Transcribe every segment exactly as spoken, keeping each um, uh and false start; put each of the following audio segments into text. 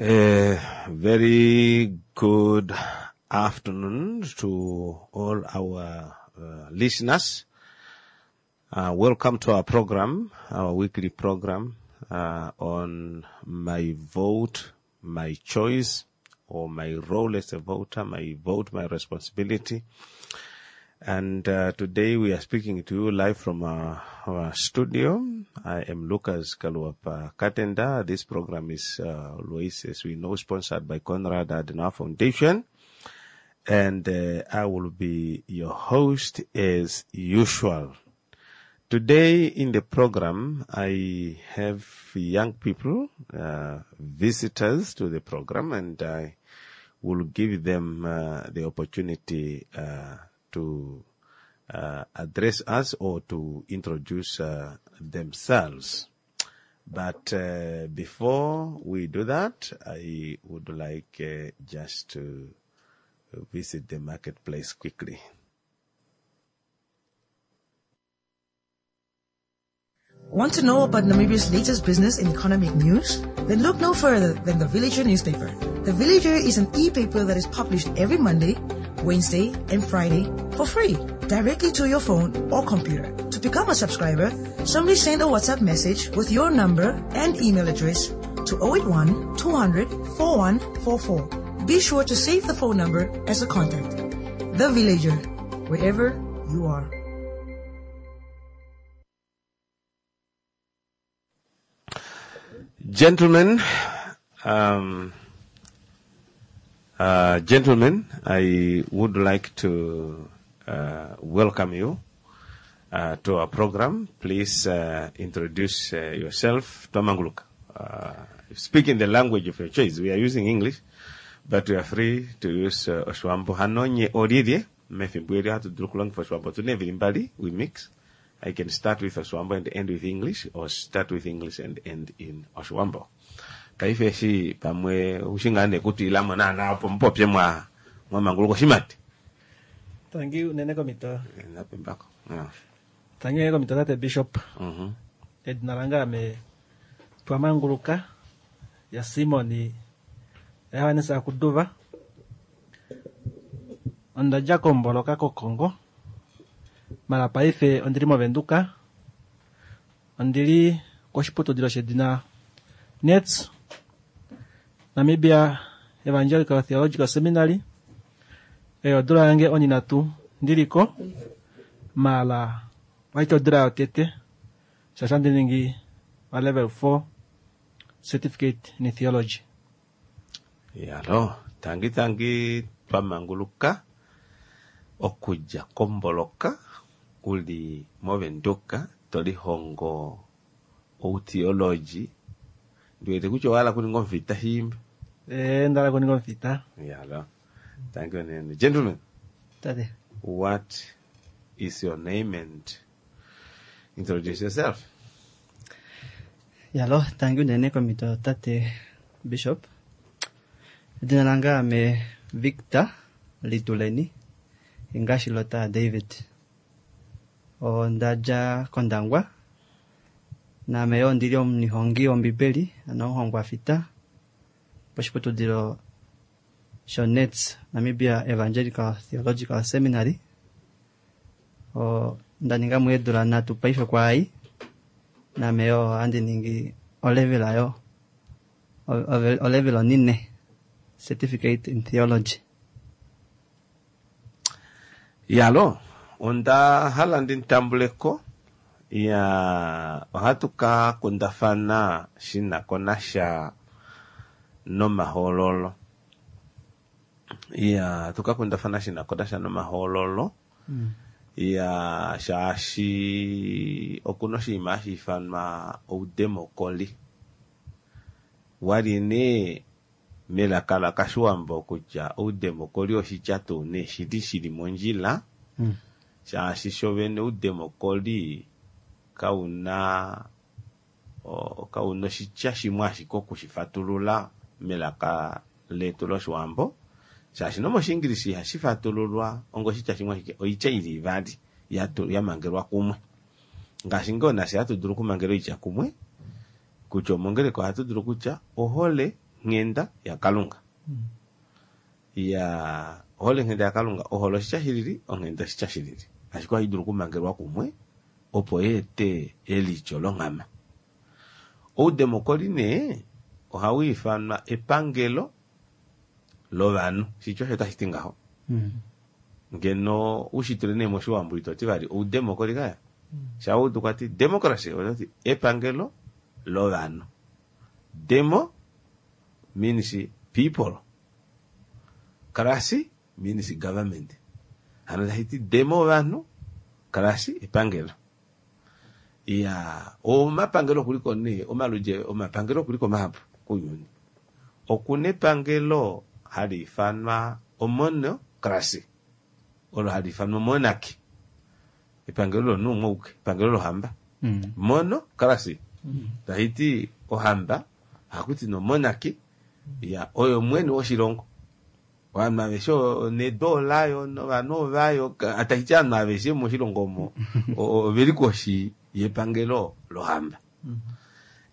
A very good afternoon to all our uh, listeners. Uh, welcome to our program, our weekly program uh, on my vote, my choice, or my role as a voter, my vote, my responsibility. And uh, today we are speaking to you live from our, our studio. I am Lucas Kaluapa Katenda. This program is uh, always, as we know, sponsored by Konrad Adenauer Foundation. And uh, I will be your host as usual. Today in the program, I have young people, uh, visitors to the program, and I will give them uh, the opportunity uh, to uh, address us or to introduce uh, themselves. But uh, before we do that, I would like uh, just to visit the marketplace quickly. Want to know about Namibia's latest business and economic news? Then look no further than the Villager newspaper. The Villager is an e-paper that is published every Monday, Wednesday, and Friday for free, directly to your phone or computer. To become a subscriber, simply send a WhatsApp message with your number and email address to oh eight one, two hundred, four one four four. Be sure to save the phone number as a contact. The Villager, wherever you are. Gentlemen, um, uh, gentlemen, I would like to, uh, welcome you, uh, to our program. Please, uh, introduce, uh, yourself. Twamanguluka. Uh, speak in the language of your choice. We are using English, but we are free to use, uh, Oshiwambo. Hanonye orire, mefimbo eri hatu dulu kulongifa Oshiwambo. Tune vili mbali, we mix. I can start with Oshiwambo and end with English, or start with English and end in Oshiwambo. Kaife eshi pamwe ushingane kuti ilamo na na opo mpopye mwa, mwa manguluko shimati. Thank you, nene komito. Napimbako. Yeah. Thank you, nene komito, tate Bishop. Mm-hmm. Edina lange ame Twamanguluka ya Simoni Yohannes Akuduva. Onda dja komboloka koKongo. Mala paife ondili moVenduka. Ondili koshiputudilo shedina N E T S, Namibia Evangelical Theological Seminary. Eyo odula yange oninatu ndiliko mala waita odula yotete shasha ndi ningi wa level four certificate in theology. Yalo, tangi tangi Twamanguluka okuja komboloka uli moVenduka tolihongo outheology. Ndiwete kutya owala kuninga omufita shimba. Eh, ndala kuninga omufita. Yalo. Thank you, Nene. Gentlemen. Tate. What is your name and introduce yourself? Yalo, thank you, Nene komito tate Bishop. Edina lange ame Victor Lituleni Ingashilota David. Onda dja kOndangwa. Naame yo ndili omunihongi wombibeli, ano omuhongwa fita poshiputudilo sho N E T S, Namibia Evangelical Theological Seminary. O, nda ninga muedula nhatu paife kwaai. Naame yo handi ningi olevel ayo, o-, o-, olevel onine, Certificate in Theology. Yalo, onda hala ndi ntambuleko ya ohatu ka kundafana shina ko nasha nomahoololo. Ya, tuka kundafana shina ko nasha nomahoololo. Mm. Ya, shaashi okuna oshinima hashi ithanwa oudemokoli. Wali ne melaka la Kashiwambo kutya oudemokoli oshitya tuu ne shili shili mondjila. Mm. Shaashi shovene oudemokoli kauna, o, kauna oshitya shimwe ashike okushifatulula melaka letu lOshiwambo. Shaashi nomOshingilisi ihashi fatululwa onga oshitya shimwe ashike, oitya ili ivali ya tu-, ya mangelwa kumwe. Ngaashi ngoo nafye hatu dulu okumangela oitya kumwe, kutya omongeleko ohatu dulu kutya ohole nghenda yaKalunga. Ya ohole nghenda yaKalunga, ohole oshitya shilili, onghenda oshitya shilili. Ashike ohai dulu okumangelwa kumwe opo yeete elityo longhama. Oudemokoli nee ohau ifanwa epangelo lovanhu. Shitya osho tashi ti ngaho. Ngeno ushitule nee moshiwambo itoti vali oudemokoli kaya. Shaudu kwati democracy ototi epangelo lovanhu. Demo means people. Krasi means government. Hano tashi ti demo ovanhu, krasi epangelo. Ya omapangelo okuliko nee omaludje omapangelo okuliko mahapu kounyuni. Okuna epangelo hali ifanwa omonocracy, olo hali ifanwa monarchy. Epangelo lomunhu umwe auke, epangelo lohamba. Monocracy tashi ti ohamba, hakuti nomonarchy ya oyo mwene woshilongo. Ovanhu aveshe nedu olayo novanhu ovayo, tashi ti ovanhu aveshe moshilongo omo oveli koshi yepangelo lohamba.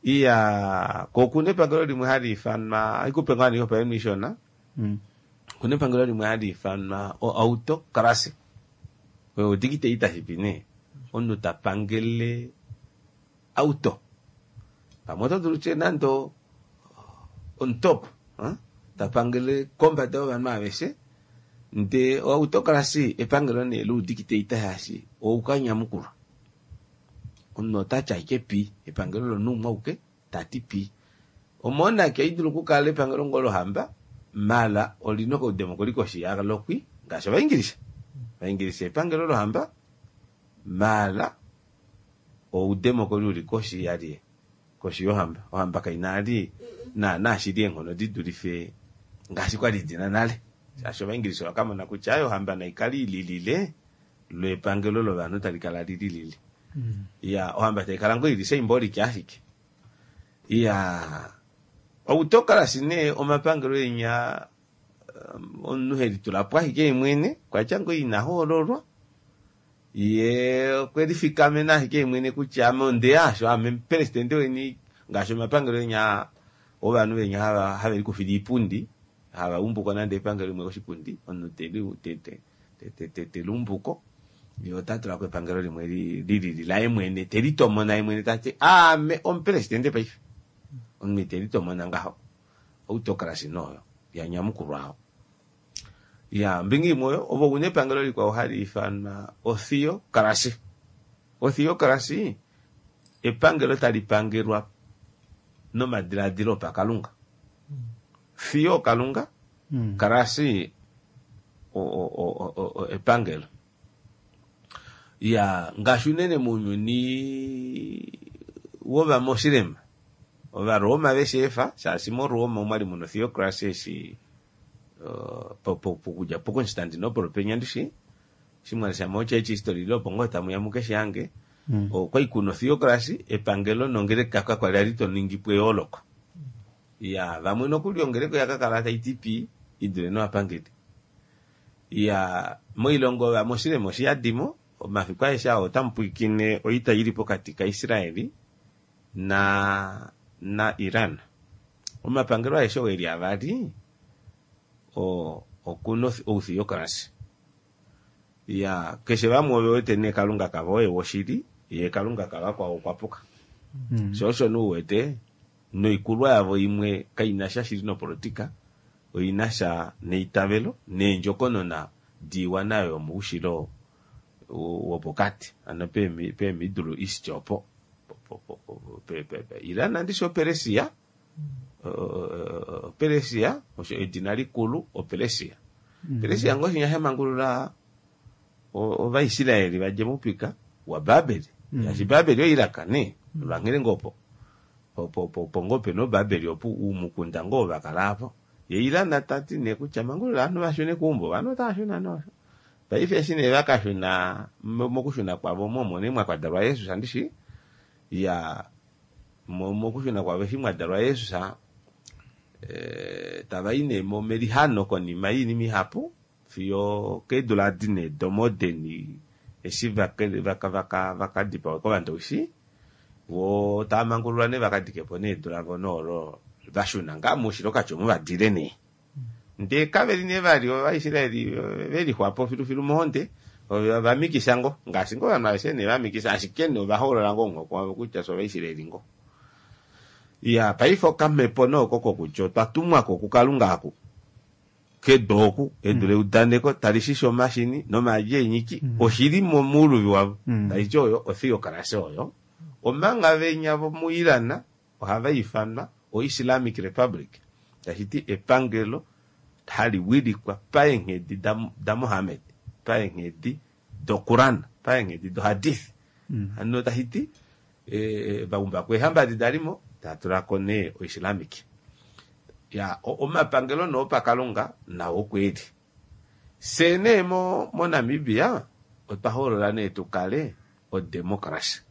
Iya ko okuna epangelo limwe hali ifanwa, haikupe ngaa oihopaenenwa ishona. Okuna epangelo limwe hali ifanwa oautocracy. Oyo odictator shipi nee, omunhu ta pangele auto. Pamwe oto dulu tye nande on top, ta pangele kombada yovanhu aveshe. Ndee oautocracy epangelo nee loudictator shaashi oukanyamukulwa. Omunhu otati ashike pi, epangelo lomunhu umwe auke tati pi. Omonarchy ohai dulu okukala epangelo ngoo lohamba, mala olina okaudemokoli koshi yalo kwi, ngaashi Ovaingilisha. Ovaingilisha epangelo lohamba, mala oudemokoli uli koshi yalye, koshi yohamba. Ohamba kaina ali naana shili eenghono di dulife ngaashi kwali dina nale. Shaashi Ovaingilisha ovakamona kutya ayo ohamba naikale ililile, lwepangelo lovanhu tali kala lililile. Ya ohamba taikala ngoo ili symbolic ashike. Ya autocracy nee omapangelo enya omunhu helitulapo ashike yemwene, kwatya ngoo ina hoololwa, ye okwe lifikamena ashike yemwene kutya ame ondeya asho, ame presidente weni, ngaashi omapangelo enya ovanhu venya hava have likufile iipundi, hava umbuko nande epangelo limwe koshipundi, omunhu te te te te te lumbuko, ye ota tulako epangelo limwe lilili laye mwene, te litomona ye mwene tati ame omupresidente paife. Omunhu te litomona ngaho. Autocracy noyo ya nyamukulwa aho. Ya mbinga imwe oyo ovo una epangelo likwao hali ifanwa otheocracy. Otheocracy epangelo tali pangelwa nomadiladilo opakalunga. Theo kalunga, krasi o o o epangelo. Ya ngaashi unene mounyuni wovamoslema, Ovaroma vesheefa, shaashi moRoma omwali muna theocracy eshi pokudja poConstantinople penya ndishi, shimwalesha mo church history ile opo ngoo tamuya mukeshe hange, okwali kuna theocracy epangelo nongeleka kakwali ali toningi po eyooloko. Ya vamwe nokuli ongeleka oyakakala tai ti pi idule novapangeli. Ya moilongo yovamoslema oshiyadimo, omafiku aeshe ao otamu pwiikine oita ili pokati kaIsraeli na na Iran. Omapangelo aeshe oo eli avali okuna outheocracy. Ya keshe vamwe ove wete nee Kalunga kavo oye woshili, ye Kalunga kavakwao okwa puka. Sho osho nee uwete noikulwa yavo imwe kaina sha shili nopolitika, oina sha neitavelo neendjokonona diiwana yomoushilo wopokati, ano pe Middle East opo. Iran andishi oPersia, Persia osho edina likulu oPersia. Persia ngoo shinya shamangulula Ovaisraeli vadje moupika waBabeli. Shaashi Babeli oIraq nee, lwanghele ngoo opo. Po ngoo pena oBabeli opo umukunda ngoo vakala apo. Ye Iran tati nee kutya mangulula ovanhu vashune keumbo, ovanhu otava shuna nosho. Paife eshi nee vakashuna mokushuna kwavo momo nee mwakwadalwa Jesus andishi. Ya mokushuna kwavo eshi mwadalwa Jesus, tava i nee melihano konima yoinima ihapu fiyo keedula dine domodeni eshi vakadipawa kovandowishi, vo tava mangululwa nee vakadike po needu lavo noolo Vashuna ngaa muushilo kati omu vadile nee. Ndee kaveli nee vali Ovaisraeli velixwapo filufilu mohonde, vamikisa ngo ngaashi ngoo ovanhu aveshe nee vamikisa, ashike nee ovahoolola ngoo omuhoko wavo kutya fye Ovaisraeli ngo. Ya paife okamhepo nee oko kokutya otwa tumwako kuKalunga aku kedu oku, edu leudaneko tali shisha omashini nomaadi eenyiki, oshili momuuluvi wavo. Taiti oyo otheocracy oyo. Omanga venya vomuIran ohava ifanwa oIslamic Republic, tashiti epangelo hali wilikwa paenghedi daMohammed, paenghedi doQuran, paenghedi doHadith. Hano tashiti vaumba kweehamba edi dalimo tatulako nee oIslamic. Ya omapangelo noo pakalunga nao okweli. Fye nee moNamibia otwa hoolola nee tukale odemocracy.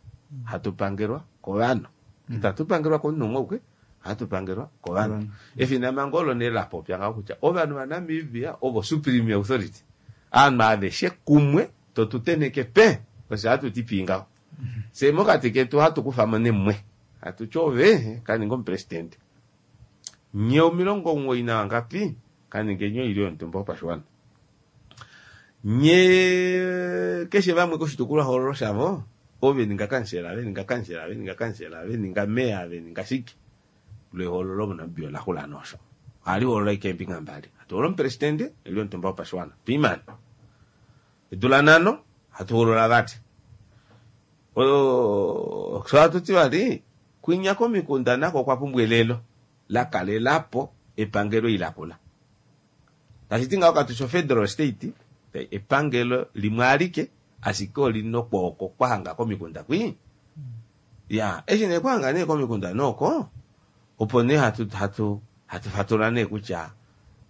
Hatu pangelwa kovanhu. Itatu pangelwa komunhu umwe auke, ohatu pangelwa kovanhu. Efinamhango olo nee lapopya ngaho kutya ovanhu vaNamibia ovo supreme authority. Ovanhu aveshe kumwe totu tenheke pe, osho hatu ti pii ngaho. Fye mokati ketu ohatu kufamo nemwe. Hatu ti ove kaninga omupresidente. Nye omilongo omuwoi nawangapi kaningeni oilyo yomutumba wopashiwana. Nye keshe vamwe koshitukulwahoololo shavo ove ninga kansela, ve ninga kansela, ve ninga kansela, ve ninga meya, ve ninga shike. Lwehoololo moNamibia ola xula nosho. Ohali hoolola ashike eembinga mbali. Hatu hoolola omupresidente oilyo yomutumba wopashiwana. Twiimane. Edula nhano hatu hoolola vali. Sho hatu ti vali kwinya komikunda nako okwa pumbwa elelo la kalelapo epangelo ilakula. Tashiti ngaho katushi federal state, epangelo limwe alike ashike olina okwooko kwahanga komikunda kwii. Ya, eshi nee kwahanga nee komikunda nooko, opo nee hatu hatu hatu fatula nee kutya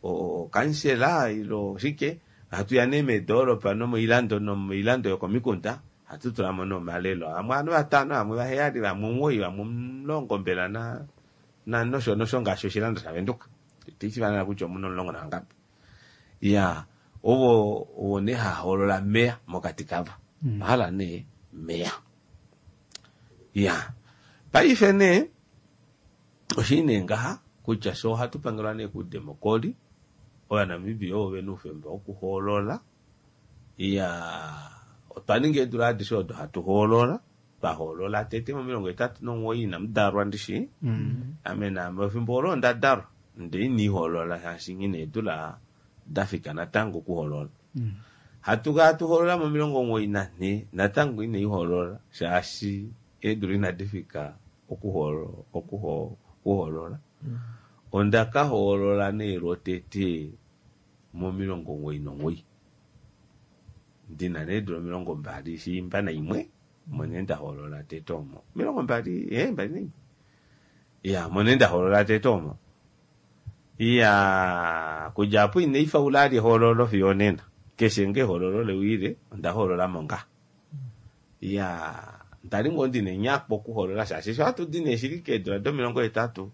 okansela ilo shike, hatu ya nee meedoropa nomoilando nomoilando yokomikunda, hatu tulamo nee omalelo amwe ovanhu vatano, amwe vaheyali, vamwe omuwoi, vamwe omulongo mbela na na nosho nosho ngaashi oshilando shaVenduka. Itashi kutya omuna omulongo navangapi. Ya, ovo ovo nee hahoolola meya mokati kavo. Ohala nee meya. Ya, paife nee oshili nee ngaha kutya sho ohatu pangelwa nee kudemokoli, Ovanamibia ovo vena oufemba wokuhoolola. Ya, otwa ninga eedula adishe odo hatu hoolola. Twahoolola tete momilongo hetatu nomuwoi inamu dalwa ndishi. Ame naame efimbo olo onda dalwa ndee iniihoolola shaashi nghina eedula dafika natango okuhoolola. Hatu hatu hoolola momilongo omuwoi nanhee natango inaihoolola shaashi eedula inadi fika okuhoolola. Onda ka hoolola nee lwotete momilongo omuwoi nomuwoi. Ndina nee eedula omilongo mbali shiimba naimwe omo nee ndahoolola tete omo. Omilongo mbali ee mbali naimwe. Ya, omo nee ndahoolola tete omo. Iya, kudja apo inaifaula ali ehoololo fiyo onena. Keshe ngoo ehoololo lewile onda hoololamo ngaa. Iya, ndali ngoo ndina enyakwa okuhoolola shaashi sho hatu di nee shili keedula domilongo hetatu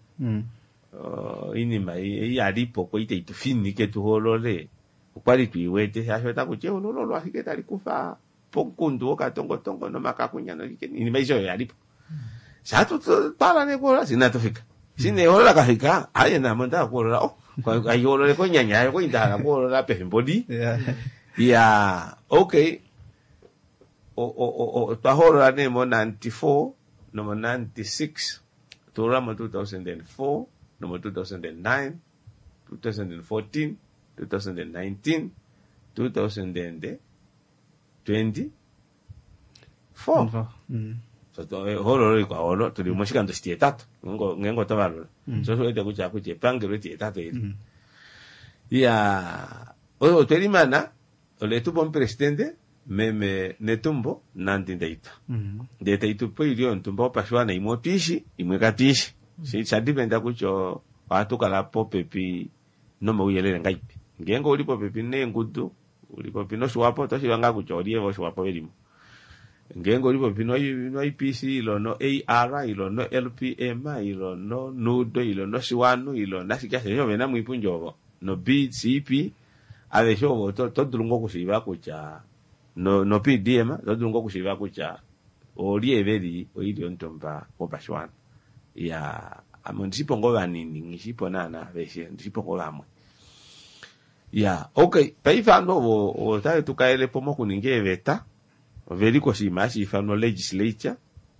oinima ei yalipo kwali tai tu fininike tuhoolole okwali tuiwete shaashi otakuti ehoololo olo ashike tali kufa pomukundu wokatongotongo nomakakunya noshike oinima aishe oyo yalipo. Shatu twala nee kuhoolola fye inatu fika. Eshi nee ehoololo lakafika, aaye naame onda hala okuhoolola, oh haihoolole konyanya yayo kwali nda hala okuhoolola pefimbo lii. Ya, okay. Otwa hoolola nee mo ninety four nomo ninety six, tuholola mo two thousand and four nomo two thousand and nine, two thousand and fourteen, two thousand and nineteen, two thousand and twenty four. Ehoololo likwao olo tuli moshikando shitihetatu ngeenge oto valula. Sho osho wete kutya kutya epangelo etihetatu eli. Ya, oyo otwe limana oletupa omupresidente meme Netumbo Nandi-Ndaitwah. Ndee taitupe oilyo yomutumba wopashiwana imwe otwiishi, imwe katwiishi. Sha dependa kutya ohatu kala popepi nomauyelele ngaipi. Ngeenge ouli popepi neengudu, uli popepi noshiwapo, oto shiiva ngaa kutya olyee voshiwapo velimo. Ngeenge uli popepi no I P C ilo no A R ilo no L P M ilo no Nudo ilo no Shiwanu ilo nashike ashe ovena moipundi ovo no B C P aveshe ovo to dulu ngoo okushiiva kutya no no P D M to dulu ngoo okushiiva kutya olye veli oilyo yomutumba wopashiwana. Ya, Ame ondishipo ngoo vanini, ngishipo naana aveshe, ondishipo ngoo vamwe. Ya, okay, paife ovanhu ovo otave tu kalelepo mokuninga eeveta, oveli koshinima hashi ifanwa legislature,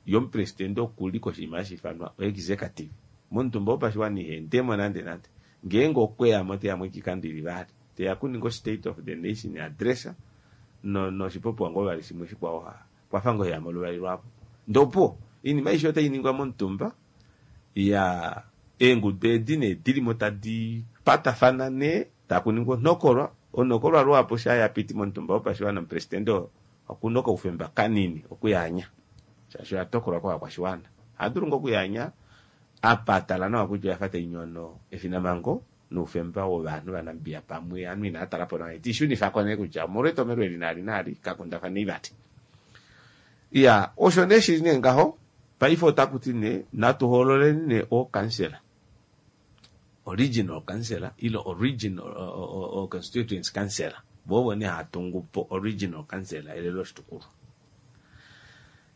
ye omupresidente okuli koshinima hashi ifanwa executive. Momutumba wopashiwana iha endemo nande nande. Ngeenge okweyamo teyamo oikikando ili vali. Teya kuninga state of the nation address, no noshipopiwa ngoo vali shimwe shikwao kwafa ngoo yamo luvali lwapo. Ndopo, oinima aishe otai ningwa momutumba, ya eengudu edi nee dilimo tadi patafana nee, takuningwa onhokolwa, onhokolwa lwapo sha yapiti momutumba wopashiwana omupresidente okuna okaufemba kanini okuyaanya. Shaashi oya tokolwa kovakwashiwana. Ohadulu ngoo okuyaanya apa atala nawa kutya oyafa tainyono efinamhango noufemba wovanhu vaNamibia pamwe ovanhu inava talapo nawa tiishunifako nee kutya omolwetomhelo eli naali naali kakundafanei vati. Ya, osho nee shili nee ngaho, paife otaku ti nee natu hoololeni nee ookansela. Original councillor ile original o, o, constituency councillor. Vovo nee hatungu po original councillor elelo loshitukulwa.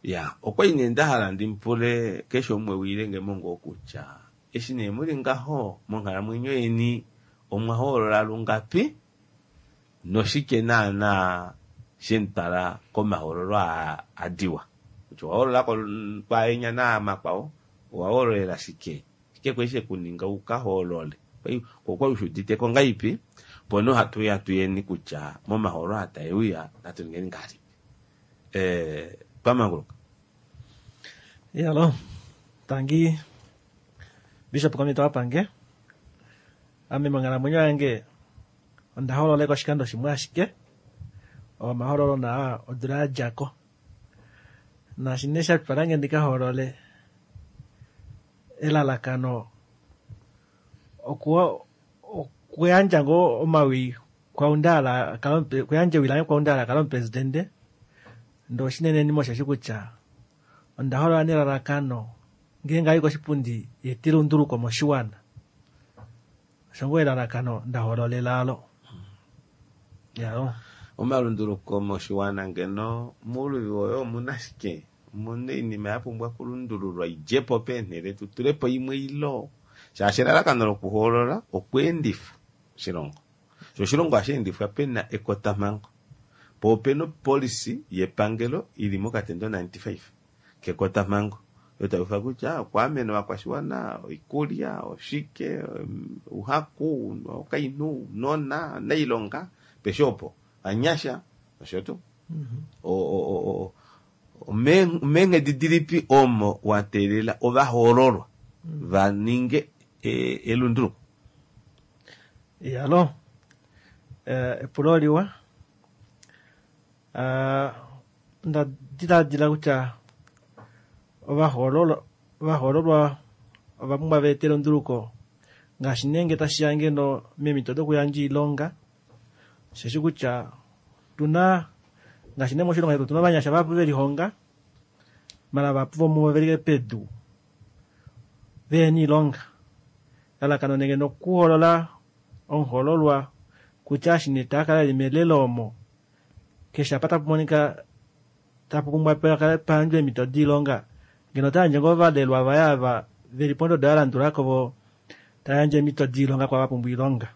Ya, okwali nee ndahala ndimpule keshe umwe wiilenge mongo kutya eshi nee muli ngaho monghalamwenyo yeni omwa hoolola lungapi noshike naana shemutwala komahoololo aa adiwa. Kutya owa hoolola kwaenya naamakwao, owa hoololela shike? Shike kwali shekuninga uka hoolole? Okwali ushuuditeko ngaipi? Opo nee ohatu ya tuyeni kutya momahoololo aa taeuya natu ningeni ngahelipi. Eh, twamanguluka. Yalo, tangi Bishop komito wapange. Ame monghalamwenyo yange onda hoololeko oshikando shimwe ashike. Omahoololo naa odula yadjako. Naashi nee shatwalange ndika hoolole elalakano okuwa okuyandja ngoo omawi kwaundaala kuyandja ewi lange kwaundaala akale omupresidente. Ndee oshinenenima osheshi kutya onda hoolola nelalakano ngeenge ayi koshipundi yeete elunduluko moshiwana. Osho ngoo elalakano nda hoololela alo. Yalo. Omalunduluko moshiwana ngeno mouluvi woye omuna shike? Omuna oinima ya pumbwa okulundululwa idjepo peenhele tutulepo imwe ilo. Shaashi elalakano lokuhoolola okweendifa oshilongo. Sho oshilongo ohashi endifwa pena ekotamhango. Po opena opolicy yepangelo ili mokatendo ninety-five kekotamhango. Oyo taiufa kutya okwaamena ovakwashiwana, oikulya, oshike, ouhaku, okainhu, ounona, nailonga, peshe opo, vanyasha, osho tuu. O meenghedi dilipi omo wa teelela ovahoololwa va ninge elunduluko? Yalo, epulo liwa. Nda diladila kutya ovahoololwa ovahoololwa ova pumbwa va ete elunduluko ngaashi nenge tashiya ngeno meemhito dokuyandja oilonga, osheshi kutya tuna ngaashi nee moshilongo shetu otuna ovanyasha vahapu velihonga mala vahapu vomuvo veli pedu vehena oilonga. Elalakano nenge nokuhoolola omuhoololwa kutya eshi nee takala eli melelo omo keshe apa tapu monika tapu pumbwa payandjwe eemhito doilonga ngeno otayandje ngoo ovalelwa vaye ava veli pondodo yalandulako vo tayandje eemhito doilonga kwaava vapumbwa oilonga.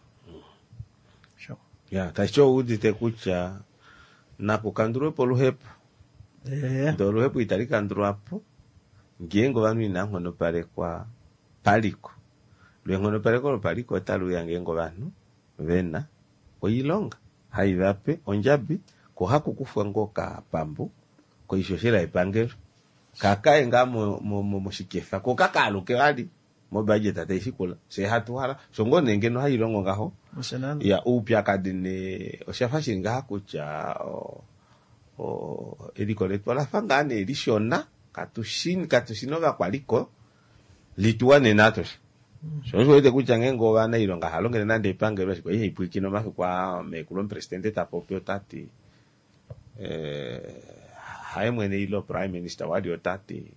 Ya, tashi ouudite kutya nakukandulwepo oluhepo. Ndee oluhepo itali kandulwapo ngeenge ovanhu inava nghonopalekwa paliko. Lwenghonopaleko lopaliko otali uya ngeenge ovanhu vena oilonga haivape ondjabi ko haku kufwa ngoo okapambu koishoshela yepangelo kakaye ngaa moshikefa ko kakaaluke vali mobudget taishikula fye hatu hala sho ngoo nee ngeno hailongo ngaho. Ya, oupyakadi nee oshafa shili ngaha kutya eliko letu olafa ngaa nee lishona, katushi katushina ovakwaliko lituwanena atushe. Sho osho wete kutya ngeenge ovanailonga halongele nande epangelo ashike ihaipwiikine omafiku aa meekulu omupresidente tapopi otati haye mwene ile prime minister wali otati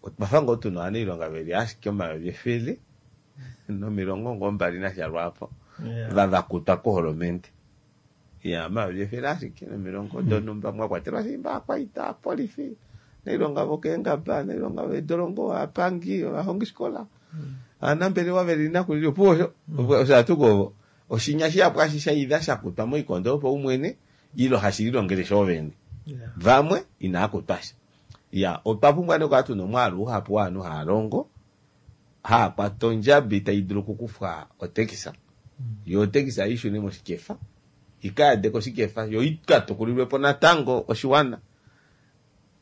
otwafa ngoo tuna ovanailonga veli ashike omayovi efele nomilongo ngoo mbali nasha lwaapo vavakutwa koholomende. Ya, omayovi efele ashike nomilongo donhumba mwa kwatelwa shimba akwaita, apolifi, Nailonga vokeengaba, nailonga veedolongo, aapangi, ovahongifikola, aanambelewa veli nakulili opuwo osho osho hatuko ovo oshinya shihapu hashi shaidha shakutwa moikondo yopaumwene ilo hashi lilongele shoovene vamwe inaa kutwa sha. Ya otwa pumbwa nee okukala tuna omwaalu uhapu wovanhu haa longo haa kwata ondjabi tai dulu okukufwa otekisa yo otekisa ishune moshikefa ikayadeke oshikefa yo ikatukulilwepo natango oshiwana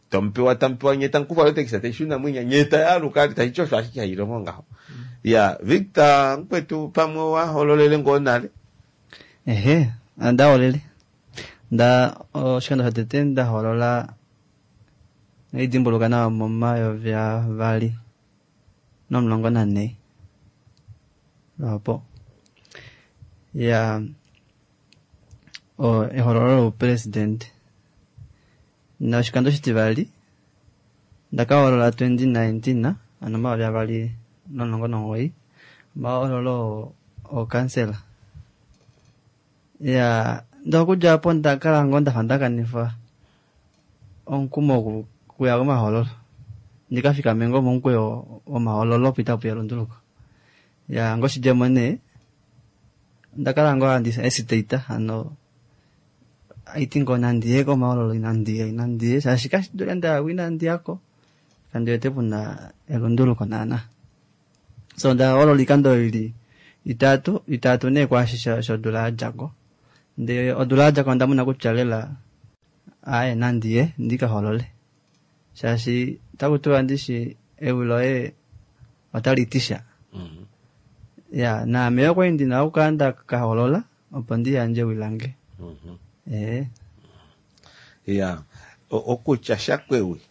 tomupewa tamupewa nye tamukufwa otekisa taishuna mwinya nye tayaaluka taiti osho ashike hailongo ngaho. Ya Victor mukwetu pamwe wahololele ngoo nale? Ehe, ndaholele nda oshikando shotete ndaholola naidimbuluka nawa momayovi avali nomulongo nanhee lwapo. Ya ehololo loupresident. Noshikando shitivali ndakaholola twenty nineteen ano omayovi avali nomulongo nomugoyi omahololo ookansela. Ya ndee okudja opo ndakala ngoo ndafa ndakanifa omukumo okuya komahololo ndikafikame ngoo momukweyo womahololo opo itapuya elunduluko. Ya ngoshidjemo nee ndakala ngoo handi hesitate hano haiti ngoo nandiye komahololo inandiya inandiye shaashi kashidule ndayako inandiyako kandiwete puna elunduluko naana. So ndaholola oikando ili itatu itatu nee kwaashi shodula yadjako. Ndee odula yadjako ondamona kutya lela aaye nandiye ndikaholole shaashi otakutiwa ndishi ewi loye otali ti sha. Ya naame okwali ndina okukala ndakaholola opo ndiyandje ewi lange. Ee. Ya okutya sha kwewi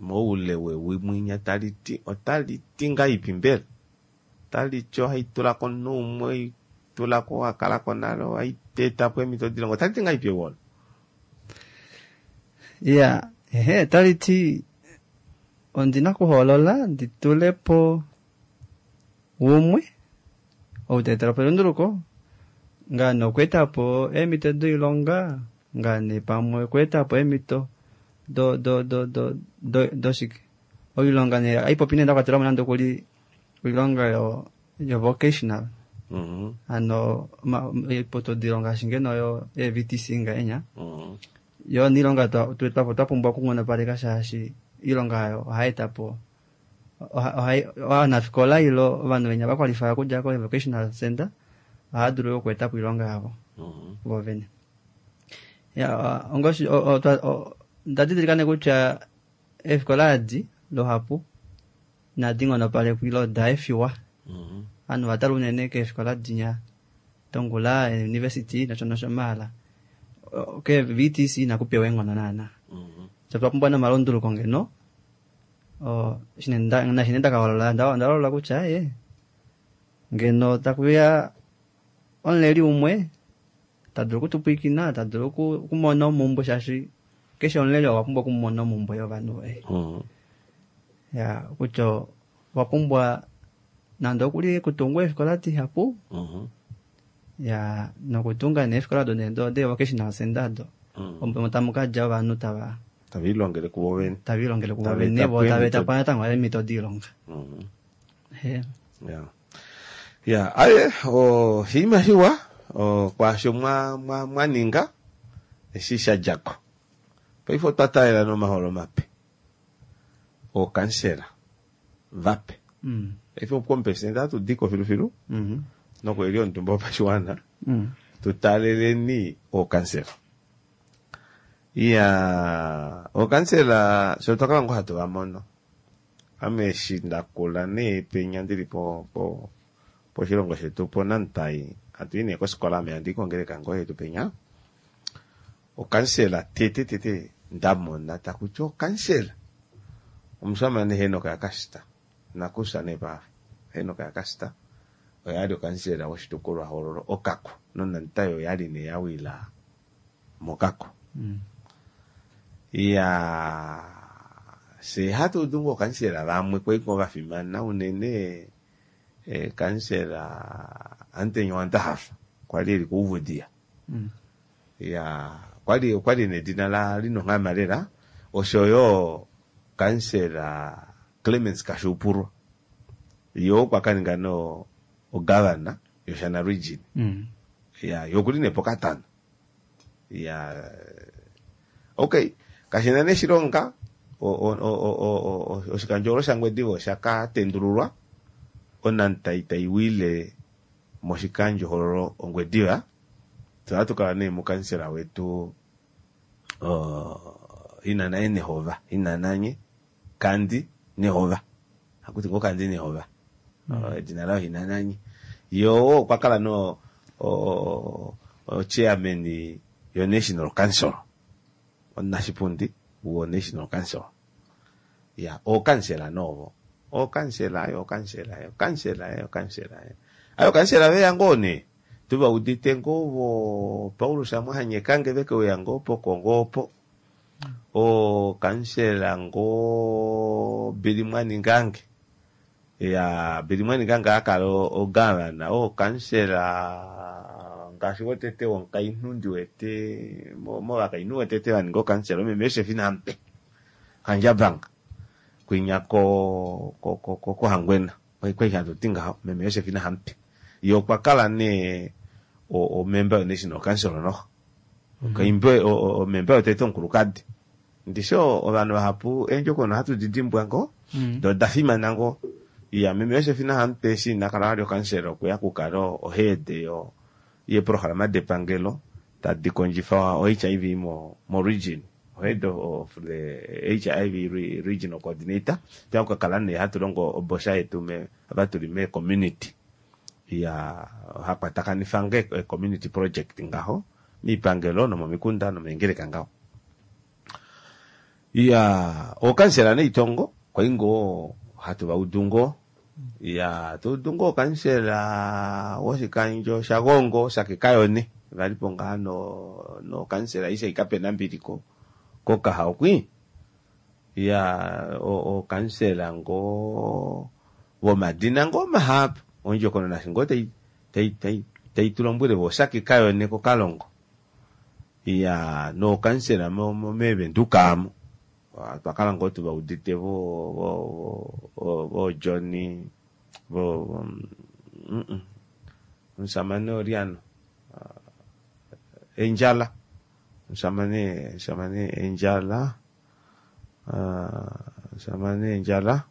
moule wewi mwinya taliti otaliti ngaipi mbela? Otaliti ohaitulako omunhu umwe tulako wakalako nale ohaitetapo eemhito dilongo otaliti ngaipi ewi olo? Ya ehe otaliti ondina okuhoolola nditulepo umwe ou taetelapo elunduluko ngaane okweetapo eemhito doilonga ngaane pamwe okweetapo eemhito do do do do do doshike oilonga nee haipopi nee ndakwatelamo nande okuli oilonga yo yo vocational hano oiputudilo ngaashi ngeno yo V T C ngahenya yo niilonga twa pumbwa okunghonopaleka shaashi oilonga oyo ohayeetapo ovanafikola ilo ovanhu venya vakwalifaya okudja ko vocational center ohava dulu okweetapo oilonga yavo vovene. Ya ongoshi ndadidilika nee kutya eefikola adi luhapu inadi nghonopalekwa ilo oda efiwa. Ovanhu ovatala unene keefikola dinya dongula university nosho nosho maala ke V T C inakupewa eenghono naana. So twa pumbwa nomalunduluko ngeno nashine ndakaholola ndalola kutya ee ngeno takuya omuleli umwe tadulu okutupwiikina tadulu okumona omumbwe shaashi keshe omuleli owa pumbwa okumona omumbwe yovanhu voye. Ya kutya owa pumbwa nande okuli kutungwa eefikola dihapu ya nokutunga neefikola do de vocational center do omo tamu kadja ovanhu tava tavilongele kuvo vene tavilongele kuvo vene vo tava po natango eemhito doilonga. Ya ya aye oshinima shiwa kwaasho mwaninga eshi shadjako. Paife otwa taalela nomaholo mape ookansela vape. Paife omupresidente atudiko filufilu nokweli omutumba wopashiwana tutaaleleni ookansela. Iya ookansela sho twakala ngoo hatu vamono ame eshi ndakula nee penya ndili po po poshilongo shetu poNamtai hatu i nee kofikola ame handi kongeleka ngoo yetu penya okansela tete tete ndamona takuti okansela omushamane Henock yaKasita nakusa nee paafa Henock yaKasita oyali okansela woshitukulwa hoololo Okaku noNamtai oyali nee yawila mOkaku. Iya se hatu udu ngoo okansela vamwe kwali ngoo vafimana unene kansela Antenya Wandahafa kwali eli kUuvudhiya. Ya kwali okwali nedina la linonghama lela Oshoyo kansela Clemens Kashuupulwa yo okwa kaninga no ogavana yoShana region. Mm. Ya yokuli ne pokatano. Ya okay, kashina ne shilonga o o o o o oshikandjolo shaNgwediva oshaka tendululwa onantai taiwile moshikandjohololo Ongwediva. Twa tukala ne mukansela wetu uh, inana Nehova, inananye Kandi Nehova. Hakuti ngo Kandi Nehova. Mm. Edina lao inananye. Yo okwa kala no o, o chairman yo National Council. Onashipundi wo National Council. Ya, o kansela novo. O kansela yo kansela yo kansela yo kansela. Ayo kansela ve yangone. Tuba udite ngovo Paulus Amwahanyekange veke uyango po kongopo. O kansela ngo Bilimwani Ngange. Ya Bilimwani Ngange akala o gavana o kansela ngaashi wotete womukainhu ndi wete movakainhu wotete vaninga okansela meme Josefina Ampe Kandjabanga kwinya ko ko ko ko koHangwena kwai hatu ti ngaho meme Josefina Ampe ye okwa kala nee o member yo National Council noho okaimbe o member yotete omukulukadi ndisho ovanhu vahapu eendjokono hatu didimbwa ngo do oda fimana ngo. Ya meme Josefina Ampe eshi ina kala vali okansela okuya kukala ohead yo yeprograma depangelo tadi kondjifa o H I V mo mo region, head of the H I V re, regional coordinator. Twa kukala ne hatu longo obosha yetu me ava tuli me community ya hakwatakanifa nge community project ngaho miipangelo nomomikunda nomeengeleka ngaho. Ya okansela neitongo kwaingo hatu vaudungo ya tudungo okansela woshikandjo shaGongo shakekayone valipo ngaha no no kansela isa ikapena mbiliko kokaha okwi ya o okansela ngo vomadina ngo mahapu ondjokono nashingo tai tai tai tai tulombwele vo shakekayone kokalongo ya no kansela mo meVenduka twakala ngo tuvaudite vo vo vo vo Johnny vo mm msamane Oriano Enjala msamane msamane Enjala msamane Enjala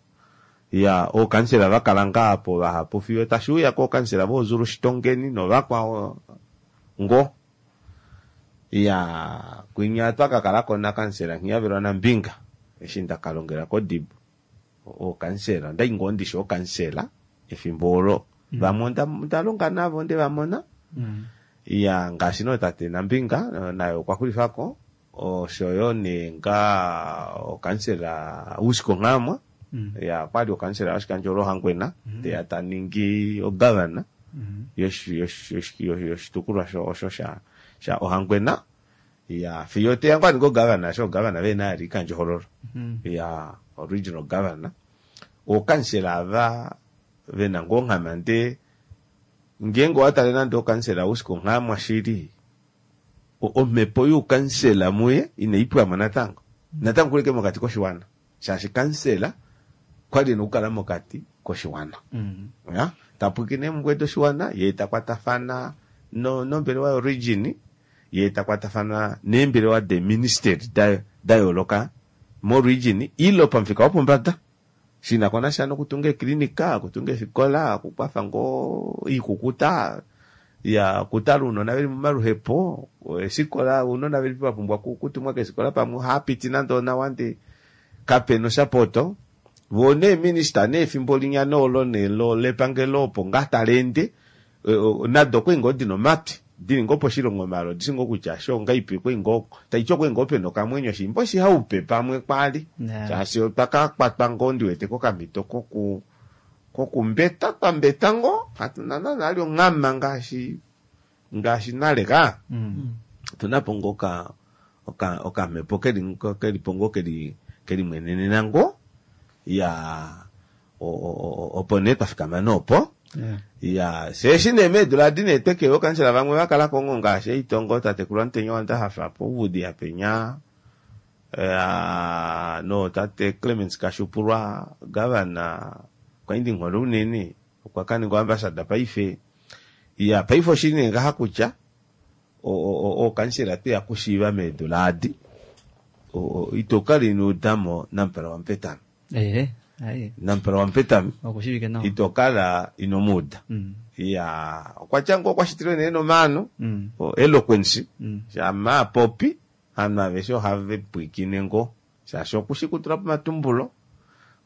ya o kansela vakala ngapo vahapu fiyo tashuya ko kansela vo Zulu Shitongeni no vakwao ngo ya kwinya twakakala kona kansela nghiyavelwa nambinga eshi ndakalongela kodibo o kansela ndai ngo ndisho o kansela efimbo olo vamwe ndalonga navo nde vamona ya ngaashi no tate Nambinga nayo okwa xulifako oshoyo nenga okansela Usko Nghamwa ya kwali okansela yoshikandjo loHangwena teya taningi ogavana yoshitukulwa osho sha sha Ohangwena ya fiyo teya ngwani go governor sho governor vena ali kandjohololo ya original governor okansela ava vena ngonghama nde ngengo watale nande okansela Usko Nghamwa shili omhepo yukansela muye inaipwamo natango natango kuleke mokati koshiwana shaashi kansela kwali nokukala mokati koshiwana ya tapwikine mungwedo oshiwana ye takwatafana no nombelewa yorigin ye takwatafana neembelewa de ministry da da yooloka mo region ilo pamufika wopombada shina kona sha nokutunga eklinika okutunga efikola okukwafa ngo ikukuta ya kutala uunona veli momaluhepo esikola uunona veli vapumbwa kutumwa kesikola pamwe hapiti nande onawa nde kapena oshapoto vo nee minister nee efimbo linya noolo nelo lepangelo opo ngaa talende nado okwe ngoo dina omatwi dili ngoo poshilongo malo dishi ngoo kutya sho ngaipi kwe ngoo taiti okwe ngoo pena okamwenyo shimbo shihaupe pamwe kwali shaashi otwakakwatwa ngoo ndiwete kokamhito koku kokumbeta twambeta ngoo hatuna nana ali onghama ngaashi ngaashi nale ka tunapo ngoo oka oka okamhepo keli kelipo ngoo keli keli mwenenena ngoo ya opo nee twafikama noopo ya seshi nee meedula adi nee tweke okansela vamwe vakala kongo ngaashi eitongo tatekulu Amutenya wandahafa po uvudi yapenya Uh, no tate Clemens Kashupulwa gavana kwaindi nghole unene okwa kaninga ambassador paife ya paife oshili ngaha kutya ookansela tweya kushiiva meedula adi itokala ino udamo Namupala waMupetami. Ee aye Namupala waMupetami okushivike nawa itokala inomuuda. Mm. Ya okwa tya ngo okwa shitilwe nee nomaano Mm. o eloquence Mm. shama apopi ovanhu aveshe ohave pwiikine ngo shaashi okushi kutula po omatumbulo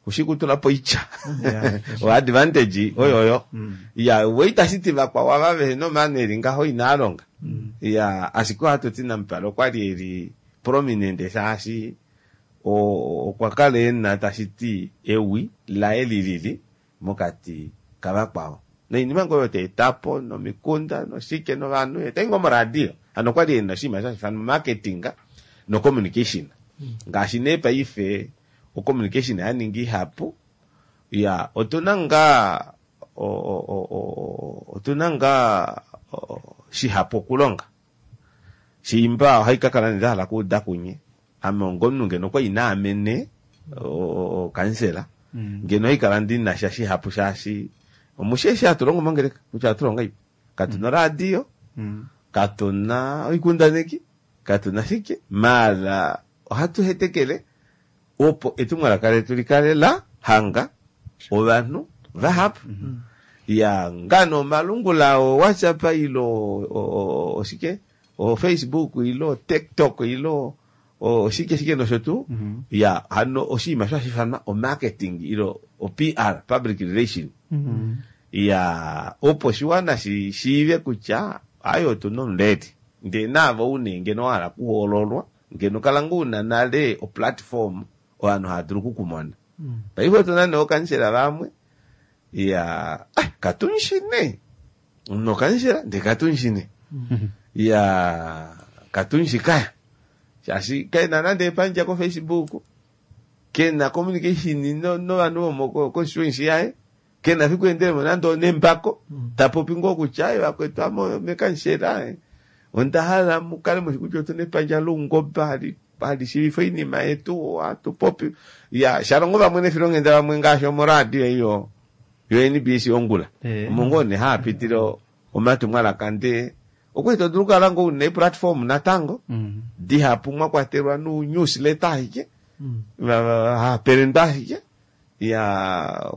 okushi kutula po oitya Yeah. o advantage oyoyo Mm. ya we itashiti vakwao ava vehena omaano eli ngaho inaalonga. Mm. Ya ashike ohatuti Namupala okwali eli prominent shaashi o- okwa kala ena tashiti ewi laye lilili mokati kavakwao noinima ngoo oyo taetapo nomikunda noshike novanhu etayi ngoo moradio hano okwali ena oshinima shashifanwa marketing no communication ngaashi nee paife ocommunication yaninga ihapu. Ya otuna ngaa o- o- o- o- otuna ngaa o- shihapu okulonga shimba ohaikakala nendahala kuuda kunye ame ongomunhu ngeno okwali naamene okansela Mm. ngeno haikala ndinasha shihapu shaashi omusheshi hatulongo mongeleka kutya hatulonga ipo katuna oradio Mm. katuna oikundaneki katuna shike maala ohatu hetekele opo etumwalaka letu likale la hanga ovanhu vahapu. Ya ngano omalungula o WhatsApp ilo o- o- oshike o Facebook ilo TikTok ilo oshike shike nosho tuu. Mhm. Ya hano oshinima sho hashifanwa o marketing ilo o P R public relation. Mm. Ya opo oshiwana shi shiive kutya ayo otuna omuleli ndee naavo une ngeno wahala kuhoololwa ngeno kala ngoo una nale o platform ovanhu hava dulu okukumona. Paife otuna nee ookansela vamwe ya ah, katunshine nokansela ndee katunshine ya katunshi kaya shaashi kena nande epandja ko Facebook kena communication no novanhu vomo constituency yaye kena fiku endelemo nande onembako tapopi ngoo kutya aye vakwetu ame mekansela onda hala mukale mushi kutya otuna epandja loungoba hali hali shiivifa oinima yetu ohatu popi ya shalongo vamwe nefilonghenda vamwe ngaashi omoradio iyo yo N B C ongula Eh. omo ngoo nee haapitile omatumwalaka ndee okwali todulu okukala ngoo una eplatform natango Mm. dihapu mwa kwatelwa nu newsletter ashike Mm. hapelendwa ashike ya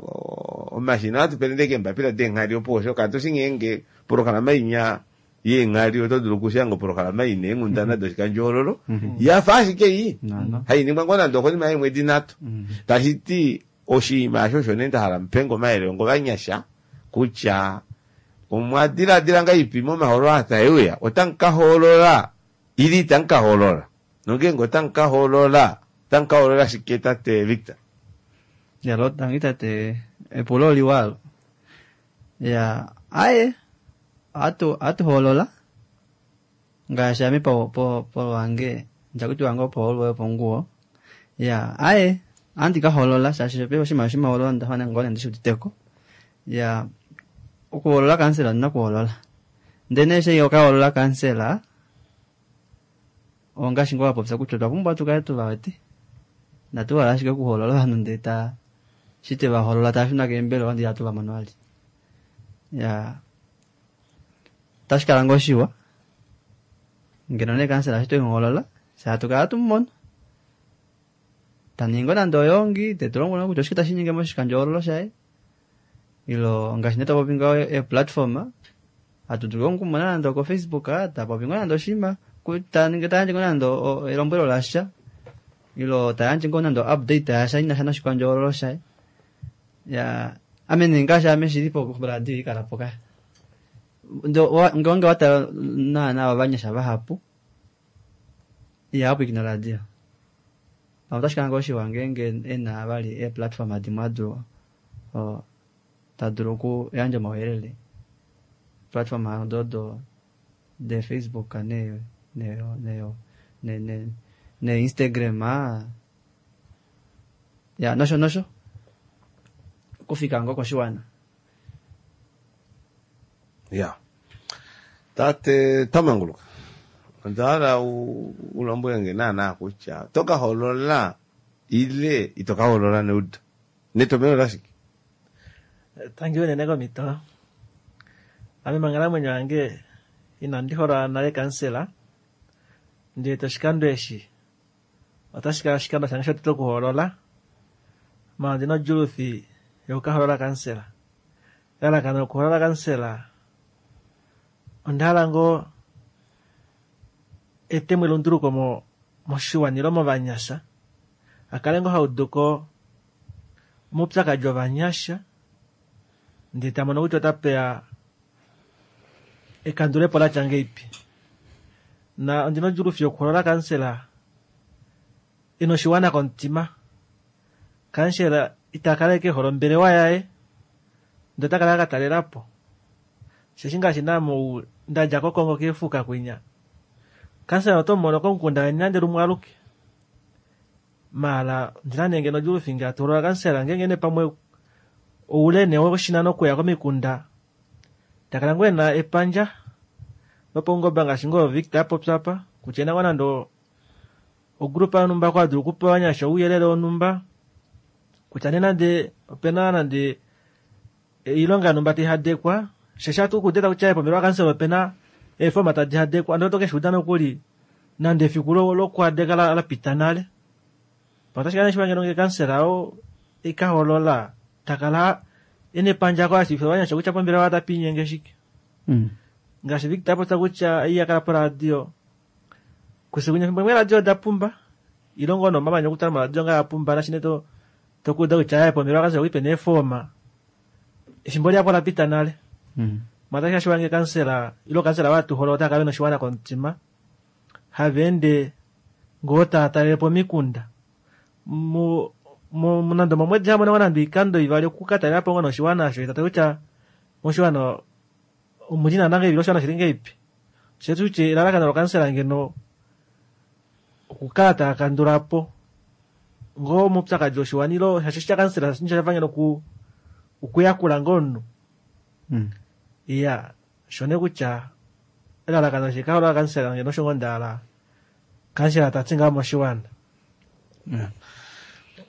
omashina ohatu pelende keembapila deenghali opo osho katushi ngeenge polokalama inya yeenghali oto dulu okushanga opolokalama ina eenghundana doshikandjohoololo yafa ashike iyi No, no. hainingwa ngoo nande okonima yeemwedi nhatu. Mm. Tashiti oshinima osho osho nee ndahala mupenga omayele ongovanyasha kutya omwadiladila ngaipi momahoololo aa taeuya otamukahoolola ili itamukahoolola nongeenge otamukahoolola otamukahoolola shike tate Victor? Ya lo tangi tate epulo liwalo. Ya aye atu atuhoolola ngaashi ame po po po wange njakuti wange opo holwe ponguwo. Ya aye andi kahoolola shaashi pe oshima oshimahoolola ndafana ngone ndishuditeko. Ya okuhoolola kansela ndina kuhoolola ndene she okahoolola kansela ongaashi ngoo wapopya kutya otwa pumbwa tukale tuvawete natuhala ashike okuhoolola ovanhu ndee ta shi tevahoolola tava shuna keembelewa ndee ihatu vamono vali. Ya otashi kala ngoo shiwa ngeno nee kansela eshi twemuhoolola fye hatu kala tumumono taningi ngoo nande oyongi tetulombwele kutya oshike tashinyenge moshikandjohoololo shaye ilo ngaashi nee tapopi ngaho e platform hatu dulu okumona nande oko Facebook tapopi ngoo nande oshinima taningi tayandje ngoo nande elombwelo lasha ilo tayandje ngoo nande update yasha inasha noshikandjohoololo shaye. Ya ame nee ngaashi ame shilipo koradio ikalapo kaya ngeenge watala naana ovanyasha vahapu ihava pwiikine oradio pamwe otashi kala ngoo shiwa ngeenge ena vali ee platform dimwe adulu tadulu okuyandja omauyelele platform odo de Facebook ne ne ne ne ne ne Instagram ya nosho nosho okufika ngoo koshiwana. Ya tate Tamanguluka Onda hala u u lombwele nge naana kutya oto ka hoolola ile ito ka hoolola neudo. Netomheno lashike? Tangi unene komhito. Ame monghalamwenyo yange inandi hoolola nale kansela, ndele toshikando eshi otashi kala oshikando shange shotete okuhoolola, maala ondina odjuulufi yokukahoolola kansela. Elalakano lokuhoolola kansela onda hala ngoo etemo elunduluko mo moshiwana ile movanyasha, akale ngoo hauduko omaupyakadi ovanyasha, ndee tamono kutya otapeya ekandulepo latya ngeipi. Na ondina odjuulufi yokuhoolola kansela ena oshiwana komutima. Kansela ita kala ashike ehole ombelewa yaye, ndee ota kala akatalelapo. Osheshi ngaashi naame ndadja kOkongo keefuka kwinya, kansela oto mumono komukunda weni nande lumwe aluke. Maala ondina nee ngeno odjuulufi ngee hatu hoolola kansela ngeenge nee pamwe oule nee woshinano okuya komikunda, takala ngoo ena epandja lopaungoba ngaashi ngoo Victor apopya apa, kutya ena ngoo nande ogrupa yonhumba oko adulu okupa ovanyasha ouyelele wonhumba, kutya nee nande opena nande oilonga yonhumba taihadekwa, osheshi ohatu kuuda kutya pombelewa yakansela opena eefoma tadi hadekwa, ndee oto keshiuda nokuli nande efiku lokuhadeka lapita nale. Otashi kala nee shiwa ngeno ngee kansela oo ekahoolola takala ena epandja oko ashiivifila ovanyasha kutya pombelewa otapa linyenge shike. Ngaashi Victor apopya kutya iha kala poradio, kusikunya efimbo limwe eeradio oda pumba, ile ngoo nomamanya okutala moradio ngaa apumba nashine to tokuuda kutya pombelewa yakansela okuli pena eefoma, efimbo lihapu olapita nale. Maala otashi kala shiwa ngee kansela ile okansela oo hatu hoolola otava kala vena oshiwana komutima, hava ende ngoo tava talelepo omikunda. Mu nande omomwedi hamona ngoo nande oikando ivali okukatalelapo ngoo noshiwana osho tatale kutya moshiwana omuli naana ngahelipi ile oshiwana oshili ngahelipi. Shoo kutya elalakano lokansela ngeno okukala taakandulapo ngoo omaupyakadi oshiwana ile shaashi oshitya kansela shafa ngeno okuyakula ngoo omunhu. Iya, osho nee kutya elalakano eshi kahoolola kansela ngeno osho ngoo ndahala kansela tati ngaho moshiwana.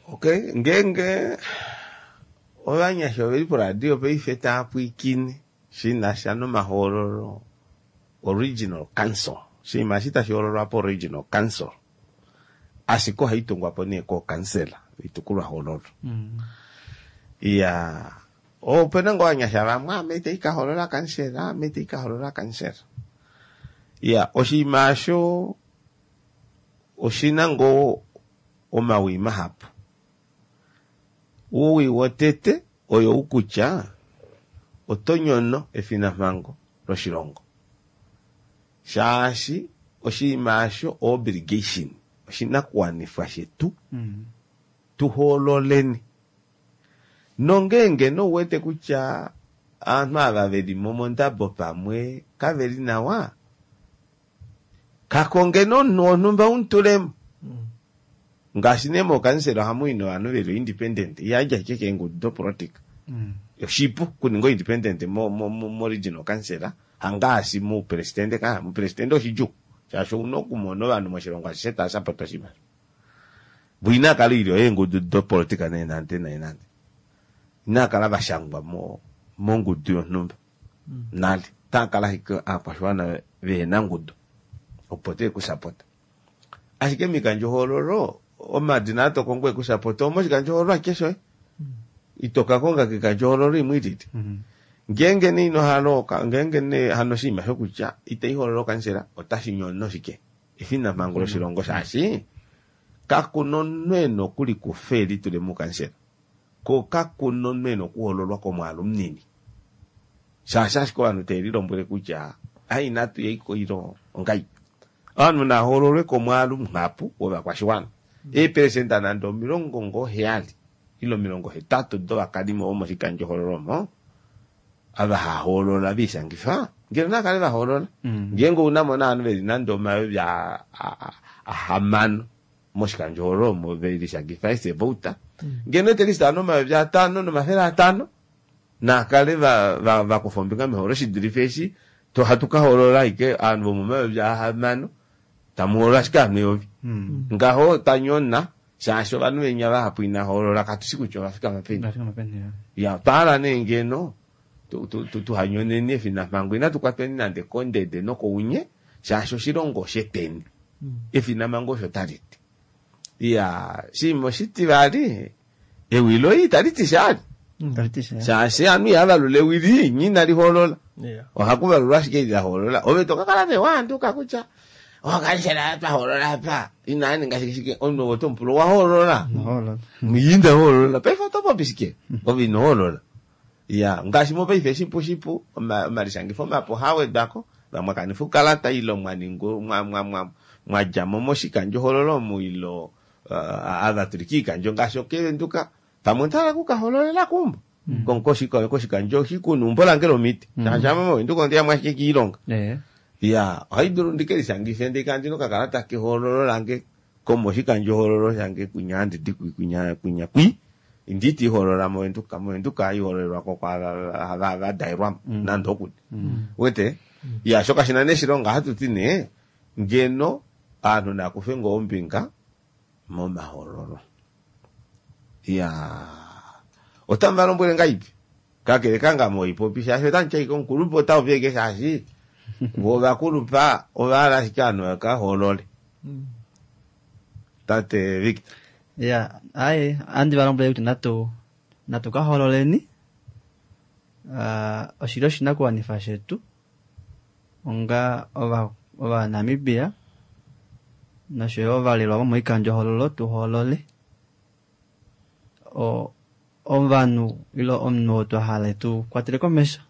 Okay, ngeenge ovanyasha oveli poradio paife tava pwiikine shinasha nomahoololo original council, oshinima eshi tashi hoololwa po original council, ashike ohaitungwapo nee kookansela oitukulwahoololo. Iya, opena ngoo ovanyasha vamwe ame itandi ka hoolola kansela, ame itandi ka hoolola kansela. Iya, oshinima osho oshina ngoo omawii mahapu. Owii wotete oyo kutya oto nyono efinamhango loshilongo, shaashi oshinima osho obligation, oshinakuwanifwa shetu tuhoololeni. Nongeenge nouwete kutya aanhu ava veli mo mondabo pamwe kaveli nawa, kakonge nomunhu wonhumba umutulemo. Ngaashi nee mookansela ohamu i novanhu veli independent, ihadja ashike keengudu dopolitika. Oshipu okuninga independent mo mo mo regional council, hangaashi moupresidente ka, moupresidente oshidjuu, shaashi ouna okumona ovanhu moshilongo ashishe tava sapota oshimaliwa. Vo inakala oilyo yeengudu dopolitika nee nande nee nande. Inakala vashangwa mo mongudu yonhumba nale, otaakala ashike aakwashiwana vehena ngudu opo teekusapota. Ashike moikandjohoololo omadina atokongo ekusapota omoshikandjohoololo ashike shoye, ito ka konga koikandjohoololo imwe ilili. Ngeenge nee ino hala ngeenge nee hano oshinima shokutya itaihoolola okansela otashi nyono shike efinamhango loshilongo, shaashi kakuna omunhu ena okulikufa elitule muukansela, ko kakuna omunhu ena okuhoololwa komwaalu munini, shaashi ashike ovanhu teve lilombwele kutya ai inatu yaiko ile ongai. Ovanhu nahoololwe komwaalu muhapu wovakwashiwana, eeperesenda nande omilongo ngoo heyali ile omilongo hetatu dovakalimo vomoshikandjohoololo omo ava hahoolola viishangifa, ngeno nakale vahoolola. Ngeenge ounamo novanhu veli nande omayovi ahamano moshikandjohoololo omo velishangifa esevouta, ngeno etelista ovanhu omayovi atano nomafele atano nakale vakufa ombinga mehoololo shidulife eshi hatu kahoolola ashike ovanhu vomomayovi ahamano Tamuhoolola ashike ovanhu eyovi. Mm. Ngaho tanyona shaashi ovanhu venya vahapu ina hoolola katushi kutya ovafikama peni. Vafikama peni, ya. Ya twahala nee ngeno tu- tu- tu- tuhanyoneni efinamhango inatu kwatweni nande kondede nokounye shaashi oshilongo osheteni. Efinamhango osho tali ti. Ya oshinima oshitivali ewi loye itali ti sha Tali ti sha. shaashi ovanhu ihava valula ewi lii nye inali hoolola. Yeah. Ohaku valulwa ashike eli la hoolola. Ove tokakala nee waanduka kutya okansela twa hoolola apa inaa ninga shike shike omunhu oto mupula owa hoolola. Hoolola. Ina hoolola paife oto popi shike ove ino hoolola. Ya ngaashi mopaife shipu shipu oma- omalishangifo mapu ohaawedwako vamwe kanifa oukalata ile mwaninga mwa mwa mwa mwadjamo moshikandjohoololo omu ile uh, ava tuli kiikandjo ngaashi okevenduka pamwe ondahala okukahoololela keumbo mm. koshikandjo shikunu umbo lange lomiti shaashi ame movenduka ondeyamo ashike kiilonga. Eh. Ya ohaidulu ndikelishangife ndee ndina okakalata kehoololo lange komoshikandjohoololo shange kwinya handidi kwinya kwinya kwi nditi hoolola movenduka movenduka haihoololelwako kwaava vadaelwamo nande okuli wete. Ya sho kashina nee shilonga hatuti nee ngeno aanhu nakufe ngoo ombinga momahoololo. Ya otamu valombwele ngaipi kakele kangame oipopi shaashi otamu ashike omukulupe otaupi ashike shaashi vo ovakulupa ovahala ashike ovanhu vakahoolole. Tate Victor. Ya, aye, andi valombwele kutya natu natu ka hoololeni. Uh, oshili oshinakuwanifa shetu onga ova ovanamibia noshoyo ovalelwa vomoikandjohoololo tu hoolole o ovanhu ile omunhu oo twa hala tu kwatele komesho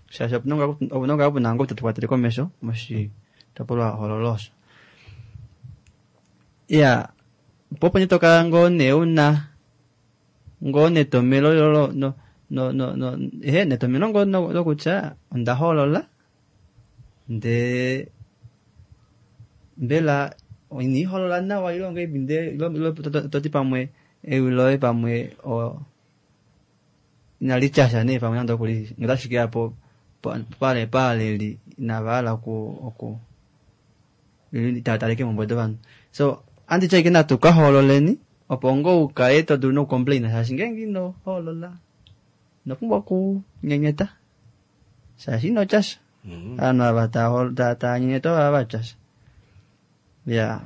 shaashi opuna ngaa puna ngoo tatu kwatele komesho moshitopolwa hoololo osho. Ya, po opo nee tokala ngoo nee una ngoo netomelo lo no no no no ehe netomelo ngoo lokutya onda hoolola ndee mbela iniihoolola nawa ile ongahelipi ndee ile toti pamwe ewi loye pamwe o inali tyasha nee pamwe nande okuli otashi keya po pale paaleli inava hala oku oku itataleke moombuto dovanhu. So anditya ashike natu ka hoololeni opo ngoo ukale to dulu nokucomplaina shaashi ngeenge ino hoolola ino pumbwa okunyenyeta shaashi ino tyasha. Ovanhu ava tava nyenyeta ova vatyasha. Ya.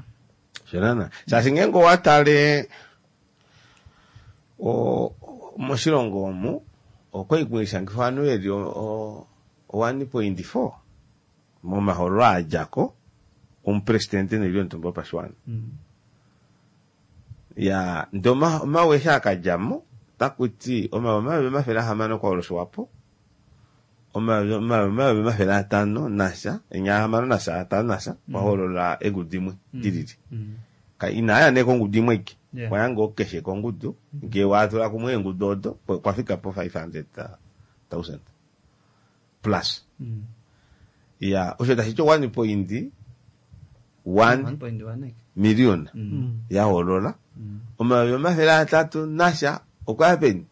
Sho shaashi ngeenge owatale o moshilongo omu okwali kulishangifa ovanhu veli one point four momahoololo adjako omupresidente noilyo yomutumba wopashiwana. Ya ndee omawi eshi akadjamo otakuti omawi omayovi omafele ahamano okwa Swapo omayovi omayovi omafele atano nasha enya ahamano nasha atano nasha kwahoolola eengudu imwe dilili. Inaaya nee kongudu imwe aike kwaya ngoo keshe kongudu ngee watula kumwe eengudu odo kwafika po five hundred thousand plus. Ya osho tashiti one point one million yahoolola omayovi omafele atatu nasha okwaya peni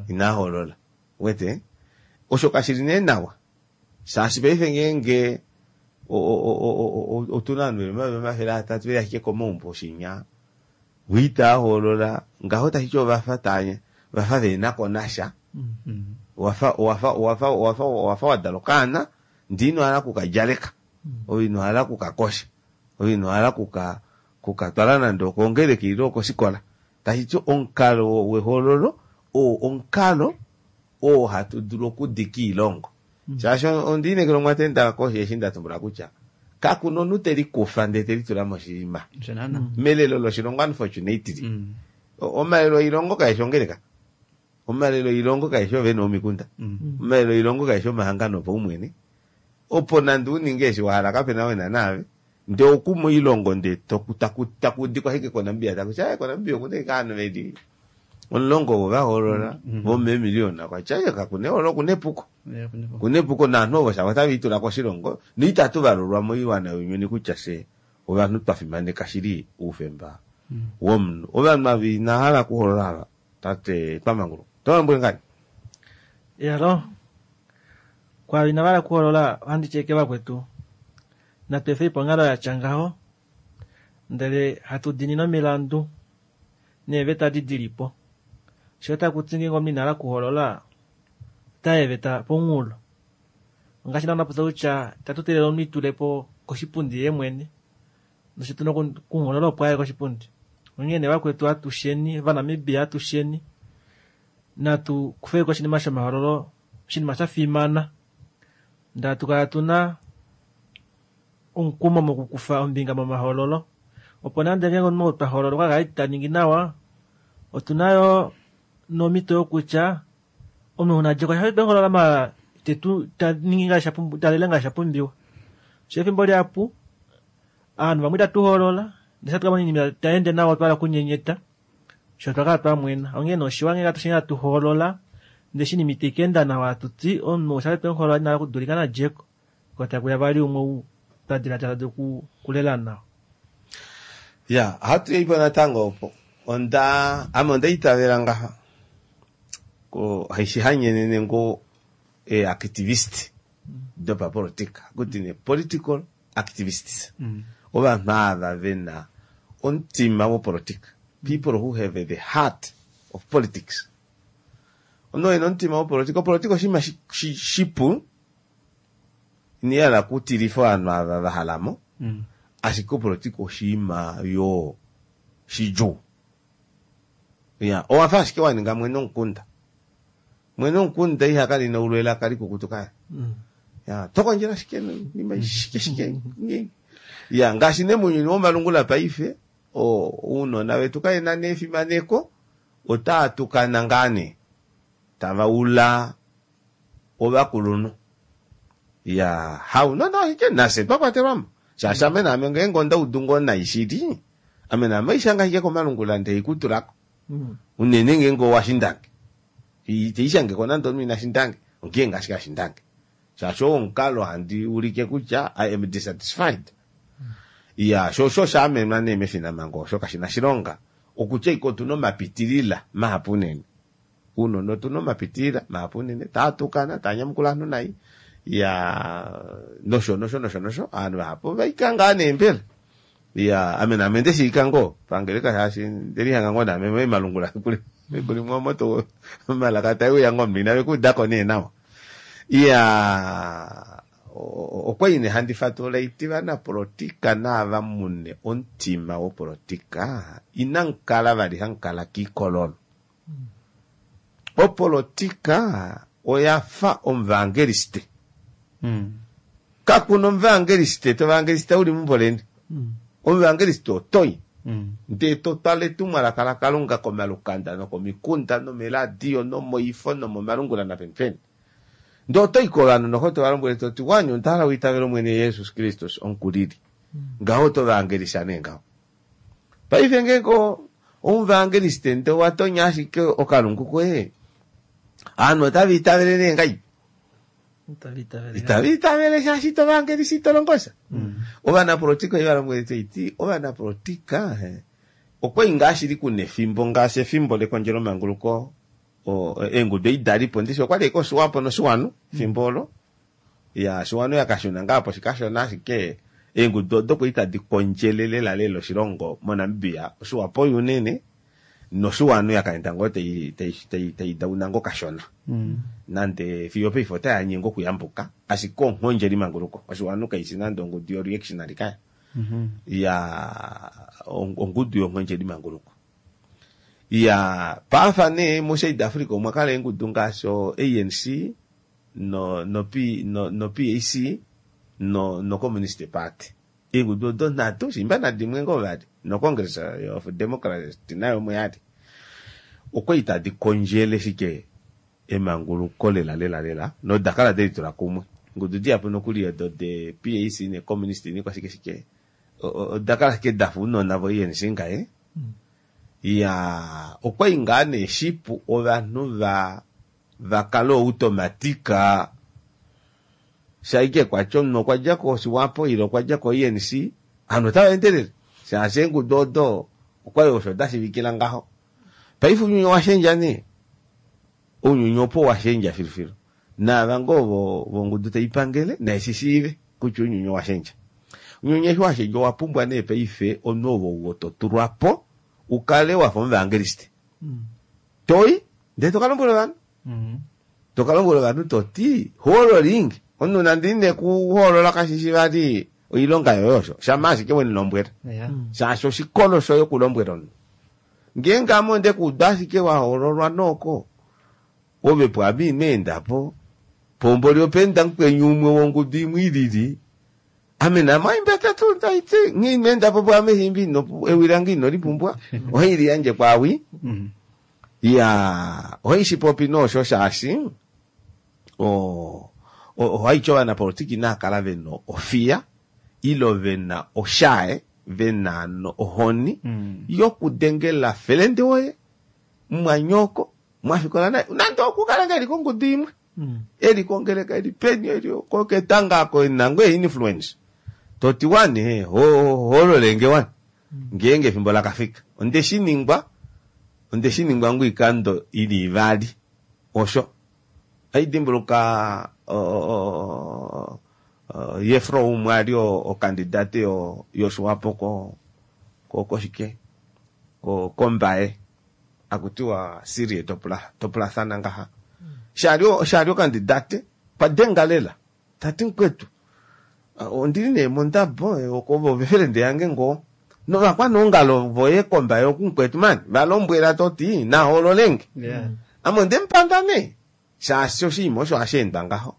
inaa hoolola wete osho kashili nee nawa shaashi paife ngeenge otuna ovanhu veli omayovi omafele atatu veli ashike komaumbo oshinya vo hoolola ngaho tashiti ovafa tanya vafa venako nasha wafa wafa wafa wafa wafa wadala okaana ndee ino hala okukadjaleka ove ino hala okukakosha ove ino hala okuka kukatwala nande okongeleka ile okosikola tashiti omukalo wehoololo oo omukalo oo hatu dulu okudika oilongo shaashi ondiinekela omwatenda koshi eshi ndatumbula kutya kakuna omunhu telikufa ndee telitula moshinima melelo loshilongo unfortunately omalelo oilongo kaeshi ongeleka omalelo oilongo kaeshi ovene vomikunda omalelo oilongo kaeshi omahangano opaumwene opo nande uninge eshi wahala kapena wena naave ndee oku moilongo ndee takudikwa ashike koNamibia takuti aye koNamibia okuna ashike ovanhu veli omulongo ovo vahoolola vomeemiliyona kwatya kakuna ehoololo okuna epuko kuna epuko naanhu ovo shavo otave koshilongo noitatu valulwa moiwana younyuni kutya fye ovanhu twa fimaneka shili oufemba womunhu. Ovanhu ava inahala okuhoolola ava tate twamanguluka otovalombwele ngani? Yalo kwaava inavala okuhoolola ohandi ti ashike vakwetu Natu efe po onghalo yatya ngaho, ndele hatu diinine omilandu neeveta edi dilipo. Sho taku ti ngeenge omunhu ina hala okuhoolola, ota eeveta pomunghulo. Ongaashi naana popya kutya itatu teelele omunhu itule po koshipundi yeemwene, nosho tuna okumuhoolola opo aye koshipundi. Onghee nee vakwetu atusheni, Ovanamibia atusheni, natu kufeko oshinima shomahoololo, oshinima sha fimana, ndee hatu kala tuna omukumo mokukufa ombinga momahoololo, opo nande ngeenge omunhu oo twa hoolola okwa kala ita ningi nawa, otuna yoo nomhito yokutya omunhu nadjeko tweholola maala itetu taningi ngaashi talele ngaashi shapumbiwa. Shoo efimbo lihapu ovanhu vamwe itatu hoolola ndee eshi hatu kamona oinima itayeende nawa otwa hala okunyenyeta shoo otwa kala twamwena. Onghee nee oshiwa ngenge atusheni hatu hoolola ndee eshi oinima itaikaenda nawa hatuti omunhu ou shali twemuhoolola ina hala okudulika nadjeko koo takuya vali umwe ou twa dilaadila tadulu okulela nawa. Ya, ohatu yaipo natango opo. Onda ame onda itavela ngaha haishi hanyenene ngoo eeactivist dopapolitika hakuti nee political activists. Ovanhu ava vena omutima wopolitika, people who have the heart of politics. Omunhu oo ena omutima wopolitika, opolitika oshinima shipu, ina hala okutilifa ovanhu ava vahalamo, ashike opolitika oshinima yoo shidjuu. Ya, owafa ashike waninga mwene womukunda. Mwene womukunda ihakala ina ulwa elaka likukutu kaya. Ya, tokondjele ashike noinima shike shike. Ya, ngaashi nee mounyuni womalungula paife, ounona vetu kavena nee efimaneko, otaa tukana ngaa nee, tava ula ovakulunhu. Ya, haunona ashike nafye twakwatelwamo. Shaashi ame naame ngeenge onda udu ngoo nai shili, ame naame ohaishanga ashike komalungula ndee haikutulako. Unene ngeenge owashindange. Iteishangeko nande omunhu ina shindange, ongeenge ashike ashindange. Shaashi oo omukalo handi ulike kutya I am dissatisfied. Ya, sho osho osha amenwa nee mefinamhango osho kashina shilonga. Okutya ike otuna omapitilila mahapu unene. Ounona otuna omapitilila mahapu unene, taa tukana, taa nyamukula ovanhu nai, ya nosho nosho nosho nosho, ovanhu vahapu ovaika ngaa nee mbela. Ya, ame naame ndeshiika ngoo pangeleka shaashi ndelihanga ngoo naame moimalungula kuli kuli omo to omalaka taeuya ngoo omunhu inave kuudako nee nawa. Ya, okwali nee handi fatulula iti vanapolitika naava mune omutima wopolitika inamukala vali hamukala kiikololo. Opolitika oyafa omuvangeliste. Kakuna omuvangeliste tovangeliste uli meumbo leni. Omuvangeliste otoi ndee totwala etumwalaka laKalunga komalukanda nokomikunda nomeladio nomoifo nomomalungula napenipeni. Ndee otoi kovanhu noho tovalombwele toti wani onda hala uitavele Omwene Jesus Kristus omukulili. Ngaho oto vaangelisa nee ngaho. Paife ngeenge omuvangeliste ndee owatonya ashike okalungu koye, ovanhu otava itavele nee ngahelipi? Itava itavele shaashi ito vaangelisa ito longo sha. Ovanapolitika oivalombwele toiti, ovanapolitika okwali ngaa shili kuna efimbo ngaashi efimbo lekondjelomanguluko, eengudu ei dalipo ndishi okwali ashike oSwapo noSwanu efimbo olo. Ya, Swanu yakashuna ngaa poshikashona ashike eengudu odo kwali tadi kondjele lela lela oshilongo moNamibia, oSwapo unene noSwanu yakaenda ngoo tai tai tai dauna ngoo kashona. Nande fiyo paife otayanye ngoo okuyambuka, ashike onghondjeli manguluko. OSwanu kaishi nande ongudu yo reactionary kaya. Ya, ongudu yonghondjeli manguluko. Ya, paafa nee mo South Africa omwa kala eengudu ngaashi o A N C no no P no no P A C no no Communist Party. Eengudu odo nhatu shimba nadimwe ngoo vali no Congress of Democrats nayo omo yali. Okwali tadi kondjele shike emanguluko lela lela lela noda kala delitula kumwe. Ngudu dihapu nokuli odo de P A C ne Communist nikwa shike shike oda kala shike dafa ounona vo A N C ngaye. Ya, okwali ngaa nee shipu ovanhu va vakale automatika shaike kwatya omunhu okwa dja koSwapo ile okwa dja ko A N C, ovanhu otava endelele shaashi eengudu odo okwali osho dashiivikila ngaho. Paife ounyuni owashendja nee, ounyuni opo washendja filufilu. Naava ngoo vongudu taipangele naishishiive kutya ounyuni owashendja. Unyonye eshi owa pumbwa nee paife omunhu ovo to tulwa po ukale wafa omuvangeliste. Toi ndee to kalombwela ovanhu. To kalombwela ovanhu toti hoololinge omunhu nande ine kuhoolola kashishi vali oilonga yoye osho shama ashike wenilombwela. Shaashi oshikolo shoye okulombwela omunhu. Ngeenge ame onde kuuda ashike wahoololwa noko ove pwaame ino endapo pomboli openda mukweni umwe wongudu imwe ilili ame name oimbete tuu taiti nghee ino endapo pwaame shimbi ino ewi lange ino lipumbwa ohaili yandje kwaawi. Ya ohaishipopi noosho shaashi o ohaiti ovanapolitika inaa vena ofiya ilo vena oshae vena no ohoni yokudengela felende woye mwanyoko mwafikola naye nande okukala ngeli kongudu imwe eli kongeleka eli peni eli koketanga ko nango influence toti wani ho hololenge wani ngeenge efimbo lakafika onde shiningwa onde shiningwa ngwikando ili ivali osho aidimbuluka Yefro umwe ali okandidate yo yoSwapo ko ko koshike ko kombaye akutiwa Sirie topula topulathana ngaha shali shali okandidate padenga lela tati mkwetu ondili nee mondabo okovo vefelende yange ngo novakwanongalo voye kombaye okumkwetu mani valombwela toti nahololenge Yeah. ame ondemupanda nee shaashi oshinima osho hasheendwa ngaho.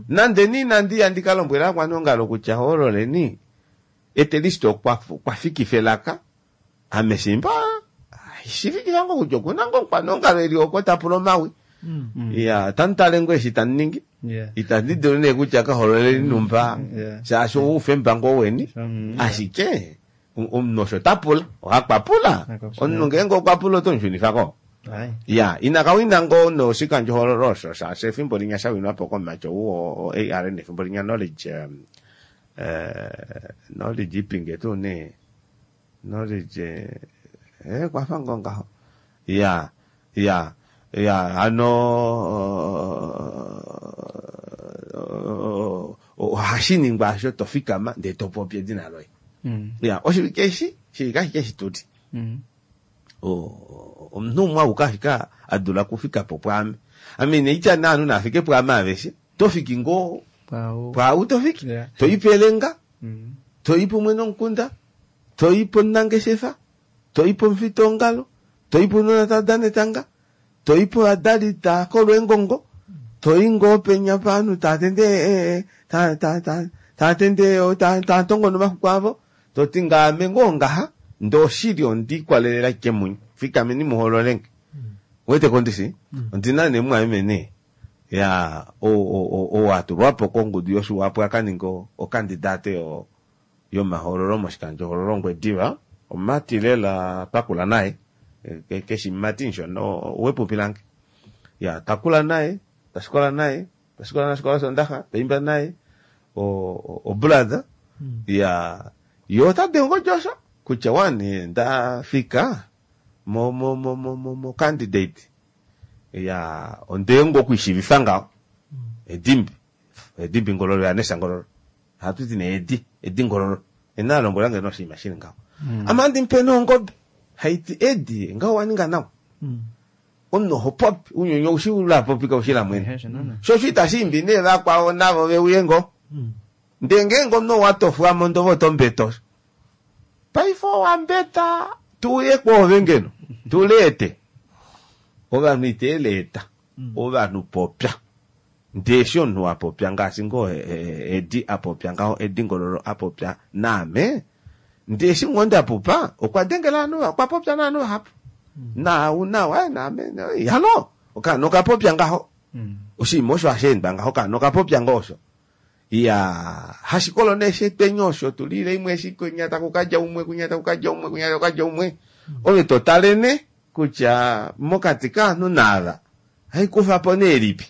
Nande ni nandi yandika lombwela akwanongalo kutya hoololeni etelist okwa okwa fikifa elaka ame shimba shifikila ngo kutya okuna ngo mukwanongalo eli oko tapula omawi. Ya tantale ngo eshi taningi Yeah. itandi dulu nee kutya kahololeni numba Yeah. shaashi oufemba ngo weni Mm. ashike omunhu osho tapula ohakwapula Akwapula. omunhu ngeenge okwapula otomushunifako. Ai. Ya inakawina ngo noshikandjohoololo osho shaashi efimbo linya shawinwa po komacho uo A R N efimbo linya knowledge um, eh, knowledge ipinge tuu nee knowledge eh kwafa ngo ngaho ya ya ya ano ohashiningwa asho tofikama ndee topopi edina loye. Mm. Ya oshivike eshi shivike ashike shituli Mm. omunhu umwe auke ashike adula kufika po pwaame ame neitya naanhu nafike pwaame aveshe tofiki ngoo Pwau. pwau tofiki Yeah. toipa elenga Mm. toipa umwene womukunda toipa omunangeshefa toipa omufitongalo toipa ounona tava etanga toipa ovadali taakolwa eengongo toi ngoo penya paanhu taatende taatende taatongo nomaxuku avo toti ngaame ngoo ngaha ndee oshili ondiikwalelela ashike munye fikameni muhololenge. Wete kondisi ondina nee mwameme nee ya owatulwapo kongudu yoSwapo akaninga okandidate yo yomahoololo moshikandjohoololo Ongwediva omumati lela twakula naye keshi mumati nshona owepupi lange ya takula naye tashikola naye tashikola nashikola sondaxa taimba naye o brother ya yo tadengo josho kutya wani ndafika mo mo mo mo mo, mo candidate ya ondengo kuishivifa ngaho edimbi edimbi ngololo ya nesa ngololo hatuti ne edi edi ngololo ena lombwela nge noshinima shili ngaho ama ndimpe nongobe haiti edi ngaho waninga nawa omunhu oho popi unyonyo ushila popika ushila mwene sho sho itashimbi nee vakwao navo veuye ngo ndee ngeenge omunhu owatofwamo ndovo otombeto paife owambeta tuuye kwoove ngeno tuleete ovanhu iteeleeta ovanhu popya ndee eshi omunhu wapopya ngaashi ngoo edi apopya ngaho edi ngololo apopya naame ndee eshi ngoo ndapupa okwa dengela ovanhu okwa popya naanhu vahapu nau nawa naame halo okaana okapopya ngaho oshinima osho hasheendwa ngaho okaana okapopya ngoo osho ya hashikolo nee shetwenye osho tulile imwe eshi kunya takukadja umwe kunya takukadja umwe kunya takukadja umwe ove totalene kutya mokati kaanhu naava haikufa po nee lipi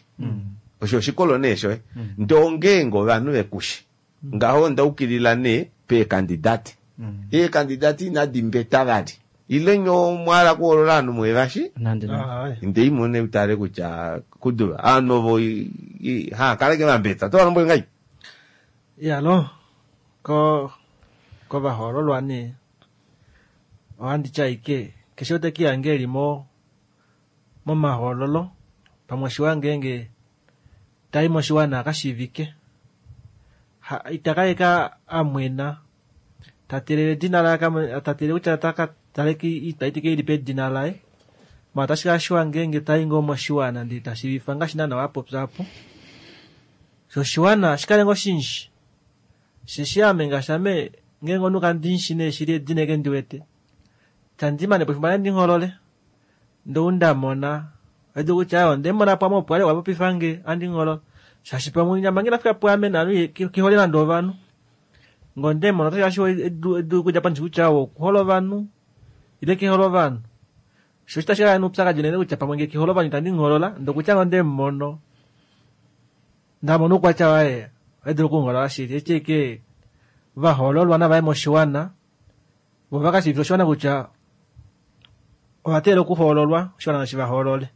osho oshikolo nee shoye ndee ongeenge ovanhu vekushi ngaho ondaukilila nee peekandidate eekandidate inadi mbeta vali ile nyo mwala kuhoolola ovanhu mwevashi ndee imone utale kutya kuduva ovanhu ovo ha kaleke vambeta tovalombwele ngai ya no ko Kovahoololwa nee ohandi ti ashike keshe ou tekihange eli mo momahoololo pamwe oshiwa ngeenge tai moshiwana akashiivike itaka amwena tatelele edina laye tatelele kutya takataleke itaitike ilipo edina laye ma otashi kala shiwa ngeenge tai ngoo moshiwana ndee tashiivifa ngaashi naana wapopya apo sho oshiwana shikale ngoo shinji sheshi ame ngaashi ame ngeenge omunhu kandinshi nee shili edina eke ndiwete tandimane po efimbo ndingholole ndou ndamona edu kutya ondemona pamwe opo ali wapopifange andingholole shaashi pamwe nyama nge nafika pwaame nanu kihole nande ovanhu ngondemona otashi edu edu kudja pandji kutya okuhola ovanhu ile kihole ovanhu sho shitashi kala noupyakadi unene kutya pamwe nge kihole ovanhu itandingholola ndokutya ngondemono ndamona oukwatya waye ohaidulu okungholola shili eti eke vahoololwa navaye moshiwana vo vakashiivifila oshiwana kutya ovateelela okuhoololwa oshiwana nashi vahoolole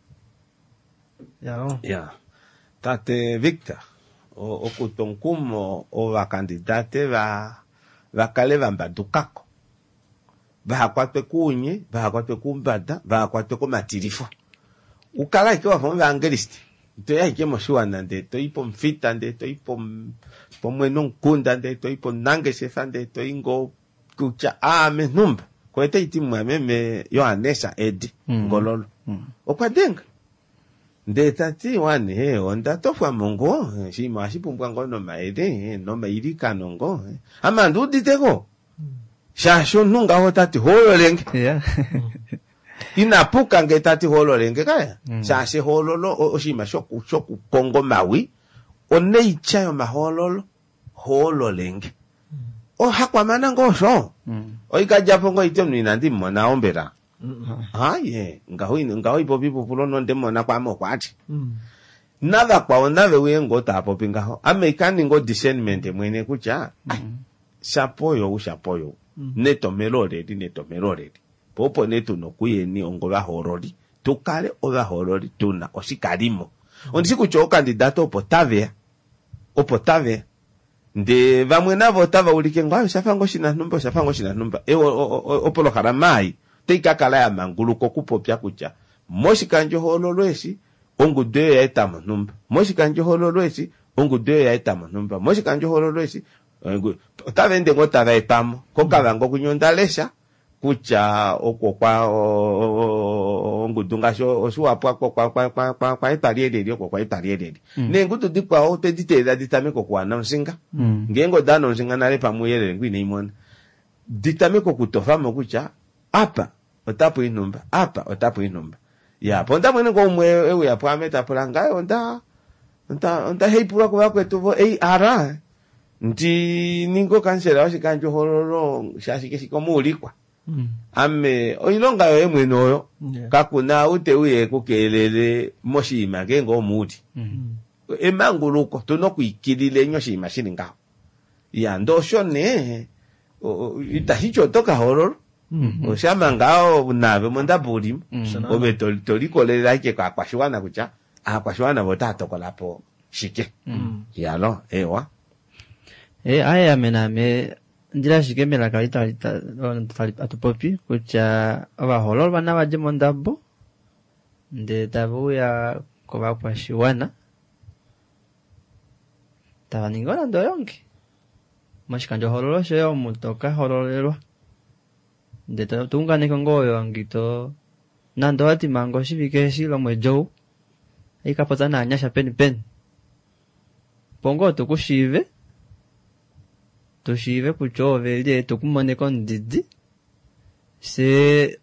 ya ya tate Victor okutwa omukumo ovakandidate va vakale vambadukako vahakwatwe kuunye vahakwatwe kuumbada vahakwatwe komatilifo ukala ashike wafa omuvangeliste toyi ashike moshiwana ndee toyi pomufita ndee toyi pomwene omukunda ndee toyi pomunangeshefa ndee toyi ngoo kutya aame nhumba koete iti mwameme Johanesa Edi Ngololo okwa denga ndee tati wane onda tofwamo ngoo oshinima ohashi pumbwa ngoo nomayele nomailikano ngoo ame andiuditeko shaashi omunhu ngaho tati hoololenge Yeah. inapuka ngee tati hoololenge kaya shaashi ehoololo oshinima shoku shokukonga omawi oneitya yomahoololo hoololenge ohakwamana ngoo osho oikedjapo ngoo iti omunhu inandi mumona ombela haye ngaho ngaho ipopi ipupulo nondemona kwaame okwati navakwao nave uye ngoo taapopi ngaho ame ikaninga odiscernment mwene kutya shapo oyo shapo oyo netomelo oleli netomelo oleli po opo nee tuna okuyeni ongo ovahoololi tukale ovahoololi tuna oshikalimo ondishi kutya okandidate opo taveya opo taveya ndee vamwe navo otava ulike ngoo oshafa ngoo oshinanhumba oshafa ngoo oshinanhumba opolohalama ei otai kakala ya manguluka okupopya kutya moshikandjohoololo eshi ongudu eyo yaetamo nhumba moshikandjohoololo eshi ongudu eyo yaetamo nhumba moshikandjohoololo eshi otava ende ngoo tava etamo kokavango kwinya onda lesha kutya oko kwa ongudu ngaashi oshiwapwa kwaetwa lyeleli oko kwaetwa lyeleli neengudu dikwao otwedi teelela ditameke okuwana omushinga ngeenge odaana omushinga nale pamwe ouyelele ngo inaimona ditameke okutofamo kutya apa otapu inhumba apa otapu inhumba ya po onda mwene ngoo umwe euya pwaame tapula ngaye onda onda onda heipulwa kuvakwetu vo A R ndi ninge okansela woshikandjohoololo shaashi keshi komuulikwa ame oilonga yoye mwene oyo kakuna ou teuya ekukeelele moshinima ngeenge omuuli emanguluko tuna okwiikilileni oshinima shili ngaho ya ndee osho nee itashi ti oto kahoololwa oshama ngaho naave mondabo ulimo ove tolikolelela ashike kaakwashiwana kutya aakwashiwana vo otaa tokolapo shike yalo ewa e aye ame naame ndila ashike melaka atupopi kutya ovahoololwa navadje mondabo ndee tave uya kovakwashiwana tava ningi nande oyongi moshikandjohoololo shoye omu tokahoololelwa ndee tounganeke ngoo oyongi to nande owati manga oshivike eshi lomwedi ou aikapopya naanyasha peni peni opo ngoo tukushiive tushiive kutya ove lye tukumone komudidi se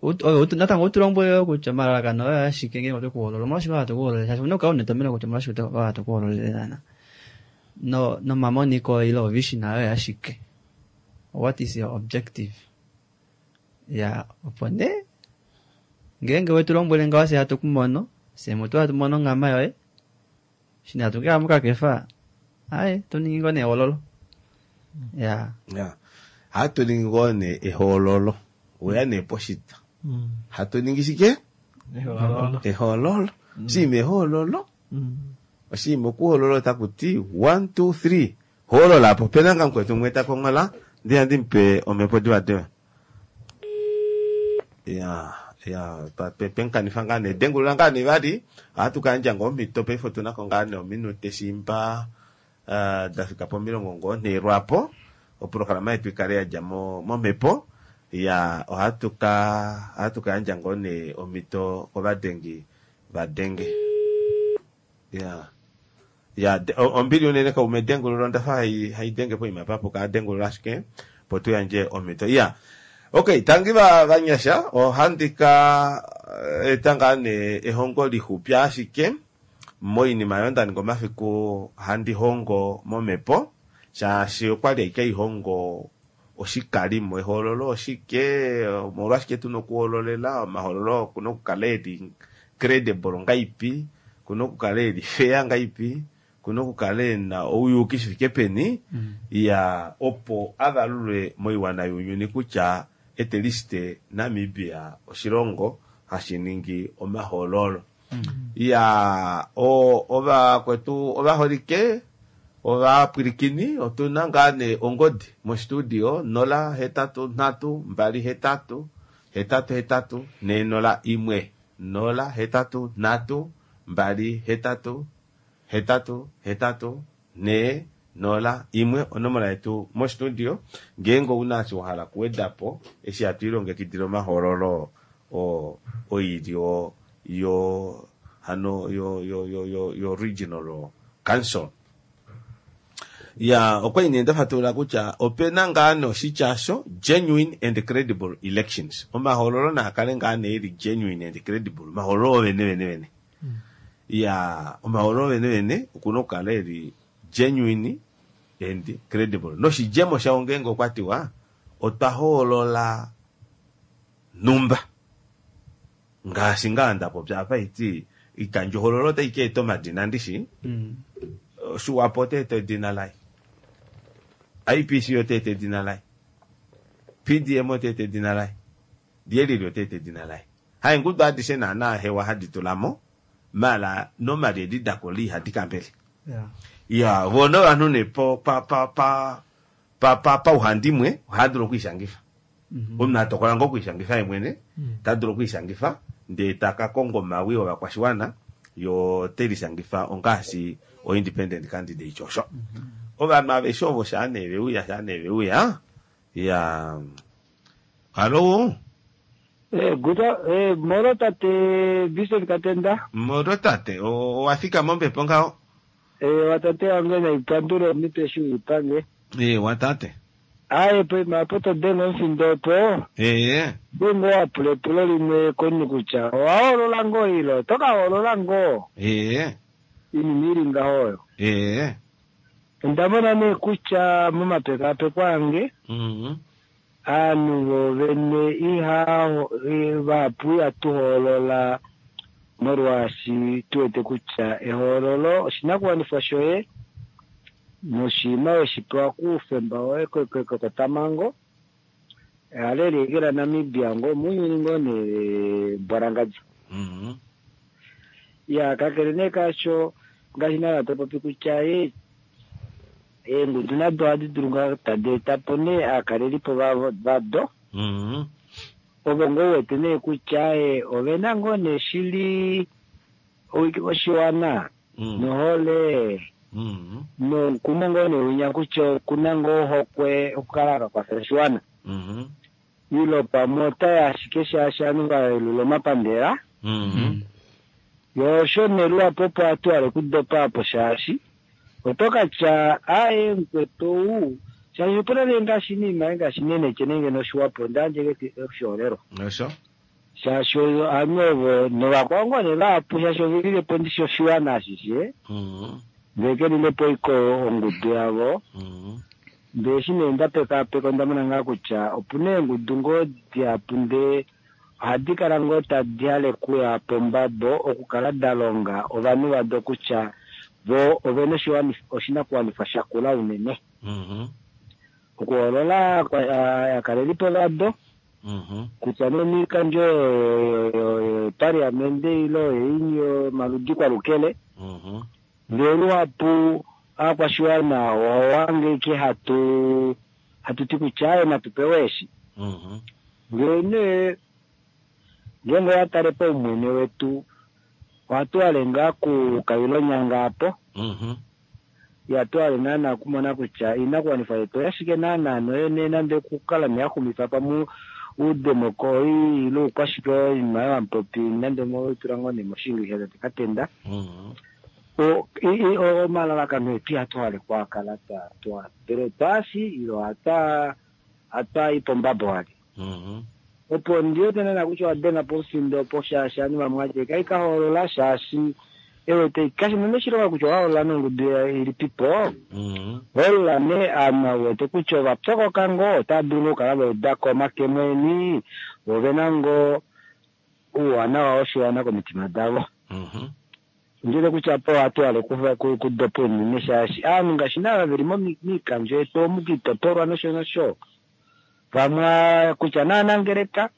natango utulombwele kutya omalalakano oyo ashike ngeenge otwekuhoolola omolwashike hatu kuhoololele shaashi una okukala una etomheno kutya omolwashike hatu kuhoololele naana no nomamoniko ile ovision oyo ashike what is your objective ya opo nee ngeenge wetulombwele ngaho fye hatu kumono fye mutu hatu mono onghama yoye eshi hatu keya mokakefa aye toningi ngoo nee ehoololo ya ya hatu ningi ngoo nee ehoololo oya nee poshitwa hatu ningi shike ehoololo oshinima ehoololo oshinima okuhoolola otaku ti one two three hoololapo opena nga mukwetu umwe takonghola Ndi mupe omhepo divadiva. Ya, ya, pa- pe- penkanifa ngaa nee dengulula ngaa nee vali ohatu kayandja ngoo omhito paife otuna ko ngaa nee ominute shimba uh, da fika pomilongo ngoo nhee lwapo oprograma yetu ikale yadja mo- momhepo ya ohatu ka ohatu ka yandja ngoo nee omhito kovadengi vadenge ya ya de- o- ombili unene kaume dengulula ondafa hai haidenge poima papuka adengulula ashike po tuyandje omhito ya okay tangi va vanyasha ohandi ka eh, eta ngaa nee ehongo lixupi ashike moinima oyo nda ninga omafiku handi hongo momhepo shaashi okwali aike haihongo oshikalimo ehoololo oshike omolwashike tuna okuhoololela omahoololo okuna okukala eli credible ngaipi kuna okukala eli fair ngaipi kuna okukala ena ouyuki shifike peni ya opo avalulwe moiwana younyuni kutya at least Namibia oshilongo hashi ningi omahoololo ya o ovakwetu ovaholike ovapwilikini otuna ngaa nee ongodi mostudio nola hetatu nhatu mbali hetatu hetatu hetatu nhee nola imwe nola hetatu nhatu mbali hetatu hetatu hetatu nhee nola imwe onomola yetu mostudio ngeenge ouna eshi wahala okuwedapo eshi hatu ilongekidile omahoololo o oilyo yo hano yo yo yo yo, yo regional council ya okwali nee ndafatulula kutya opena ngaa nee oshitya sho genuine and credible elections omahoololo naa kale ngaa nee eli genuine and credible omahoololo ovene vene vene ya omahoololo vene vene okuna okukala eli genuine and credible noshidjemo shawo ngeenge okwa tiwa otwa hoolola numba ngaashi ngaa ndapopya apa iti ikandjohoololo otai ka eta omadina ndishi Mm. Swapo ota eta edina laye I P C ota eta edina laye P D M ota eta edina laye lyelili ota eta edina laye haingudu adishe naana hewa hadi tulamo mala normally edi dakola ihadi kambele Yeah. ya vona ovanhu ne po pa pa pa pa pa pauhandimwe ohaya dulu okwiishangifa Mhm. omunhu atokola ngoo okwiishangifa ye mwene ta dulu okwiishangifa ndee taka konga omawi ovakwashiwana yo telishangifa ongaashi o independent candidate osho ovanhu aveshe ovo shaa nee veuya shaa nee veuya ya hallo. Eh, guta, eh, moro tate Vincent Katenda. Moro tate o- owafika mombepo ngaho. Eh, watate wange naipandule omito eshi uipange. E watate. Aye, poima apo todenga omufindo opo, ee denga wapula epulo limwe komunhu kutya owahoolola ngoo ilo oto ka hoolola ngoo ee iinima ili ngaho oyo. Ee Onda mona nee kutya momapekapeko ange mhm aanhu vovene iha vahapu ihatu hoolola molwaashi tuwete kutya ehoololo oshinakuwanifwa shoye noshinima weshi pewa kuufemba woye kotamango ehalo Namibia ngoo muunyuni ngoo nee mbwalangadja mhm ya kakele nee kaasho ngaashi nala topopi kutya ye eengudu nado ohadi dulu ngaa tadi etapo nee aakalelipo vavo vado mhm ovo ngoo wete nee kutya e ovena ngoo nee shili oshiwana mhm nohole mhm nomukumo ngoo nee winya kutya okuna ngoo ohokwe okukala kakwafela oshiwana mhm ilo pamwe otaya ashike shaashi ovanhu vayelula omapandela mhm yo osho nee luhapu opo hatu hale okudopa apo shaashi oto katya aye mukwetu ou shaashi opuna nee ngaashi niima ngaashi neneke nenge noshiwapo ondaandje oshiholelwa osho shaashi ovanhu ovo novakwao ngoo nee vahapu shaashi ovelilepo ndishi oshiwana ashishe mhm ndee kelilepo iko ongudu yavo mhm ndee eshi nee ndapekapeka onda mona ngaa kutya opuna eengudu ngoo dihapu ndee ohadi kala ngoo tadi hale kuya pombabo okukala da longa ovanhu vado kutya vo ovena oshiwani- oshinakuwanifwa shakula unene mhm okuhoolola aakalelipo vado mhm kutya nee miikandjo yopaliamende ilo yeini yomaludi kwalukele mhm ndee luhapu aakwashiwana owange ike hatu Hatu ti kutya aye natu pewe eshi. Mhm. Ngee nee ngeenge owa tale paumwene wetu ohatu hale ngaa kukailonyanga apo Mhm. ihatu hale naana okumona kutya iinakuwanifwa yetu oyashike naana noyene nande okukala neyaxumifa pamwe uudemokoli ile oukwashike oinima yovamupopi nande moitula ngoo nee moshingilisha tate katenda Mhm. O- i- i- o- omalalakano etu ihatu hale kwaakala twa twa ndele twaasi ilo hatwa hatwa pombabo wali Mhm. opo ndiwete naana kutya owadenga po omufindo opo shaashi ovanhu vamwe ati kai ka hoolola shaashi ewete kashi na oshilonga kutya owahoolola nongudu ya- ilipipo Mhm. hoolola nee ovanhu wete kutya ova pyokoka ngoo otava dulu ngoo okukala vaudako omakemo eni ovena ngoo ouwanawa woshiwana komitima davo Mhm. ndiwete kutya po ohatu hale kufa- ku- kudopa unene shaashi aanhu ngaashi naava veli momi- miikandjo yetu omu kiitopolwa nosho nosho vamwe kutya naanangeleka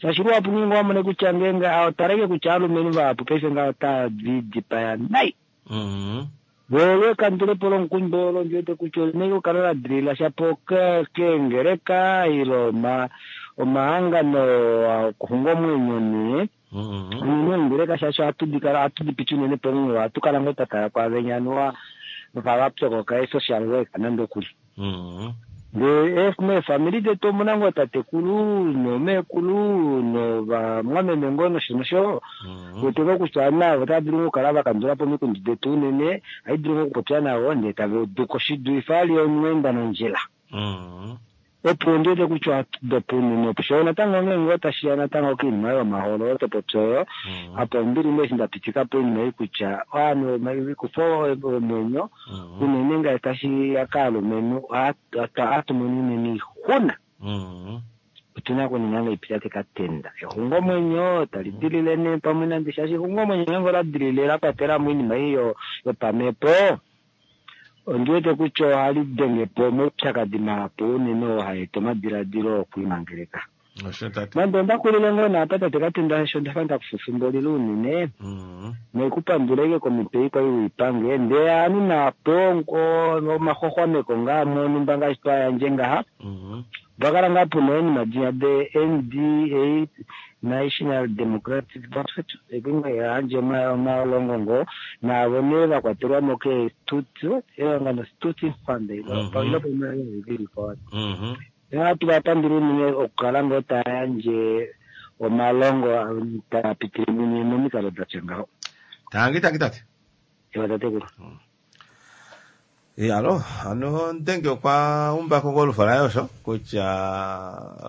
shaashi luhapu ngeenge wamone kutya ngeenge otaleke kutya aalumenhu vahapu paife ngaho otava dipaya nai Mhm. volo ekandulepo lomukundu olo ndiwete kutya olina okukala la dilila shapo ke- keengeleka ile oma- omahangano okuxunga omwenyo nee Mhm. unene ongeleka shaashi ohatu dikala ohatu dipiti unene pomunghulo ohatu kala ngoo twatala kwaavenya anuwa va pyokoka e-social work nande okuli Mhm. ndee meefamili detu omuna ngoo tatekulu nomeekulu novamwameme ngoo nosho nosho Mhm. wete ngoo kutya navo otava dulu ngoo okukala vakandula po omikundu detu unene ohai dulu ngoo okupopya navo ndee tava uduko shidulife ali omweenda nondjila Mhm. opo ndiwete kutya ohatu dopa unene opo sho natango ngeenge otashiya natango koinima yomahoololo topopya oyo Mhm. apo ombili nee eshi ndapitika po oinima ei kutya ovanhu ikufa omwenyo Mhm. unene ngaashi tashi ya kaalumenhu ohatu mono unene oixuna Mhm. otuna okuninga ngaipi tate katenda exungomwenyo tali dilile nee pamwe nande shaashi exungomwenyo ngeenge ola dilile la kwatela mo oinima ei yo- yopamhepo ondiwete kutya ohali denge po omaupyakadi mahapu unene oo haeta omadiladilo okwiimangeleka Osho tate. nande onda kulile ngoo naapa tate katenda sho ndafa ndakufufumbolile unene Mhm. noikupanduleke komitwe ikwai wiipange ndee anu naapo omaxwaxwameko ngaa monumba ngaashi twayandje ngaha Mhm. opakala ngaa puna oinima dinya de nda National Democratic Party yandje omalongo ngoo naavo nee vakwatelwamo keestuti ehangano Stuti Fund Mhm. Mhm. ohatu vapandula unene okukala ngoo taya yandje omalongo taa pitile mumwe momikalo datya ngaho Tangi tangi tate. ewa tatekulu Iyalo, ano ndenge okwa umbako kolufa laye osho kutya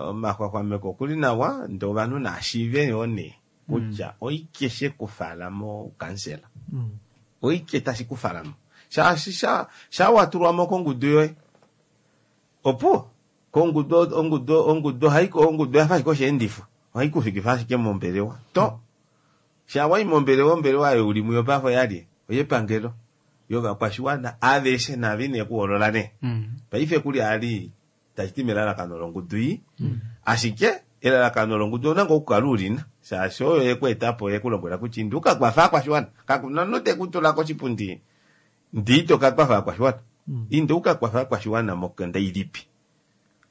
omaxwaxwameko okuli nawa ndee ovanhu naashiive yoo nee kutya oike shekufala mokansela Mm. oike tashi kufalamo shaashi sha shawatulwamo kongudu yoye opuwo kongudu ongudu ongudu ohayi ongudu oyafa ashike osheendifo ohayi kufikifa ashike mombelewa to shawayi mombelewa ombelewa oyo uli muyo paife oyalye oyepangelo yovakwashiwana aveshe nave ine kuhoolola nee Mm. paife kuli ali tashiti melalakano longudu iyi ashike elalakano longudu ona ngoo okukala ulina shaashi oyo yekweetapo yekulombwela kutya indi ukakwafa akwashiwana kakuna omunhu tekutula koshipundi ndii tokakwafa akwashiwana Mm. inde ukakwafa akwashiwana mokenda ilipi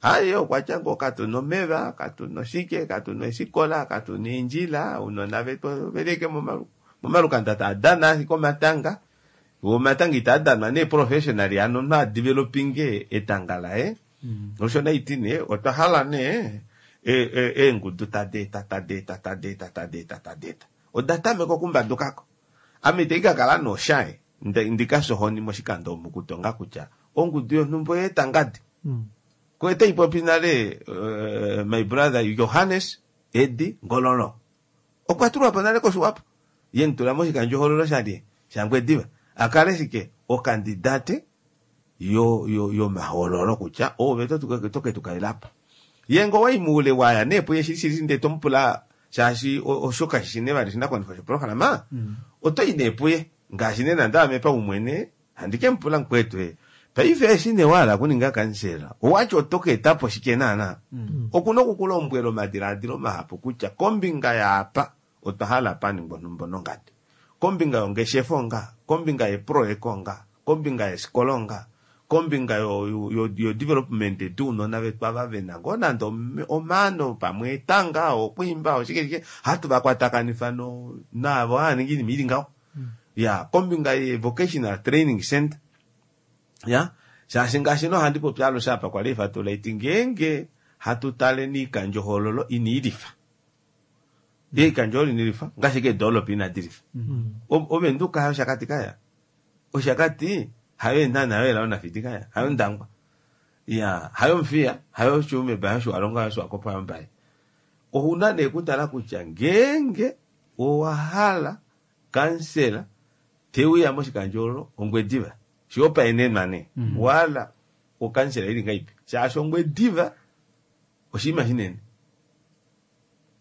aye okwatya ngoo katuna omeva katuna oshike katuna eshikola katuna eendjila ounona vetu velike momalu- momalukanda taadana ashike omatanga omatanga itaadanwa nee professionally ano omunhu adevelopinge etanga laye Mm. osho naiti nee otwa hala nee e- e- eengudu tadeeta tadeeta tadeeta tadeeta tadeeta oda tameka okumbadukako ame itei kakala noshaye ndikasohoni moshikando omu kutonga kutya ongudu yonhumba oyeeta ngadi Mm. kwete ipopi nale uh, my brother Johannes Edi Ngololo okwa tulwa po nale koshiwapo ye mutula moshikandjohololo shalye shangwediva akale shike okandidate yo yo yomahoololo kutya ove toke tukalelapo ye ngo wayi muule waya nee puye shili shili ndee tomupula shaashi o- osho kashi ne vali shinakuwanifwa shoprograma Mm. otoyi nee puye ngaashi nee nande ame paumwene handi ke mupula mukwetu e paife eshi nee wahala kuninga kansela owati oto ka etapo shike naana Mm. okuna okukulombwela omadilaadilo mahapu kutya kombinga yaapa otwa hala paningwa onhumba nongadi kombinga yongeshefa onga kombinga yeproyeka onga kombinga yesikolo onga Kombinga yo, yo, yo, yo development dounona vetu ava vena ngoo nande omaano pamwe etanga okwiimba oshike shike hatu vakwatakanifa no naavo hava ningi oinima ili ngaho. Ya kombinga ye vocational training center ya shaashi ngaashi nohandi popi alushe apa kwali ifatula iti ngeenge hatu taleni oikandjohoololo ina ilifa oikandjohoololo ina ilifa ngaashi keedoolopa inadi lifa. Ovenduka hayo Oshakati kaya Oshakati hayo Eenhana hayo Helao Nafidi kaya hayo Ndangwa ya hayo Omuthiya hayo Tsumeb hayo Otjiwarongo hayo Swakop hayo Mbaye. Ouna nee kutala kutya ngeenge owa hala kansela teuya moshikandjohoololo Ongwediva shihopaenenwa nee owahala okansela ili ngahelipi shaashi Ongwediva oshinima shinene.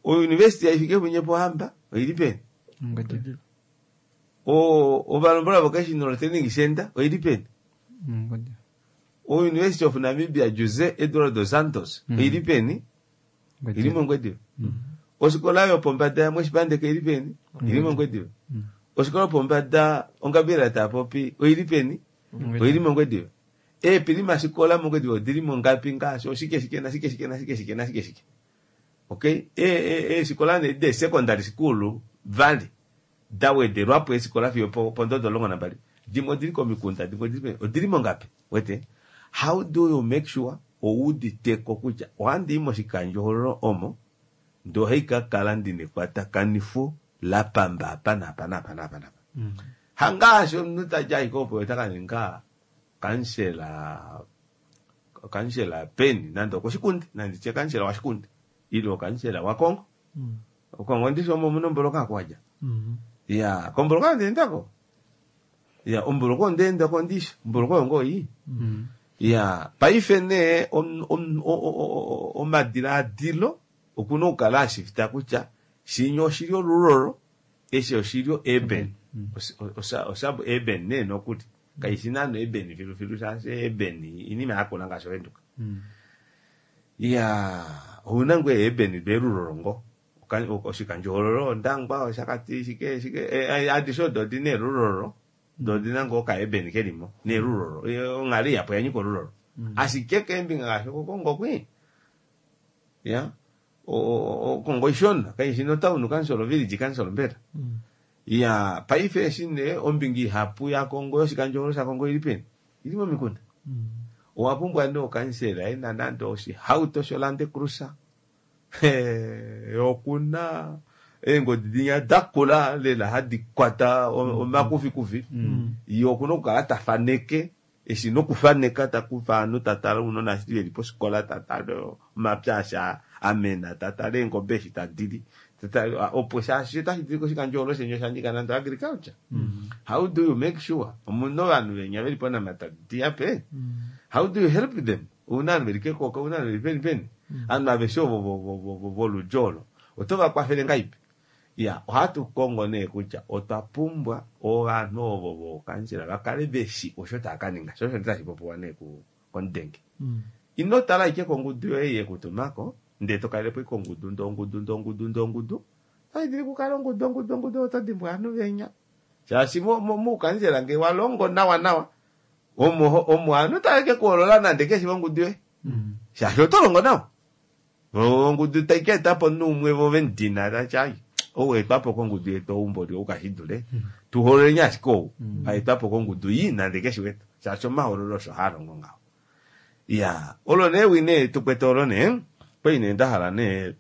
Ouniversity yaHifikepunye Pohamba oili peni? Ovalombola Vocational Training Center oili peni? University of Namibia Jose Eduardo Santos oili peni? Ili mOngwediva. Ofikola yopombada yaMweshipandeka oili peni? Ili mOngwediva. Ofikola yopombada Ongabela Taapopi oili peni? Oili mOngwediva. Eepilimafikola mOngwediva odili mongapi ngaashi oshike shike nashike shike nashike shike nashike shike. Okay, eefikola nee de secondary school vali da wedelwapo eefikola fiyo pondodo omulongo nambali dimwe odili komikunda dimwe odili peni odili mongapi wete. How do you make sure ouuditeko kutya ohandi i moshikandjohoololo omo ndee ohaikakala ndina ekwatakanifo lapamba apa naapa naapa naapa naapa. Hangaashi omunhu tadi ashike opo ota kaninga kansela kansela peni nande okoshikunde nanditye kansela washikunde ile okansela wakongo. Okongo ndishi omo omuna omboloka akuwadja ya komboloka ondeendako ya omboloka ondeendako ndishi omboloka oyo ngoo ii ya paife nee omadilaadilo okuna okukala ashifta kutya shinya oshili olulolo eshi oshili urban osab urban nee nokuli kaishi naana urban filufilu shaashi urban inima yakula ngaashi Ovenduka. Ya ouna ngoo urban belulolo ngoo oshikandjohoololo Ondangwa Oshakati shike shike adishe odo odina elulolo doo odina ngoo oka urban kelimo nelulolo onghalo ihapu oyanyika olulolo ashike keembinga ngaashi okOkongo kwii ya Okongo ishona kaishi notown council village council mbela. Ya paife eshi nee ombinga ihapu yaKongo yoshikandjohoololo shaKongo ili peni ili momikunda. Owa pumbwa nee okansela ena nande oshihauto shoLand Cruiser okuna eengodi dinya dakula lela hadi kwata omakufikufi ye okuna okukala tafaneke eshi nokufaneka takufa ovanhu tatale ounona eshi veli pofikola tatale omapya eshi amena tatale eengobe eshi tadili opo shaashi otashi dulika oshikandjohoololo sheni oshanyika nande agriculture. How do you make sure omuna ovanhu venya veli ponamatadi ape? How do you help them? Ouna ovanhu veli kekoka ouna ovanhu veli peni peni ovanhu aveshe ovo voludji olo oto vakwafele ngahelipi? Ya ohatu kongo nee kutya otwa pumbwa ovanhu ovo vokansela vakale veshi osho tava kaninga sho osho tashi popiwa nee komudenge. Ino tala ashike kongudu yoye yekutumako ndee tokalelepo ashike ongudu ndee ongudu ndee ongudu ndee ongudu otashi dulu okukala ongudu ongudu ongudu oto dimbwa ovanhu venya shaashi moukansela ngee walongo nawa nawa omo omo ovanhu tave kekuhoolola nande keshi vongudu yoye shaashi oto longo nawa ongudu tai ka etapo omunhu umwe vo vemudina tati ai ou aetwapo kongudu yetu oumboli ou kashidule tuhoololeni ashike ou aetwapo kongudu ii nande keshi wetu shaashi omahoololo osho haalongo ngaho. Ya olo nee ewi nee tukwete olo nee kwali nee ndahala nee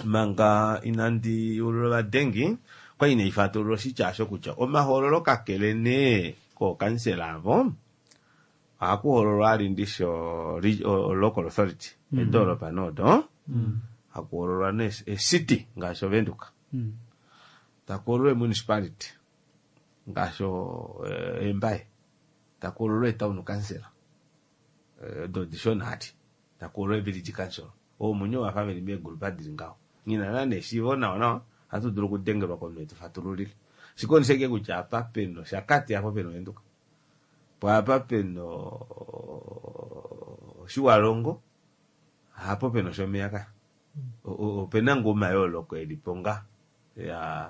manga inandi ulula ovadengi kwali nee ifatulula oshitya osho kutya omahoololo kakele nee kookansela avo ohakuhoololwa ali ndishi local authority edoolopa noodo hakuhoololwa nee city ngaashi Ovenduka takuhoololwa municipality ngaashi Embaye takuhoololwa etown council odo dishona hati takuhoololwa village council oomunye wafa veli meegrupa dili ngaho ngina naana eshiivo nawa nawa ohatu dulu okudengelwa komunhu etufatululile ashike ondi sheke kutya apa pena Oshakati apo pena Ovenduka po apa pena Otjiwarongo hapo pena Oshomeya kaya opena ngoo omayooloko elipo nga ya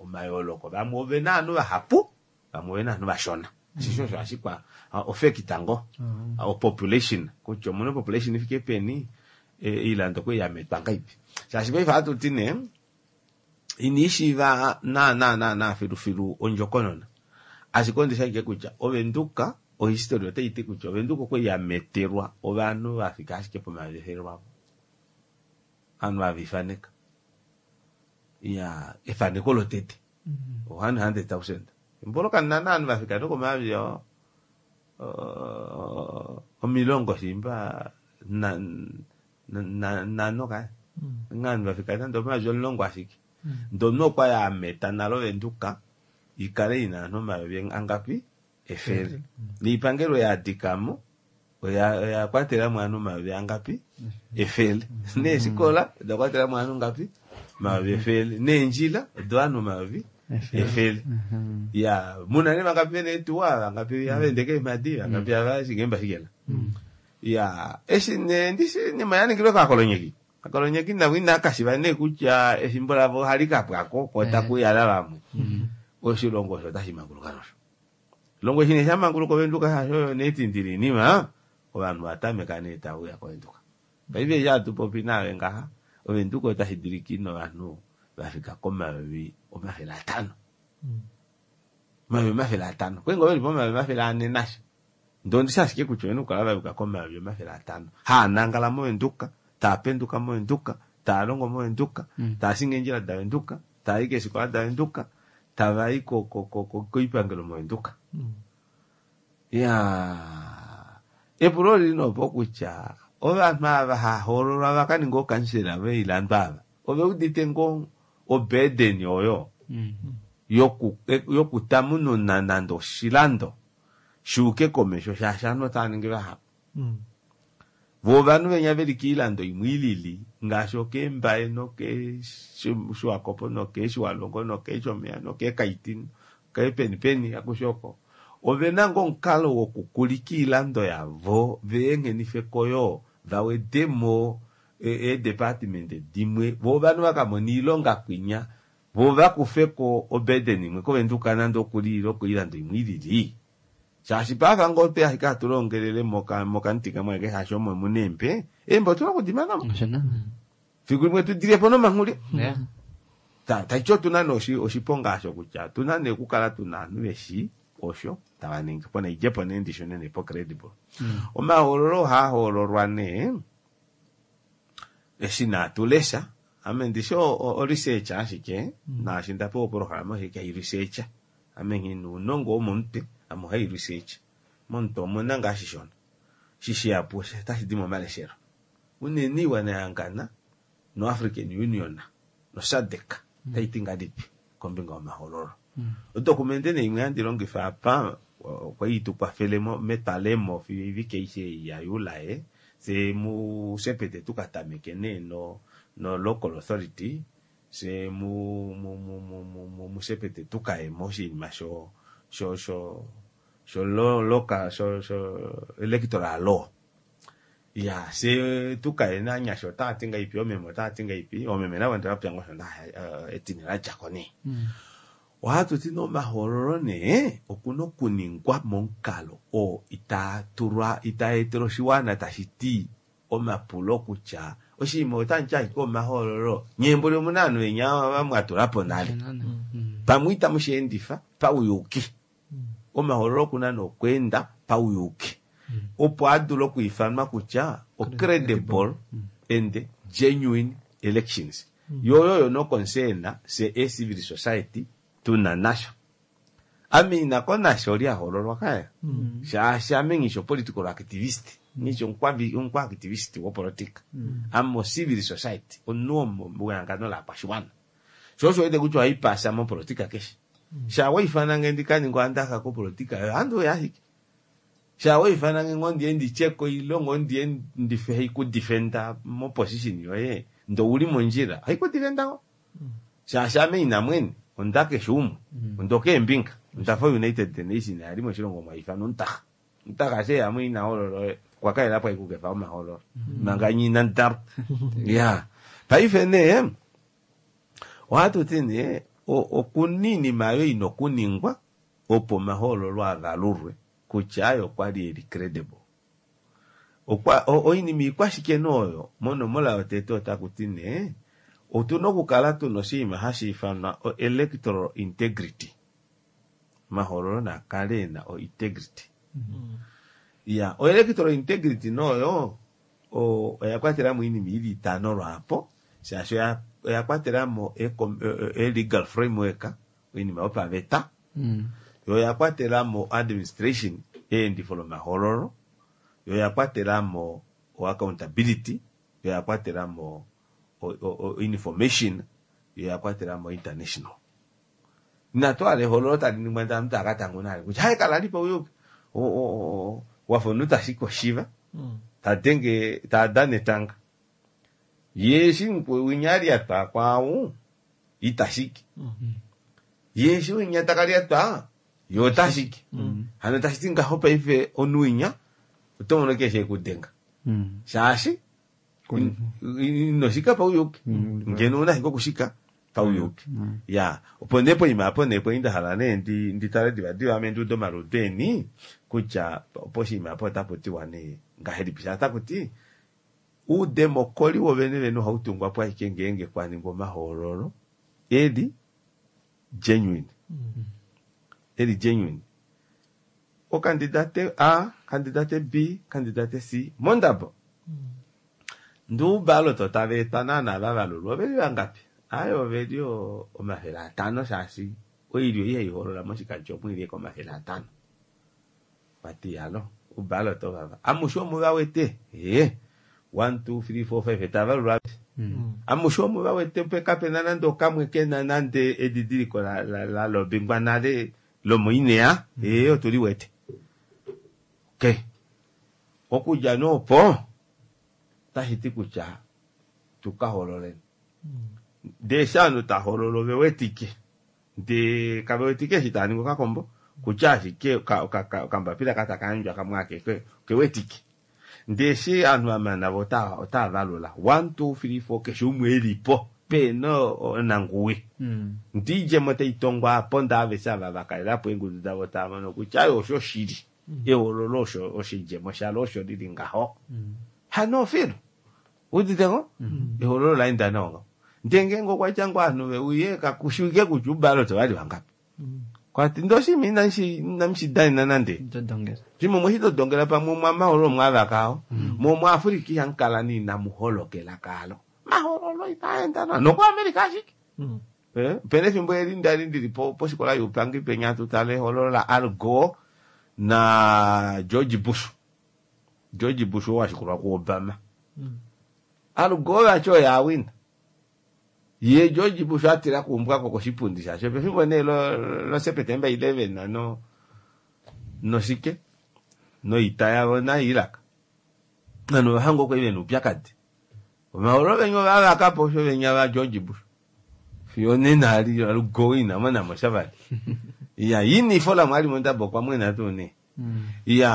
omayooloko vamwe ovena ovanhu vahapu vamwe ovena ovanhu vashona. Shisho osho ashikwa ofekita ngo o population kutya omuna population ifike peni ilando kwe yametwa ngaipi. Shaashi paife ohatu ti nee inishiiva na na na na filufilu ondjokonona. Ashike ondi shike kutya Ovenduka ohistory otai ti kutya Ovenduka okwe yametelwa ovanhu vafika ashike pomayovi efele lwavo. Ovanhu vavifaneka. Ya efaneko lotete. one hundred thousand. Mboloka nana ovanhu vafika nokomayovi omilongo shimba na na nano kaya. Ovanhu vafika nande omayovi omulongo ashike. Ndono okwa yameta nalo Ovenduka ikale ina ovanhu omayovi angapi efele. Niipangelo yaadikamo oya oya kwatelamo ovanhu omayovi angapi efele. Neeshikola oda kwatelamo ovanhu ngapi omayovi efele. Neendjila odo ovanhu omayovi efele. Ya muna ne vangapi vene etuwa vangapi avende keemhadi vangapi avashinge shikela. Ya eshi ne ndishi nima yaningilwe kaakolonyeki. Akolonyeki navo inakashiva nee kutya efimbo lavo ohali kapwako ko takuyala vamwe. Oshilongo osho otashi manguluka nosho. Longo shine sha manguluka Ovenduka shasho netindili nima ovanhu vatameka nee tauya kOvenduka. Paife eshi hatu popi naave ngaha Ovenduka otashi dulika ina ovanhu vafika komayovi omafele atano. Omayovi omafele atano. Kwenga oveli pomayovi omafele ane nasho. Ndoo ndishi ashike kutya ovena okukala vafika komayovi omafele atano. Haanangala mOvenduka, taapenduka mOvenduka, taalongo mOvenduka, taashingi eendjila daVenduka, taayi keefikola daVenduka, tavai ko ko ko koipangelo mOvenduka. Ya epulo olili nopo kutya ovanhu ava hahoololwa vakaninga ookansela voilando ava ove udite ngoo obedeni oyo yoku yokutamununa nande oshilando shuuke komesho shaashi ovanhu otava ningi vahapu. Vo ovanhu venya veli koilando imwe ilili ngaashi okeembaye nokeeshiwakopo nokeeshiwalongo nokeeshomeya nokeekaiti keepenipeni akushe oko ovena ngoo omukalo wokukulika oilando yavo veengenifeko yoo vawedemo eedepartment dimwe vo ovanhu vakamona oilonga kwinya vo vakufeko oburden imwe kOvenduka nande okuli ile koilando imwe ilili. Shaashi paife ngoo otwe ashike hatu longelele mokamuti kamwe ashike shaashi omo muna eembe, eembe otuna okudimanamo. Fiku limwe tudilyepo nomanghuli. Taiti otuna nee oshiponga osho kutya otuna nee okukala tuna ovanhu veshi osho tava ningi po naidjepo nee ndishune nee po credible. Omahoololo ohaa hoololwa nee eshi naa tulesha ame ndishi o research ashike naashi ndapewa oprograma ashike hai research ame nghina ounongo womomutwe ame ohai research momutwe omuna ngaa shishona shishihapu otashi di momaleshelo unene iwana yahangana no African Union no SADC otaiti ngahelipi kombinga yomahoololo. Odocumente nee imwe handi longifa apa okwali tukwafele metwalemo fiyo oivike aishe ya Juli fye musepete tukatameke nee no no local authority fye mu mu mu musepete tukayemo oshinima sho sho sho sho local sho sho electoral law. Ya fye tukaye nanyasha otaati ngahelipi oomeme otaati ngahelipi oomeme navo ndevapya ngoo osho etine ladjako nee. Ohatu ti nee omahoololo nee okuna okuningwa momukalo oo itaa tulwa itaa etele oshiwana tashi ti omapulo kutya oshinima otamuti ashike omahoololo nyeembuli omuna ovanhu venya mwatulapo nale pamwe itamu sheendifa pauyuki. Omahoololo okuna nee okweenda pauyuki opo adule okwiifanwa kutya o credible and genuine elections. Yo oyo no concern se e civil society tuna nasho. Ame inako nasho lyahoololwa kaya shaashi ame nghisho political activist nghisho omukwa activist wopolitika ame o civil society omunhu wehangano lakwashiwana sho osho wete kutya ohaipasa mopolitika keshe. Sha waifanange ndikaninga ohandaka kopolitika yo ohandi uya ashike. Sha waifanange ngoo ndiye ndityeko ile ngoo ndiye ndife haikudefenda moposition yoye ndee ouli mondjila haikudefenda ngoo. Shaashi ame ina mwene onda keshe umwe onda keembinga ondafa United Nation yali moshilongo omo haifanwa omutaxa. Omutaxa eshi ina hoolola okwa kalelapo ashike okukefa omahoololo manga nye inamudalwa. Ya paife nee ohatu ti nee okuna oinima oyo ina okuningwa Opo omahoololo avalulwe kutya ayo okwali eli credible. Okwa oinima ikwashike nooyo monomola yotete otaku ti nee otuna okukala tuna oshinima hashi ifanwa o electoral integrity. Omahoololo naa kale ena o integrity. Ya, o electoral integrity nooyo oya kwatelamo oinima ili itano lwaapo shaashi oya oya kwatelamo e legal framework oinima yopaveta yo oya kwatelamo administration eendifo lomahoololo yo oya kwatelamo o accountability yo oya kwatelamo o information yo oya kwatelamo international. Inatu hala ehoololo tali ningwa ndee ovanhu tava ka tanguna kutya hai kalali pauyuki wafa omunhu tashiki oshiva tadenge tadana etanga yee eshi winya alyatwa kwaau itashiki yee eshi winya takalyatwa yee otashiki hano tashiti ngaho paife omunhu winya oto mono keshe ekudenga shaashi inoshika pauyuki ngeno ouna ashike okushika pauyuki ya opo nee poima apo nee kwali ndahala nee nditale divadiva ame ndiude omaludo eni kutya poshinima apo otapu tiwa nee ngahelipi shaashi otakuti oudemokoli wovene vene ohautungwa po ashike ngeenge kwaningwa omahoololo eli genuine eli genuine okandidate A, kandidate B, kandidate C mondabo ndee oubalota tava etwa naana vavalulwa oveli vangapi aaye oveli omafele atano shaashi oilyo ihayi hoolola moshikandjo omo oili ashike omafele atano vati alo oubalota ovava amushe omuvawete ee one two three four five tavalulwa amushe omuvawete kapena nande okamwe kena nande edidiliko la lobingwa nale lomoinea ee otuli wete okay okudja nee opo otashiti kutya tukahoololeni ndee eshi ovanhu tahoolola ovewetike ndee kavewetike eshi taaningi okakombo kutya ashike okambapila ka takayandjwa kamwe akeke okewetike ndee eshi ovanhu vamana vo otaavalula one two three four keshe umwe elipo pena onanguwi ndee oidjemo taitongwa aapo ndee aveshe ava vakalelapo eengudu davo tavamono kutya aye osho shili ehoololo osho oshidjemo shalo osho lili ngaho hano filu uditeko ehoololo laenda nawa ngaho ndee ngeenge okwatya ngoo ovanhu veuye kakushiwike kutya oubalota ovali vangapi kwati ndee oshinima inamushidanena nande shimwe omweshitodongela pamwe omwa mahoololo omwavaka mo muAfrica ihamukala nee inamuholokela kaalo mahoololo itaenda nawa nokuAmerica ashike opena efimbo eli ndali ndili pofikola youpangi penya tutale ehoololo la Al Gore na George Bush George Bush oo washikulwa ku Obama Al Gore vati oye awina ye George Bush atila kuumbwako koshipundi shaashi pefimbo nee lo September eleven no noshike noita yavo na Iraq nanu vahango okwali vena oupyakadi omahoololo venya ovavakapo osho venya va George Bush fiyo nena ali Al Gore inamonamo sha vali iya yini ifola mwali mondabo okwa mwena tuu nee iya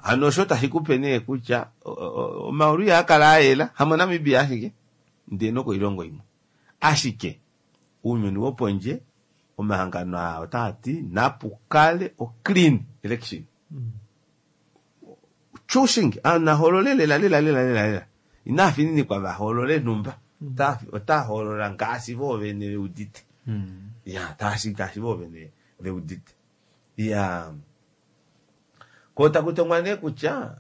hano osho tashikupe nee kutya omahoololo ihaakala ayela hamoNamibia ashike ndee nokoilongo imwe ashike ounyuni wopondje omahangano aa otaati napukale o clean election choosing ovanhu nahoolole lela lela lela lela lela inafininikwa vahoolole nhumba otahoolola ngaashi voovene veudite ya taashi ngaashi voovene veudite iya ko takutongwa nee kutya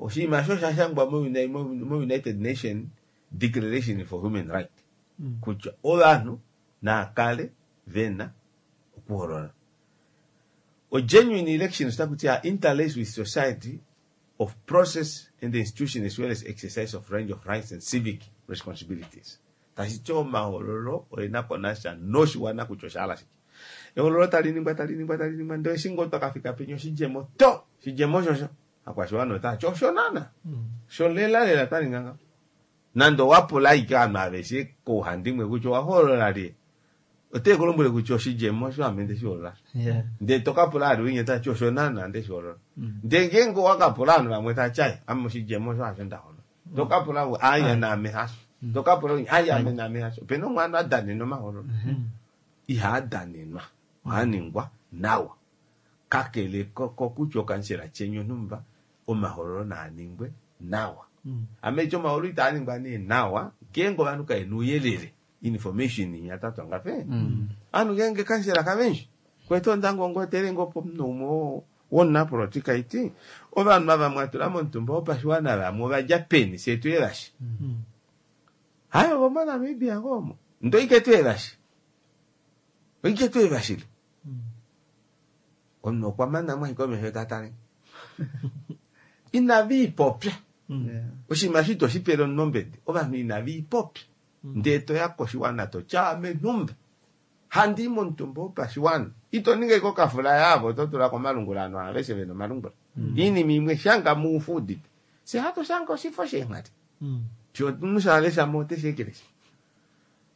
oshinima osho oshashangwa mo United Nation Declaration for Human Right kutya ovanhu naakale vena okuhoolola o genuine elections otakuti are interlaced with society of process and the institution as well as exercise of range of rights and civic responsibilities tashiti omahoololo oena ko nasha noshiwana kutya oshahala shike ehoololo tali ningwa tali ningwa tali ningwa ndee eshi ngoo twakafika penya oshidjemo to oshidjemo oshosho akwashiwana otaati osho naana sho lela lela twaninga ngaho nande owapula ashike ovanhu aveshe kouhandimwe kutya owahoolola lye otekulombwele kutya oshidjemo osho ame ndeshihoolola ndee tokapula ali winya tati osho naana ndeshihoolola ndee ngeenge owakapula ovanhu vamwe tati ai ame oshidjemo osho hasho ndahoolola tokapula aya naame hasho tokapula aya ame naame hasho opena omwe anu adanena omahoololo ihaadanenwa Ohaa ningwa nawa. Kakele kokutya okansela tyeni onhumba, omahoololo naa ningwe nawa. Ame eti omahoololo itaa ningwa nee nawa, ngeenge ovanhu kavena ouyelele, information inya tatwa ngape. Ovanhu ngeenge kansela kavenshi, kwete ondango ngoo tele ngoo pomunhu umwe womunapolitika iti, ovanhu ava mwatula momutumba wopashiwana vamwe ovadja peni, fye tuye vashi. Hayi ovo moNamibia ngoo omo. Ndee oike tuye vashi. Oike tuye vashile. Omunhu okwa mana mo ashike omesho ta tale. Inave ipopya. Oshinima eshi ito shi pele omunhu ombedi. Ovanhu inave ipopya. Ndee toya koshiwana toti ame nhumba. Handi i momutumba wopashiwana. Ito ningi ashike okafula yaavo oto tula komalungula ovanhu aveshe vena omalungula. Iinima imwe shanga muufu udite. Fye hatu shange oshifo sheenghali. Sho omunhu shalesha mo oteshi ekeleshi.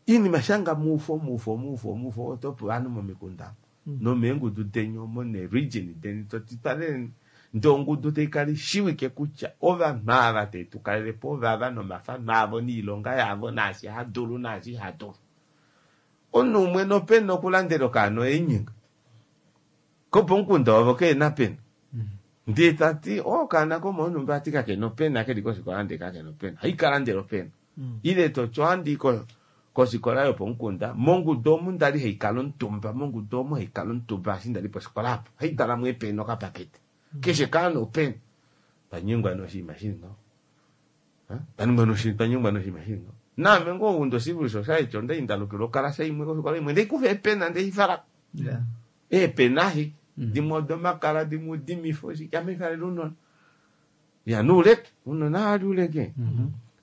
Iinima shanga muufo muufo muufo muufo oto pe ovanhu momikunda nomeengudu deni omo neeregion deni toti twaleleni. Ndee ongudu taikala ishiwike kutya ovanhu ava tetukalelepo ovava nomafano avo noilonga yavo naashi hadulu naashi ihadulu. Omunhu umwe nopena okulandela okaana oinyenga. Kopomukunda wavo kehena pena. Ndee tati okaana komonhumba ati kakena opena keli kofikola ndee kakena opena. Haikalandela opena. Ile toti ohandi kofikola yopomukunda mongudu omu ndali haikala omutumba mongudu omu haikala omutumba eshi ndali pofikola apo haitwalamo eepena okapakete. Keshe kaana opena. Twanyengwa nee oshinima shili ngaho. Twanyengwa nee oshinima shili ngaho. Naame ngoo ou ndo civil society ondali ndalukilwa okalasa imwe kofikola imwe ndeikufa eepena ndeifalako. Eepena ashike. Dimwe odomakala dimwe udimifo shike ame ifalele ounona. Ya nouleke. Ounona ohali uleke.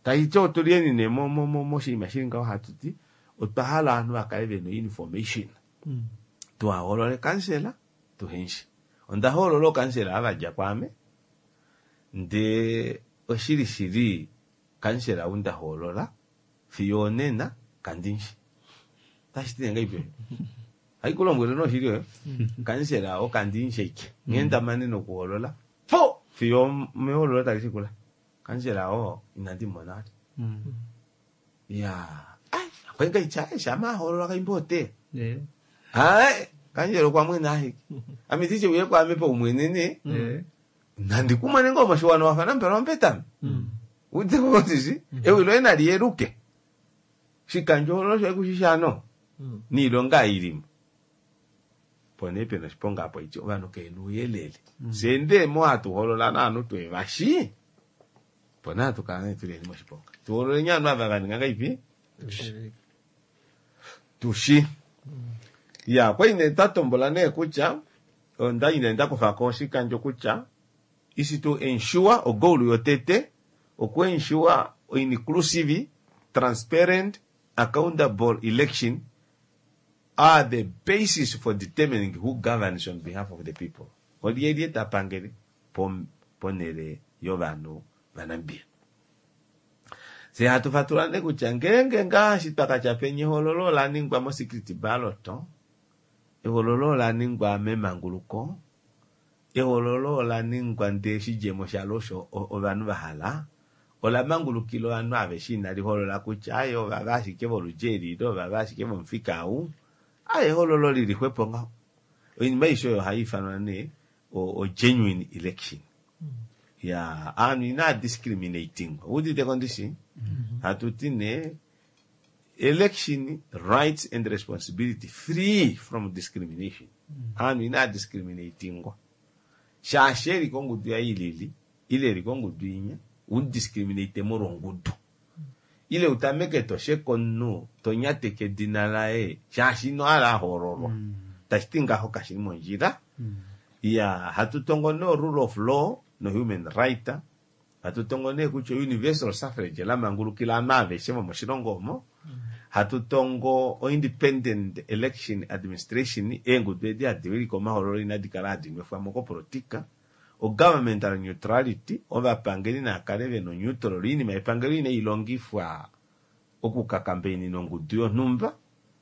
Taiti otuliyeni nee moshinima shili ngaho hatuti otwa hala ovanhu vakale vena information. Tuhahoolole kansela tuhenshi. Onda hoolola ookansela ava vadja kwaame ndee oshili shili kansela ou ndahoolola fiyo onena kandimushi. Otashi ti nee ngahelipi osho? Haikulombwele nee oshili oyo. Kansela oo kandimushi ashike. Nghee ndamane nokuhoolola po fiyo mehoololo tali shikula. Kansela oo inandi mumona vali. Iyaa ai okwa ngaitya shama ahoolola kaimba oteya. Ai kansela okwa mwena ashike. Ame tiche uye kwaame paumwene nee nandi kumone ngoo moshiwana wafa namupela ombetame. Udeko ndishi ewi loye nali yeluke. Shikandjohoololo shoye kushishano niilonga ilimo. Po nee pena oshiponga apo iti ovanhu kehena ouyelele. Fye ndee mo hatu hoolola novanhu twevashi opo nee hatu kala nee tuliyeni moshiponga. Tuhoololeni ovanhu ava vaninga ngahelipi? Tushi. Ya okwali nee twatombola nee kutya ondali nee ndakufako oshikandjo kutya is to ensure ogoal yotete oku ensure inclusive, transparent, accountable election are the basis for determining who governs on behalf of the people. Olyelye tapangele ponele yovanhu vaNamibia. Fye hatu fatula nee kutya ngeenge ngaashi twakatya penya ehoololo ola ningwa mo secret ballot, ehoololo ola ningwa memanguluko, ehoololo ola ningwa ndee oshidjemo shalo osho ovanhu vahala, ola mangulukila ovanhu aveshe inali holola kutya aaye ovava ashike voludi eli ile ovava ashike vomufika ou, aaye ehoololo lili xwepo ngaho. Oinima aishe oyo ohaiifanwa nee o genuine election. Ya ovanhu inaa discriminating. Ouuditeko ndishi? Hatuti nee election rights and responsibility free from discrimination. Ovanhu inaa discriminatingwa. Shaashi eli kongudu yaye ilili ile eli kongudu inya udiscriminate molwa ongudu. Ile utameke tosheke omunhu tonyateke edina laye shaashi ino hala ahoololwa. Tashiti ngaho kashili mondjila. Ya hatu tongo nee rule of law no human right. Hatu tongo nee kutya universal suffrage lamangulukila ovanhu aveshe vomoshilongo omo. Hatu tongo independent election administration eengudu edi hadi wilike omahoololo inadi kala hadi nwefwamo kopolitika. O governmental neutrality ovapangeli naakale vena neutral oinima yepangelo inailongifwa okukakambainina ongudu yonhumba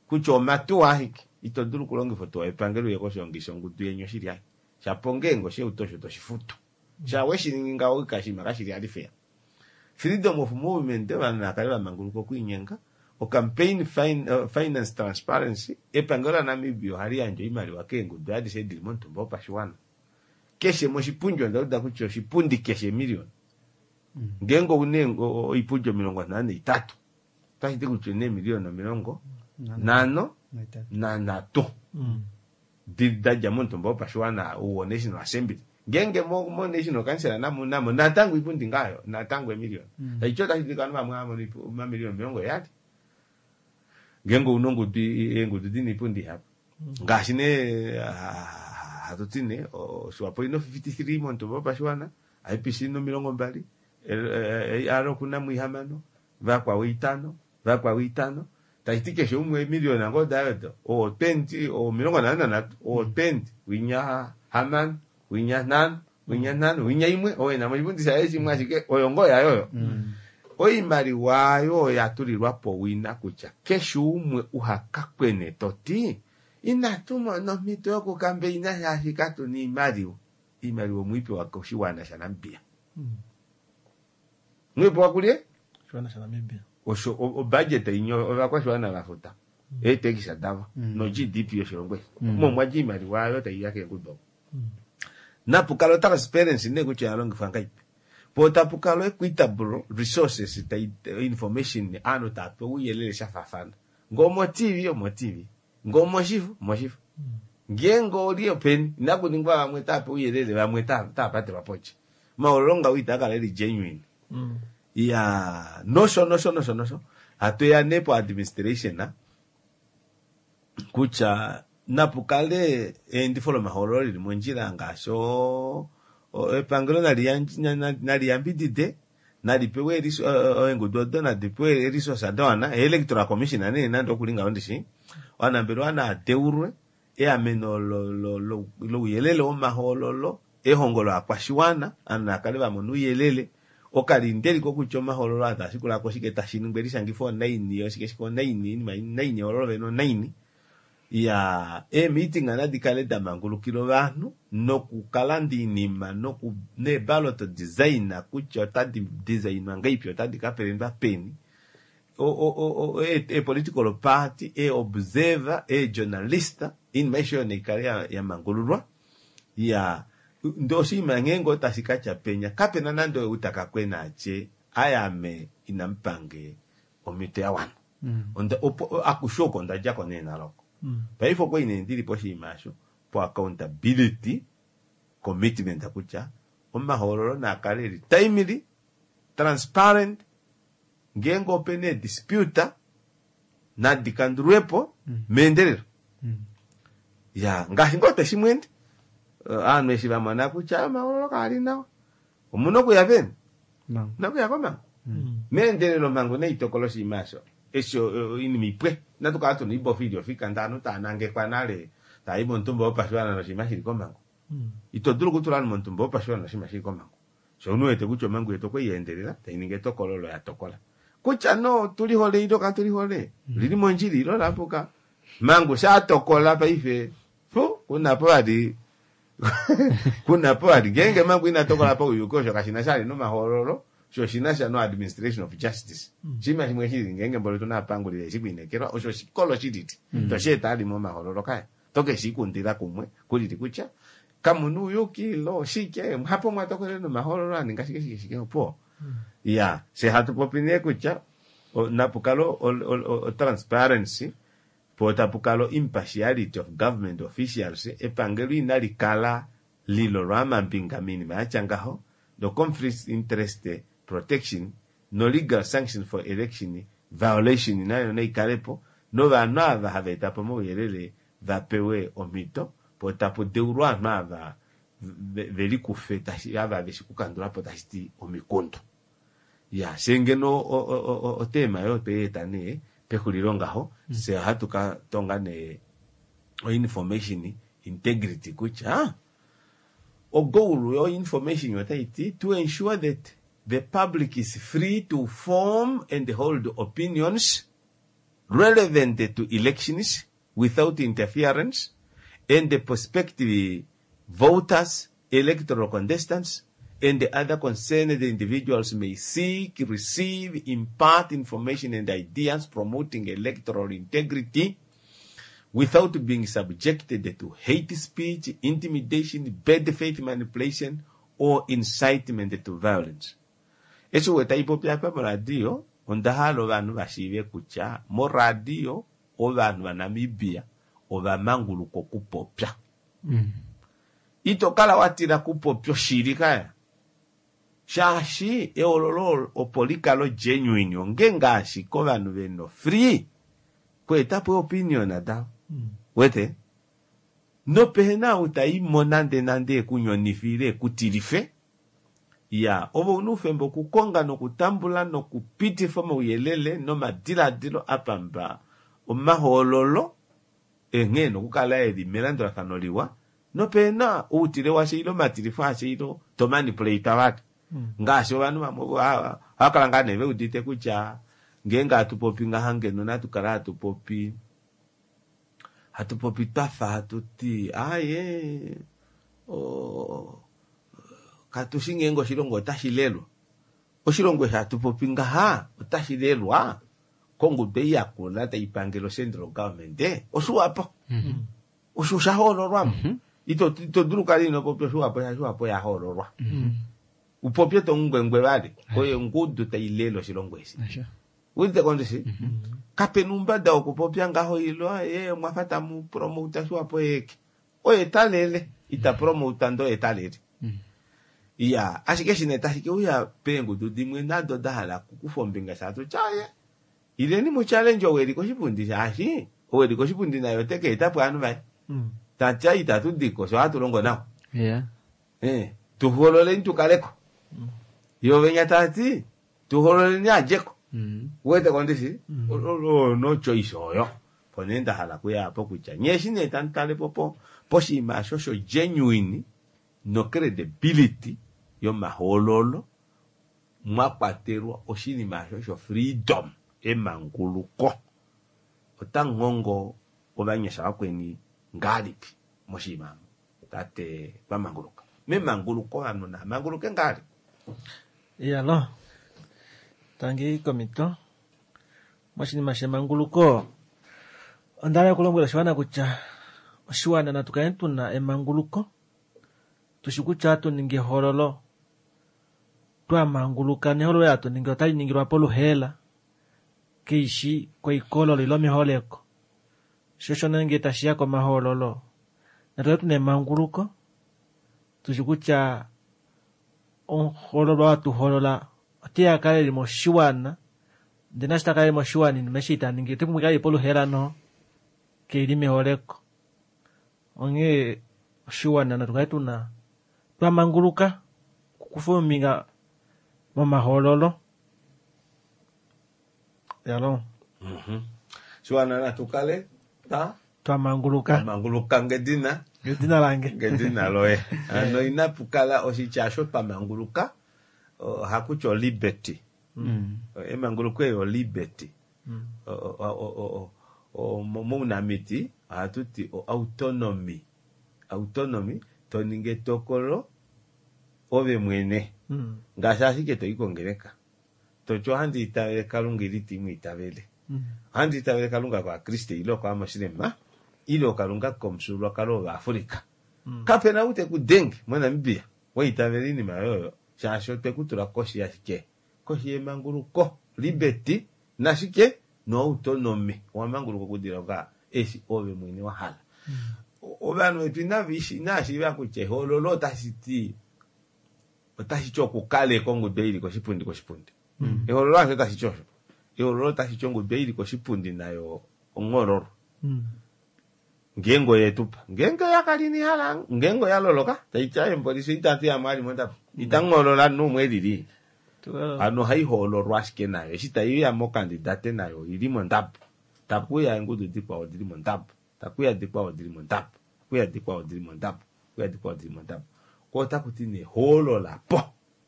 kutya omatuwa ashike ito dulu okulongifa otuwa yepangelo uye koshiongi shongudu yeni oshili ashike shapo ngeenge oshauto osho toshifutu sha weshiningi ngaho oshinima kashili hali fair. Freedom of movement ovanhu naakale vamanguluka okwiinyenga. O-campaign fin, uh, finance transparency, epangelo laNamibia ohali yandje oimaliwa keengudu adishe dili momutumba wopashiwana. Keshe moshipundi onda uda kutya oshipundi keshe emiliyona. Ngeenge ouna oipundi omilongo nhano naitatu, otashi ti kutya ouna eemiliyona omilongo nhano nanhatu da dja momutumba wopashiwana wo-National Assembly. Ngeenge mo-National Council namo namo natango oipundi ngaayo natango emiliyona. Taiti otashi dulika ovanhu vamwe hava mono omamiliyona omilongo heyali. Ngeenge ouna ongudu eengudu dina oipundi ihapu. Ngaashi nee hatu ti nee Swapo ina fifty three momutumba wopashiwana, I P C ina omilongo mbali, A R okuna mo ihamano, vakwao itano, vakwao itano. Tashi ti keshe umwe emiliyona ngoo dayo odo, oo twenty, oo omilongo nhano nanhatu, oo twenty, winya hamano, winya nhano, winya nhano, winya imwe, oo ena moshipundi shaye shimwe ashike oyo ngoo yayo oyo. Oimaliwa ayo oya tulilwa po wina kutya keshe umwe uhakakwene toti inatu mona omhito yokukambeina shaashi katuna oimaliwa. Oimaliwa omwiipewa koshiwana shaNamibia. Mwiipewa kulye? Oshiwana shaNamibia. Osho obudget inyo ovakwashiwana vafuta. Eetekisa davo no G D P yoshilongo eshi. Omo mwa dja oimaliwa ayo tai ya keengudu oko. Napu kala transparency nee kutya oya longifwa ngahelipi. Po tapu kala equitable resources tai information aanhu tava pewa ouyelele sha faafana. Ngee omo T V omo T V, ngee omoshifo omoshifo. Ngeenge oli openi inaku ningwa vamwe tava pewa ouyelele vamwe tava patelwa pondje. Omahoololo ngaho itaa kala eli genuine. Ya nosho nosho nosho nosho. Hatu ya nee po administration kutya napu kale eendifo lomahoololo lili mondjila ngaashi epangelo nali yambidide nali pewe eengudu odo nadi pewe resource dawana electoral commission nee nande okulinga ondishi ovanambelewa naadeulwe eameno louyelele womahoololo ehongo lovakwashiwana ovanhu navakale vamona ouyelele okalindeliko kutya omahoololo aa taashikulako oshike tashi ningwa elishangifo onaini oshike shike onaini oinima naini ehoololo vene onaini ya eemeeting nadi kale damangulukila ovanhu nokukalanda oinima noku neebalot design kutya otadi designwa ngahelipi otadi kapelendwa peni e political party e observer e journalist oinima aishe oyo naikale yamangululwa ya ndee oshinima ngeenge otashi katya penya kapena nande ou taka kwena atye ayame inamupange omhito ya wana akushe oko ondadjako nee naloko paife okwali nee ndili poshinima osho po accountability commitment kutya omahoololo naakale eli timely transparent ngeenge opena eedispute nadi kandulwepo meendelelo ya ngaashi ngoo teshimweende ovanhu eshi vamona kutya omahoololo kaali nawa omuna okuya peni omuna okuya komhangu meendelelo omhangu naitokola oshinima osho eshi oinima ipwe inatu kala tuna oibofa ili ofika ndee ovanhu tava nangekwa nale taayi momutumba wopashiwana noshinima shili komhangu ito dulu okutula ovanhu momutumba wopashiwana noshinima shili komhangu sho omunhu wete kutya omhangu yetu okwei endelela tainingi etokolo olo yatokola kutya no tulihole ile katulihole lili mondjila ile olapuka mhangu shaatokola paife fu kunapo vali kunapo vali ngeenge mhangu ina tokola pauyuki osho kashina sha ali nomahoololo sho oshina sha no administration of justice oshinima shimwe shili ngeenge mboli otuna ovapanguli veshi kwiinekelwa osho oshikolo shilili tosheeta ali momahoololo kaya tokeshi ikundila kumwe kulili kutya kamuna ouyuki ile oshike hapo mwatokolele nomahoololo aninga shike shike shike opo ya fye hatu popi nee kutya napu kale o-transparency po tapu kala impartiality of government officials epangelo inali kala lilolwa amambinga moinima yatya ngaho no conflict interest protection no legal sanction for election violation nayo naikalepo novanhu ava hava eta po omauyelele vapewe omhito po tapu deulwa ovanhu ava velikufe ava veshi kukandulapo tashi ti omikundu ya fye ngeno otema oyo tweyeeta nee pexulilo ngaho fye ohatu ka tonga nee o-information integrity kutya ogoal yo-information otaiti to ensure that the public is free to form and hold opinions relevant to elections without interference and the prospective voters, electoral contestants and the other concerned individuals may seek, receive, impart information and ideas promoting electoral integrity without being subjected to hate speech, intimidation, bad faith manipulation, or incitement to violence. Eshi weta ipopi apa moradio, onda hala ovanhu va shiive kutya moradio ovanhu vaNamibia ova manguluka okupopya. Mm. Ito kala wa tila kupopya oshili kaya. Shaashi eololo opo likalo genuine onge ngaashi kovanhu veno free kweetapo opinion davo. Wete? Nopehena ou taimo nande nande ekunyonifile ekutilife. Ya, ovo una oufemba okukonga nokutambula nokupitifa omauyelele nomadiladilo apamba omahoololo enghee nokukala eli melandulafano liwa nopena outile washe ile omatilifo ashe ile to manipulate vati. Ngaashi ovanhu vamwe ohava kala ngaa nee veudite kutya ngeenge hatu popi ngaha ngeno natu kala hatu popi hatu popi twafa hatu ti aye o katushi ngeenge oshilongo otashi lelwa. Oshilongo eshi hatu popi ngaha otashi lelwa kongudu ei yakula tai pangele central government oshiwapo. Osho sha hoololwamo. Ito ito dulu kala ino popya oshiwapo shaashi oshiwapo ya hoololwa. Upopye to ngwengwe vali oyo ongudu tai lele oshilongo eshi. Udite kondishi? Kapena oumbada wokupopya ngaho ilo ye mwafa tamu promota oshiwapo yeke. Oye talele ita promota ndo oye talele. Ya, ashike shine tashi ke uya peengudu dimwe nado da hala okukufa ombinga shaashi tyaye ileni mu challenge ou eli koshipundi shaashi ou eli koshipundi naye ote ka eta po ovanhu vaye. Tatya itatu diko sho hatu longo nawa. Yeah. Eh, tuhoololeni tukaleko. Yo venya tati tuhoololeni adjeko. Mm. Wete kondishi? No choice oyo. Po nee nda hala kuya apo kutya nye eshi nee tamu tale po po poshinima osho sho genuine no credibility yomahoololo mwa kwatelwa oshinima osho sho freedom emanguluko. Otamu hongo ovanyasha vakweni ngahelipi moshinima tate twamanguluka. Memanguluko ovanhu namanguluke ngahelipi? Iyalo, tangi komito moshinima shemanguluko onda hala okulombwela oshiwana kutya oshiwana natu kale tuna emanguluko tushi kutya hatu ningi ehololo twamanguluka nehololo hatu ningi otali ningilwa poluheela keishi koikololo ile meholeko. Sho sho nenge tashiya komahoololo natu kale tuna emanguluko tushi kutya omuhoololwa watuhoolola oteya akale eli moshiwana ndee nashi takala eli moshiwana inima eshi itaningi otepumbwa ikale ili poluheela noho keili meholeko. Onghee oshiwana natu kale tuna twamanguluka okukufa ombinga momahoololo. Yalo. Shiwana natu kale ta twamanguluka twamanguluka ngedina ngedina lange ngedina loye. Ano inapu kala oshitya osho twamanguluka ohakutya o liberty. Mm. Emanguluko eyo liberty. Mounamiti ohatu ti o autonomy. Autonomy to ningi etokolo ove mwene. Ngaashi ashike toyi kongeleka. Toti ohandi itavele Kalunga ile itimu itavele. Ohandi itavele Kalunga kovakriste ile kovamoslema ile Kalunga komufyuululwakalo wOvaafrika. Kapena ou teku denge moNamibia waitavela oinima yoyo shaashi otwe ku tula koshi yashike? Koshi yemanguluko, liberty nashike no autonomy. Owamanguluka okudilonga eshi ove mwene wa hala. Ovanhu vetu inava shiiva kutya ehoololo otashi ti otashi ti okukaleka ongudu ei ili koshipundi koshipundi. Ehoololo hasho tashi ti osho. Ehoololo otashi ti ongudu ei ili koshipundi nayo onghoololwa. Ngeenge oye tupa, ngeenge oya kala ina hala, ngeenge oya loloka taiti aye mbolisi itatu yamo ali mondabo. Itamu hoolola numwe elili. Hano ohai hoololwa ashike nayo eshi taiuya mokandidate nayo oili mondabo. Takuya eengudu dikwao dili mondabo. Takuya dikwao dili mondabo. Takuya dikwao dili mondabo. Takuya dikwao dili mondabo. Ko otaku ti nee hoolola po.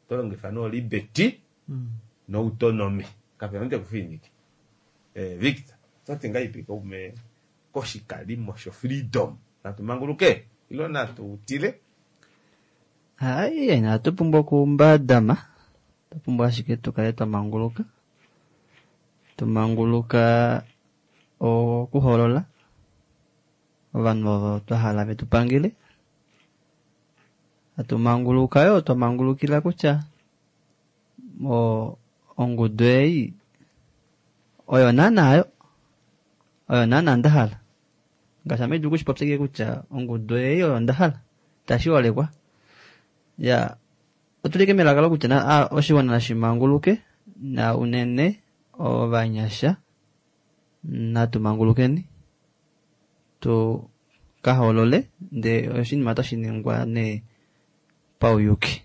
To longifa no liberty no autonomy. Kapena ou tekufininike. Eh, Victor, ototi ngahelipi kaume koshikalimo sho freedom? Natu manguluke ile natu tile? Hai, inatu pumbwa okumbadama, otwa pumbwa ashike tukale twa manguluka, tumanguluka okuholola ovanhu ovo twa hala vetu pangele, atumanguluka yo twa mangulukila kutya ongudu ei oyo naana yo oyo naana nda hala, ngaashi ame dulu kushipopya kutya ongudu ei oyo nda hala tashi olekwa ya otulike melaka lokutya na oshiwana nashimanguluke na unene ovanyasha natumangulukeni tu kaholole nde oshinima otashi ningwa ne pauyuki.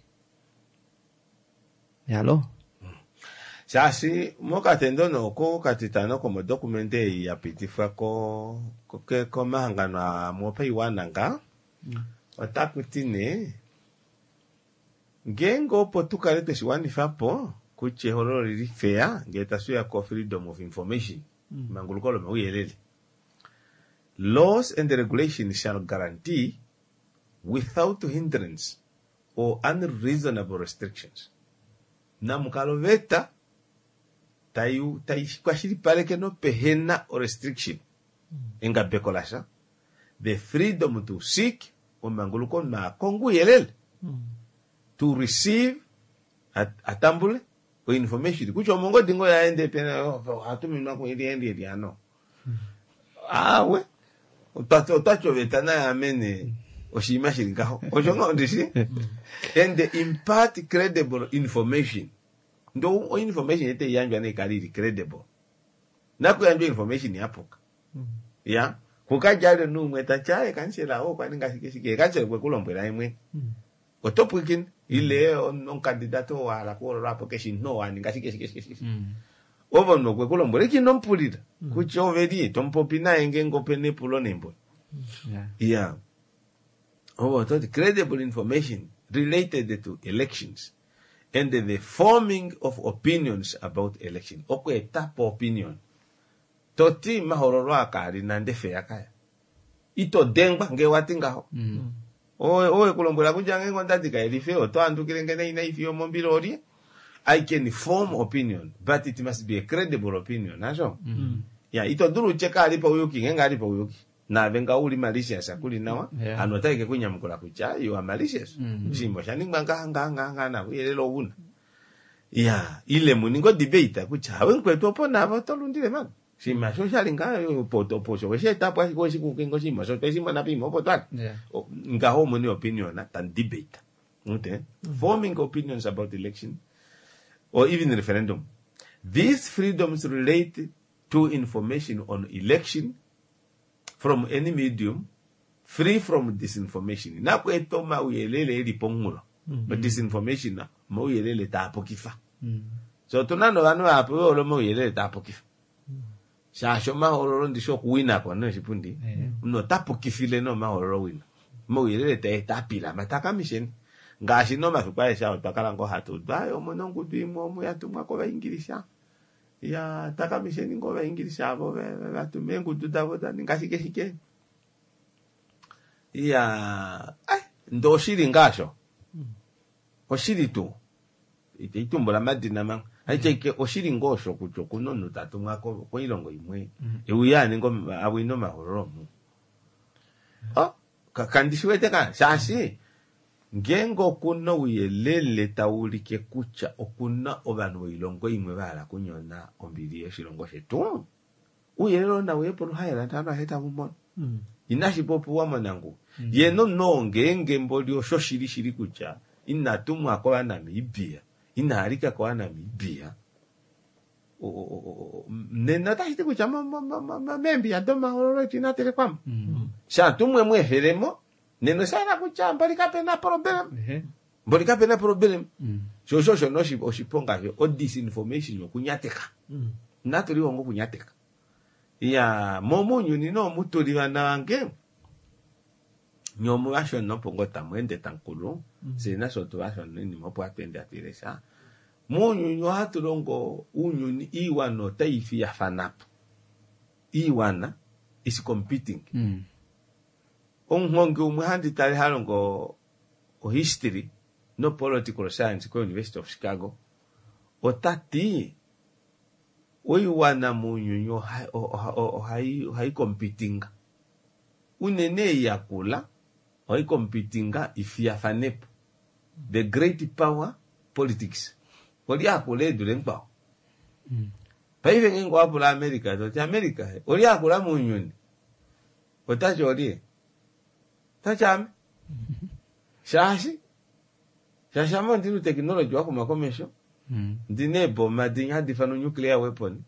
Yalo shaashi mokatendo noko katitano komodokumente ei ya pitifwa ko komahangano amwe opaiwana nga otaku ti nee ngeenge opo tukale tweshiwanifa po kutya ehololo lili fair ngee tashiya ko freedom of information manguluko lomauyelele, laws and regulations shall guarantee without hindrance or unreasonable restrictions. Namukalo veta tayu kwashilipaleke nopehena restriction engabeko lasha the freedom to seek omanguluko maakongo uyelele to receive atambule o information kutya omongodi ngo yaende pena ohatuminwa kuiliendeli ano awe otwati oveta nayamene oshinima shili ngaho osho nga ndishi and impart credible information ndo o information ete yandjwa neikale ili credible nakuyandjwa information yapuka ya kukajale numwe tacha kansela o kwaninga shike shike kansela kwe kulombwela imwe oto pwikini ile omukandidato wahala kuholola po keshi no waninga shike shike shike ovo nokwe kulombwela ikinompulila kutya oveli tomupopi naye ngeenge opena epulo nembo yeah ovo toti credible information related to elections and the forming of opinions about election okweetapo opinion toti mahololo akaali nande feya kaya ito dengwa ngee wati ngaho owe kulombwela kutya ngeenge ondadi kaelife oto andukile ngene inaifiyo mombila olye. I can form opinion but it must be a credible opinion asho ya ito dulu utye kaali pauyuki ngeenge ali pauyuki naave nga uli malicious akuli nawa anu otaike kunyamukula kutya you are malicious oshinima oshaningwa ngaha ngaha ngaha ngaha nauyelele ouna ya ile muninge odebate kutya hawe mukwetu opo naave oto lundile mani oshinima sho oshali nga opo osho wesheetapo ashike weshikukinga oshinima osho tweshimona poima opo twali ngaho omuni opinion tan debate okay forming opinions about election or even referendum. These freedoms relate to information on election from any medium free from disinformation. Nakweeta omauyelele eli pomunghulo disinformation omauyelele taapukifa so otuna novanhu vahapu vehole omauyelele taapukifa shaashi omahololo ndishi okuwinako noshipundi omunhu ota pukifile nomahololo wina omauyelele taeta apilama takamisheni ngaashi nomafiku aeshe ao twakala ngoo hatu udu aye omuna ongudu imwe omu yatumwa kovaingilisha ya takamisheni ngoo ovaingilisha avo vatuma eengudu davo daninga shike shike ya ndee oshili ngaasho oshili tuu iteitumbula madina manga aitya oshili ngoo osho kutya okuna omunhu tatumwa koilongo imwe euya aninge awine omahololo omu kandishiwete ka shaashi ngeenge okuna ouyelele tauulike kutya okuna ovanhu voilongo imwe vahala kunyona ombili yoshilongo shetu ouyelele oo nauye poluhaela ovanhu aveshe tavumona inashi popiwa monanguwi ye nomunhu oo ngeenge mboli osho shili shili kutya inatumwa kovanamibia inaalika kovanamibia nena otashi ti kutya meembiya domahololo etu inatelekwamo shatumwe mweefelemo nena oshahala kutya mboli kapena problem mboli kapena problem sho osho osho noshiponga sho odisinformation okunyateka inatulihonga okunyateka ya mo mounyuni noomutuli vana vange nye omuvashona opo ngoo tamu tamukulu fyee nasho otuvashona oinima opo hatu ende hatu ilesha mounyuni ohatu longo ounyuni iiwana otai fiyafanapo iiwana is competing omuhongi umwe handi tale halongo ohistory no political science ko University of Chicago ota ti oiwana mounyuni ohai competinga unene yakula ohai competinga ifiyafanepo the great power politics oli akula edule nkwao. Paife ngeenge wapula America toti America oli akula mounyuni otachi olie tachi ame shaashi shaashi ame ondina technology wakuma komesho ndina eeboma dinya hadi ifanwa nuclear weapon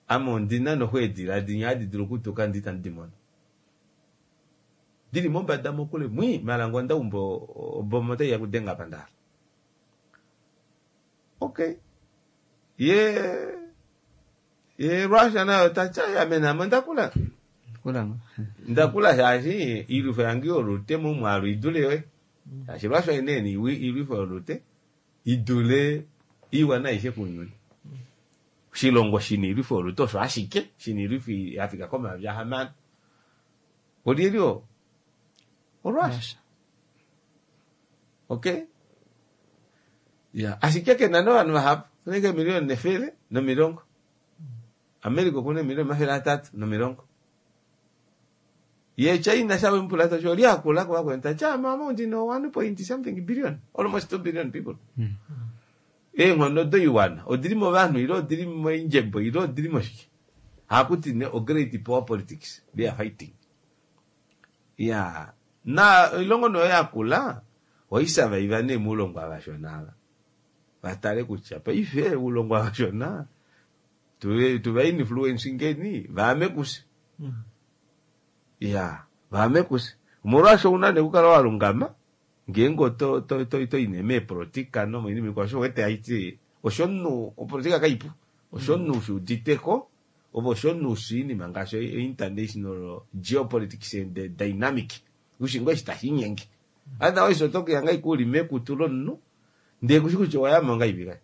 ame ondina noxweedila dinya hadi dulu okutuka ndi itandi dimono dili mombada mokule mwi malango ondaumba oboma otaiya kudenga pandala. Okay, ye ye Russia nayo tacha ame namo ndakula ndakula shaashi ilwifo yange yolute momwaalu idule yoye shaashi Russia inene ilwifo yolute idule iwana aishe kunyuni shilongo shina ilwifo yolute osho ashike shina ilwifo yafika komayovi ahamano olyelyo oRussia. Okay, ya ashike kena novanhu vahapu kunenge emiliyoni nefele nomilongo America okuna emiliyoni omafele atatu nomilongo ye China shawempula tachi oli akula kuvakwenu tachi mama ndino one point something billion almost two billion people. Eenghono doiwana odili movanhu ile odili moindjebo ile odili moshike hakuti ne o great power politics they are fighting. Ya na ilongo noyo yakula oisavaiva ne mulongo avashona ava vatale kutya paife ulongo avashona tuva influence ngeni vaame kuse. Ya vaame kuse omolwaasho una nekukala walungama ngeenge oto to to to ine meepolitika nomoinima ikwao osho wete haiti osho omunhu opolitika kaipu osho omunhu ushiuditeko ovo osho omunhu ushiinima ngaashi international geopolitics and the dynamic ushingo eshi tashinyenge otherwise otokuya ngai kuli mekutu lomunhu ndee kushi kutya owayamo ngaipi kai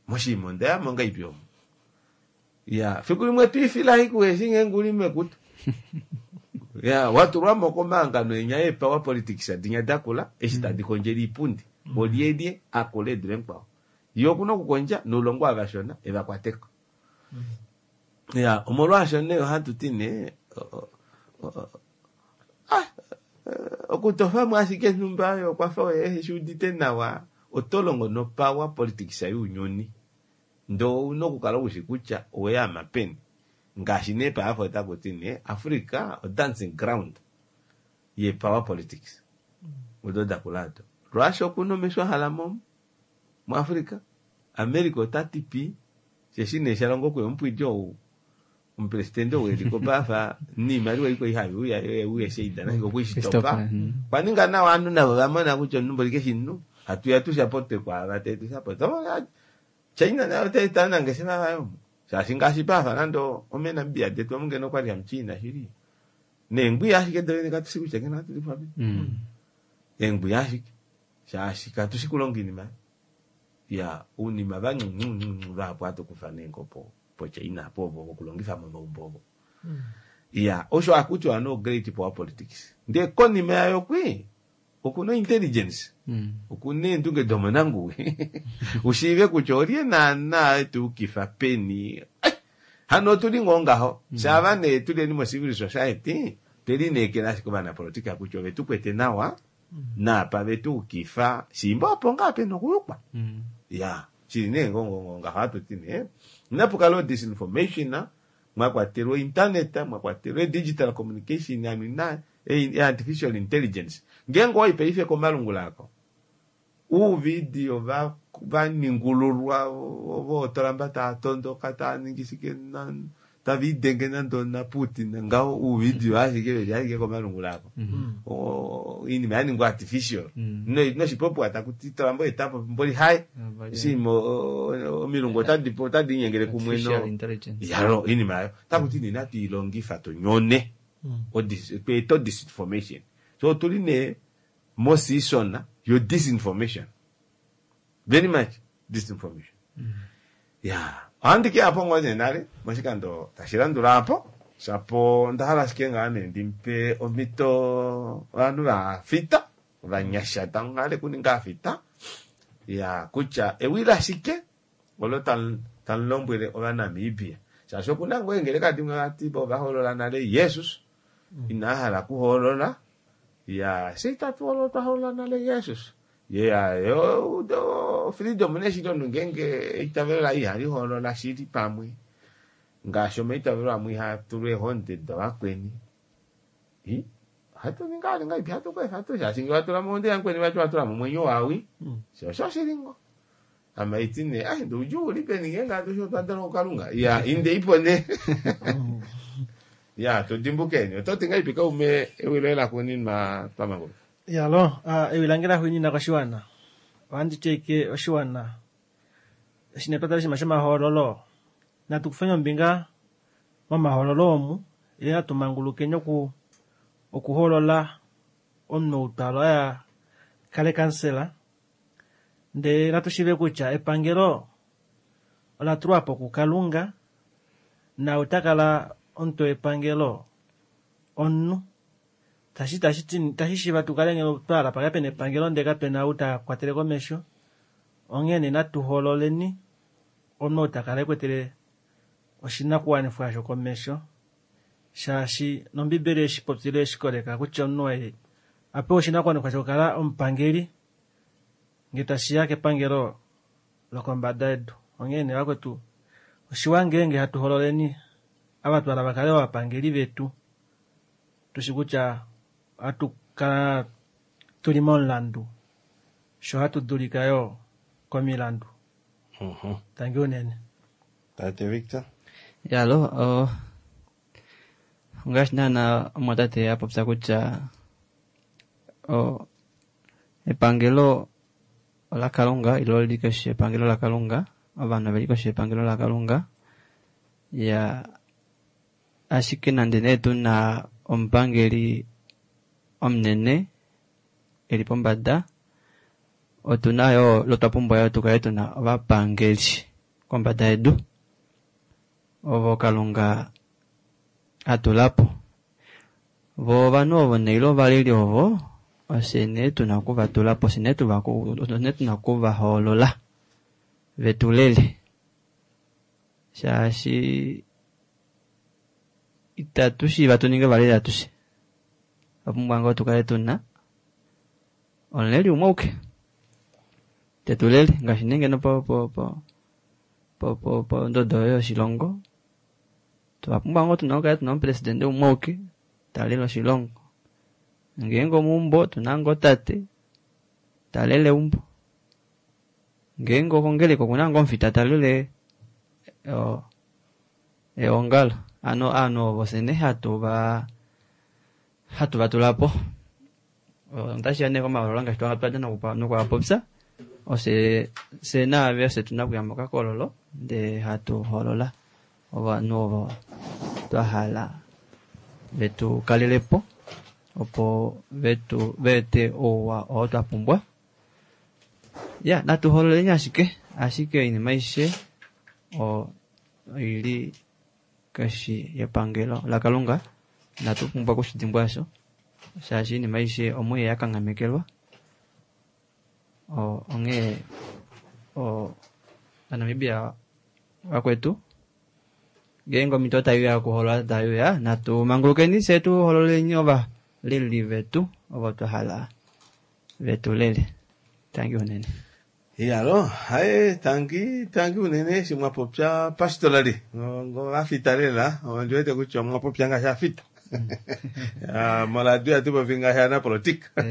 moshiima ondayamo ngaipi omo ya fiku limwe twiifila ikuheshi ngeenge uli mekutu ya watulwamo komahangano enya eepower politics adinya dakula eshi tadi kondjele iipundi olyelye akula edule mukwao ye okuna okukondja noulongo avashona evakwateko. Ya omolwaasho nee ohatu ti nee okutofamo ashike nhumba oyo okwafa oye eshiudite nawa oto longo nopower politics younyuni ndee ouna okukala ushi kutya oweyama peni ngaashi nee paafa otakuti nee Africa o dancing ground ye power politics odo dakula ado Russia okuna omesho ahala mo muAfrica America otati pi sheshi nee shalongo okuya omupwidi ou omupresidente ou eliko paafa niimaliwa iko ihavi uya sheidana okuishitopa kwaninga nawa ovanhu navo vamona kutya omunhu mboli keshinhu hatuya tushapote kwaava tetushapote China nayo otaita nangeshefa vayo shaashi ngaashi paafa nande omenamibia detu omungeno okwali hamuchina shili neengwiya ashike dovene katushi kutya ngeno hatu difapi eengwiya ashike shaashi katushi kulonga inima ya unima vanyu vahapu hatukufa neengo po po China po ovo vokulongifa momaumbo ovo ya osho akutiwa no great power politics ndee konima yayo kwi okuna intelligence okuna eendunge domonanguwi ushiive kutya olye naana etuukifa peni hano otuli ngoo ngaho shava nee tuleni mo-civil society twelineekela ashike ovanapolitika kutya ove tukwete nawa naapa vetuukifa shimba opo ngaa pena okuyukwa ya shili nee ngongongo ngaho hatuti nee inapukala disinformation mwakwatelwa internet mwakwatelwa digital communication amina artificial intelligence ngeenge owai paife komalungula ako uuvidio va vaningululwa vootolamba taa tondoka taa ningi shike tava idenge nande na Putin ngaho uuvidio ashike veli ashike komalungula ako oinima yaningwa artificial noshipopiwa takuti tolamba etapo mboli haye shima omilungu otadi otadi inyengele kumwe no yalo inima ayo takuti nina tuilongifa tunyone tweeta disinformation so otuli nee mosisona yo disinformation very much disinformation ya ohandi ke apo ngoo nee nale moshikando tashi landula apo shapo onda hala ashike ngaa nee ndimpe omhito ovanhu vafita Ovanyasha tamu kuninga afita ya kutya ewi lashike olo tamu lombwele Ovanamibia. Shaashi okuna ngoo eengeleka dimwe vati ovahoolola nale Jesus, ina hala kuhoolola ya se itatu olo twahoolola nale Jesus. Ya yo freedom neshili omunhu ngeenge eitavelo laye ihali hoolola shili pamwe ngaashi omaitavelo amwe ihaa tulwa eehonde dovakweni. Ohatu ningi ali ngaipi hatu kwefa tu shaashi ngee watula mohonde yamukweni vati watula momwenyo wawi. Sho osho shili ngo. Amaiti ne ai ndoudjuu uli peni ngeenge atushe otwa dalwa kuKalunga. Ya inde ipo ne. Ya tudimbukeni. Ototi ngaipi kaume ewi loye laxuuninwa twamanguluka. Yalo, ewi lange laxuuninwa koshiwana. Ohandi ti ashike oshiwana eshi nee twatala oshinima shomahoololo, natu kufeni ombinga momahoololo omu, ile natu mangulukeni oku okuhoolola omunhu ou twa hala kale kansela, ndee natu shiive kutya epangelo ola tulwa po kuKalunga, na ota kala omutwe wepangelo omunhu. Tashi tashi tashi shiiva tukale ngeno twahala pakale pena epangelo ndee kapena ou ta kwatele komesho. Onghene natu hoololeni omunhu ou takala ekwetele oshinakuwanifwa osho komesho, shaashi nombibeli eshi popile eshi koleka kutya omunhu waye apewa oshinakuwanifwa shokukala omupangeli ngee tashiya kepangelo lokombada yedu. Onghene vakwetu oshiwa ngeenge hatu hoololeni ava twahala vakale ovapangeli vetu, tushi kutya ohatu kala tuli momulandu sho hatu dulika yo komilandu. Tangi unene. Tate Victor. Yalo, oh, ngaashi naana omwatate a popya kutya oh, epangelo laKalunga ilo lili koshi yepangelo laKalunga, ovanhu oveli koshi yepangelo laKalunga. Ya ashike nande nee tuna omupangeli omunene eli pombada, otuna yo lotwa pumbwa yo tukale tuna ovapangeli kombada yedu ovo Kalunga atulapo. Vo ovanhu ovo nee ile ovaleli ovo ofye nee tuna okuvatulapo, ofye nee tuna okuvahoolola vetulele, shaashi itatu shiiva tuninge ovaleli atushe. Otwa pumbwa ngoo tukale tuna omuleli umwe auke tetulele, ngaashi nee ngeno po po po po po pondodo yoshilongo twa pumbwa ngoo tuna okukala tuna omupresidente umwe auke talele oshilongo. Ngeenge omeumbo tuna ngoo tate talele eumbo, ngeenge okongeleka okuna ngoo omufita talele eongalo. Ano ovanhu ovo fye nee hatu va hatu vatulapo. Otashiya nee komahoololo ngaashi twadja nokuapopya, ofye fye naave ofye tuna okuya mokakololo ndee hatu hoolola ovanhu ovo twa hala vetu kalelepo opo vetu veete ouwa oo twa pumbwa. Ya natu hoololeni ashike, ashike oinima aishe oili koshi yepangelo laKalunga, inatu pumbwa okushidimbwa osho, shaashi oinima aishe omuye yakanghamekelwa. Onghee Ovanamibia vakwetu ngeenge omhito taiuya yokuhoolola taiuya, natu mangulukeni fye tu hoololeni ovaleli vetu ovo twa hala vetulele. Tangi unene. Iyalo, haye tangi tangi unene eshi mwapopya pastorally ngoo lela ondi wete kutya omwapopya ngaashi afita. Moradio ihatu popi ngaashi anapolitika.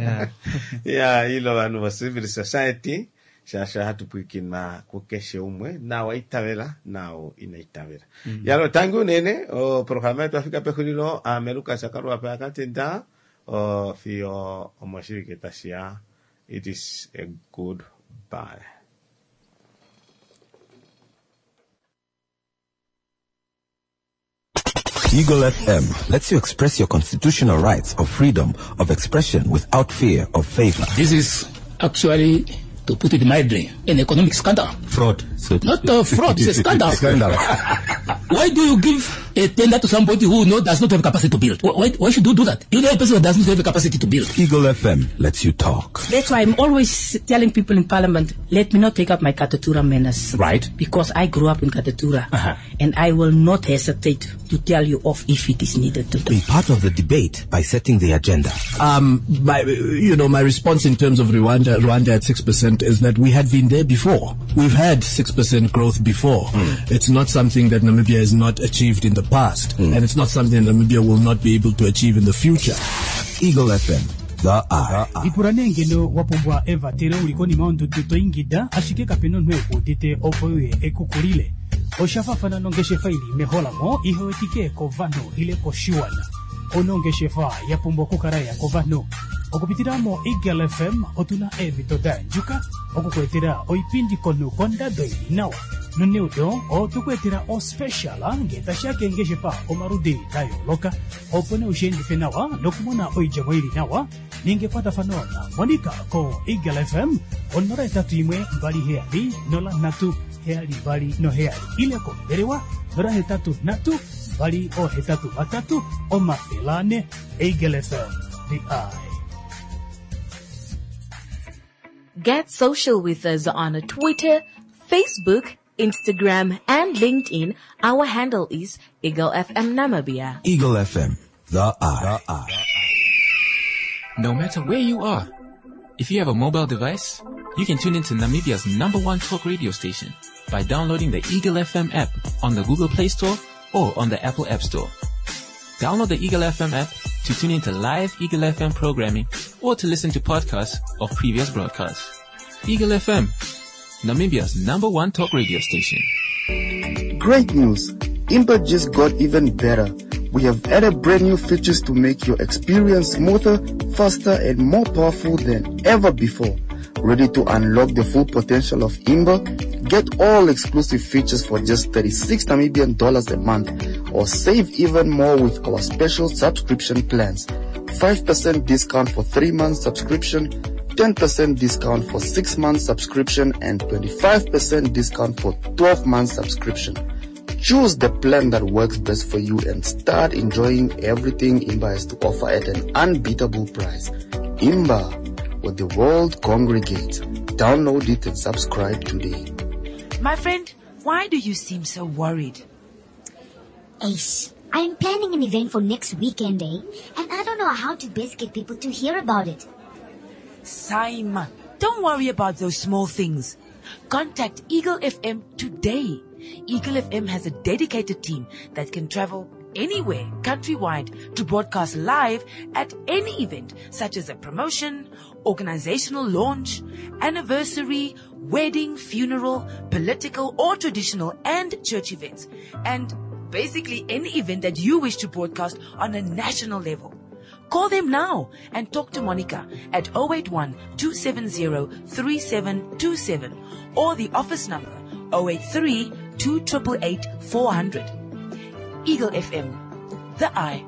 Ya ile ovanhu vo civil society, shaashi ohatu pwiikinwa kukeshe umwe nawa itavela nao ina itavela. Yalo tangi unene oprograma yetu yafika pexulilo. Aame Lukas Kaluwapa yakatenda fiyo omoshivike tashiya. It is a good bye. Eagle F M lets you express your constitutional rights of freedom of expression without fear of favor. This is actually, to put it mildly, an economic scandal. Fraud. So Not a fraud, it's a scandal. Scandal. Why do you give a tender to somebody who no, does not have capacity to build. Why, why should you do that? You know a person who does not have the capacity to build. Eagle F M lets you talk. That's why I'm always telling people in Parliament, let me not take up my Katutura manners. Right. Because I grew up in Katutura. Uh-huh. And I will not hesitate to tell you off if it is needed to. Be part of the debate by setting the agenda. Um, my, you know, my response in terms of Rwanda, Rwanda at six percent is that we had been there before. We've had six percent growth before. Mm. It's not something that Namibia has not achieved in the past, mm. and it's not something Namibia will not be able to achieve in the future. Eagle F M. The Eye. Ipula nee ngeno wa pumbwa evatelo uli konima yondudu to ingida, ashike kapena omunhu ekuudite opo uye ekukulile. Oshafafana nongeshefa ili meholamo ihewetike kovanhu ile koshiwana. Onongeshefa ya pumbwa okukala ya kovanhu. Okupitila mo Eagle F M otuna eemhito da yandjuka okukuetela oipindi komunhu kondado ili nawa. Noneudo otukuetela ospecial ngee tashiya keengeshefa omaludi da yooloka opo nee ushiendife nawa nokumona oidjemo ili nawa ninga ekwatafano na Monica ko Eagle F M onola etatu imwe mbali heyali nola nhatu heyali mbali noheyali ile kombelewa nola hetatu nhatu mbali ohetatu vatatu omafele ane. Eagle F M, the Eye. Get social with us on Twitter, Facebook, Instagram, and LinkedIn. Our handle is Eagle F M Namibia. Eagle F M, the Eye. The Eye. No matter where you are, if you have a mobile device, you can tune into Namibia's number one talk radio station by downloading the Eagle F M app on the Google Play Store or on the Apple App Store. Download the Eagle F M app to tune into live Eagle F M programming or to listen to podcasts of previous broadcasts. Eagle F M, Namibia's number one talk radio station. Great news! Imba just got even better. We have added brand new features to make your experience smoother, faster, and more powerful than ever before. Ready to unlock the full potential of Imba? Get all exclusive features for just thirty-six Namibian dollars a month, or save even more with our special subscription plans. five percent discount for three months subscription, ten percent discount for six months subscription, and twenty-five percent discount for twelve months subscription. Choose the plan that works best for you and start enjoying everything Imba has to offer at an unbeatable price. Imba, where the world congregates. Download it and subscribe today. My friend, why do you seem so worried? Ace, I'm planning an event for next weekend, eh? And I don't know how to best get people to hear about it. Saima, don't worry about those small things. Contact Eagle F M today. Eagle F M has a dedicated team that can travel anywhere countrywide to broadcast live at any event, such as a promotion, organizational launch, anniversary, wedding, funeral, political or traditional and church events, and basically any event that you wish to broadcast on a national level. Call them now and talk to Monica at oh eight one, two seven zero, three seven two seven or the office number oh eight three, two triple eight, four hundred. Eagle F M, the Eye.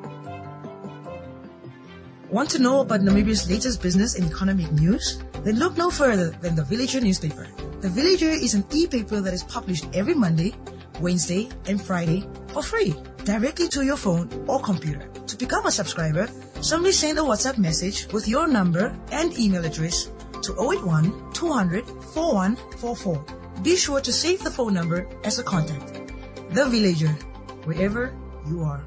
Want to know about Namibia's latest business and economic news? Then look no further than the Villager newspaper. The Villager is an e-paper that is published every Monday, Wednesday, and Friday for free, directly to your phone or computer. To become a subscriber, simply send a WhatsApp message with your number and email address to oh eight one, two hundred, four one four four. Be sure to save the phone number as a contact. The Villager, wherever you are.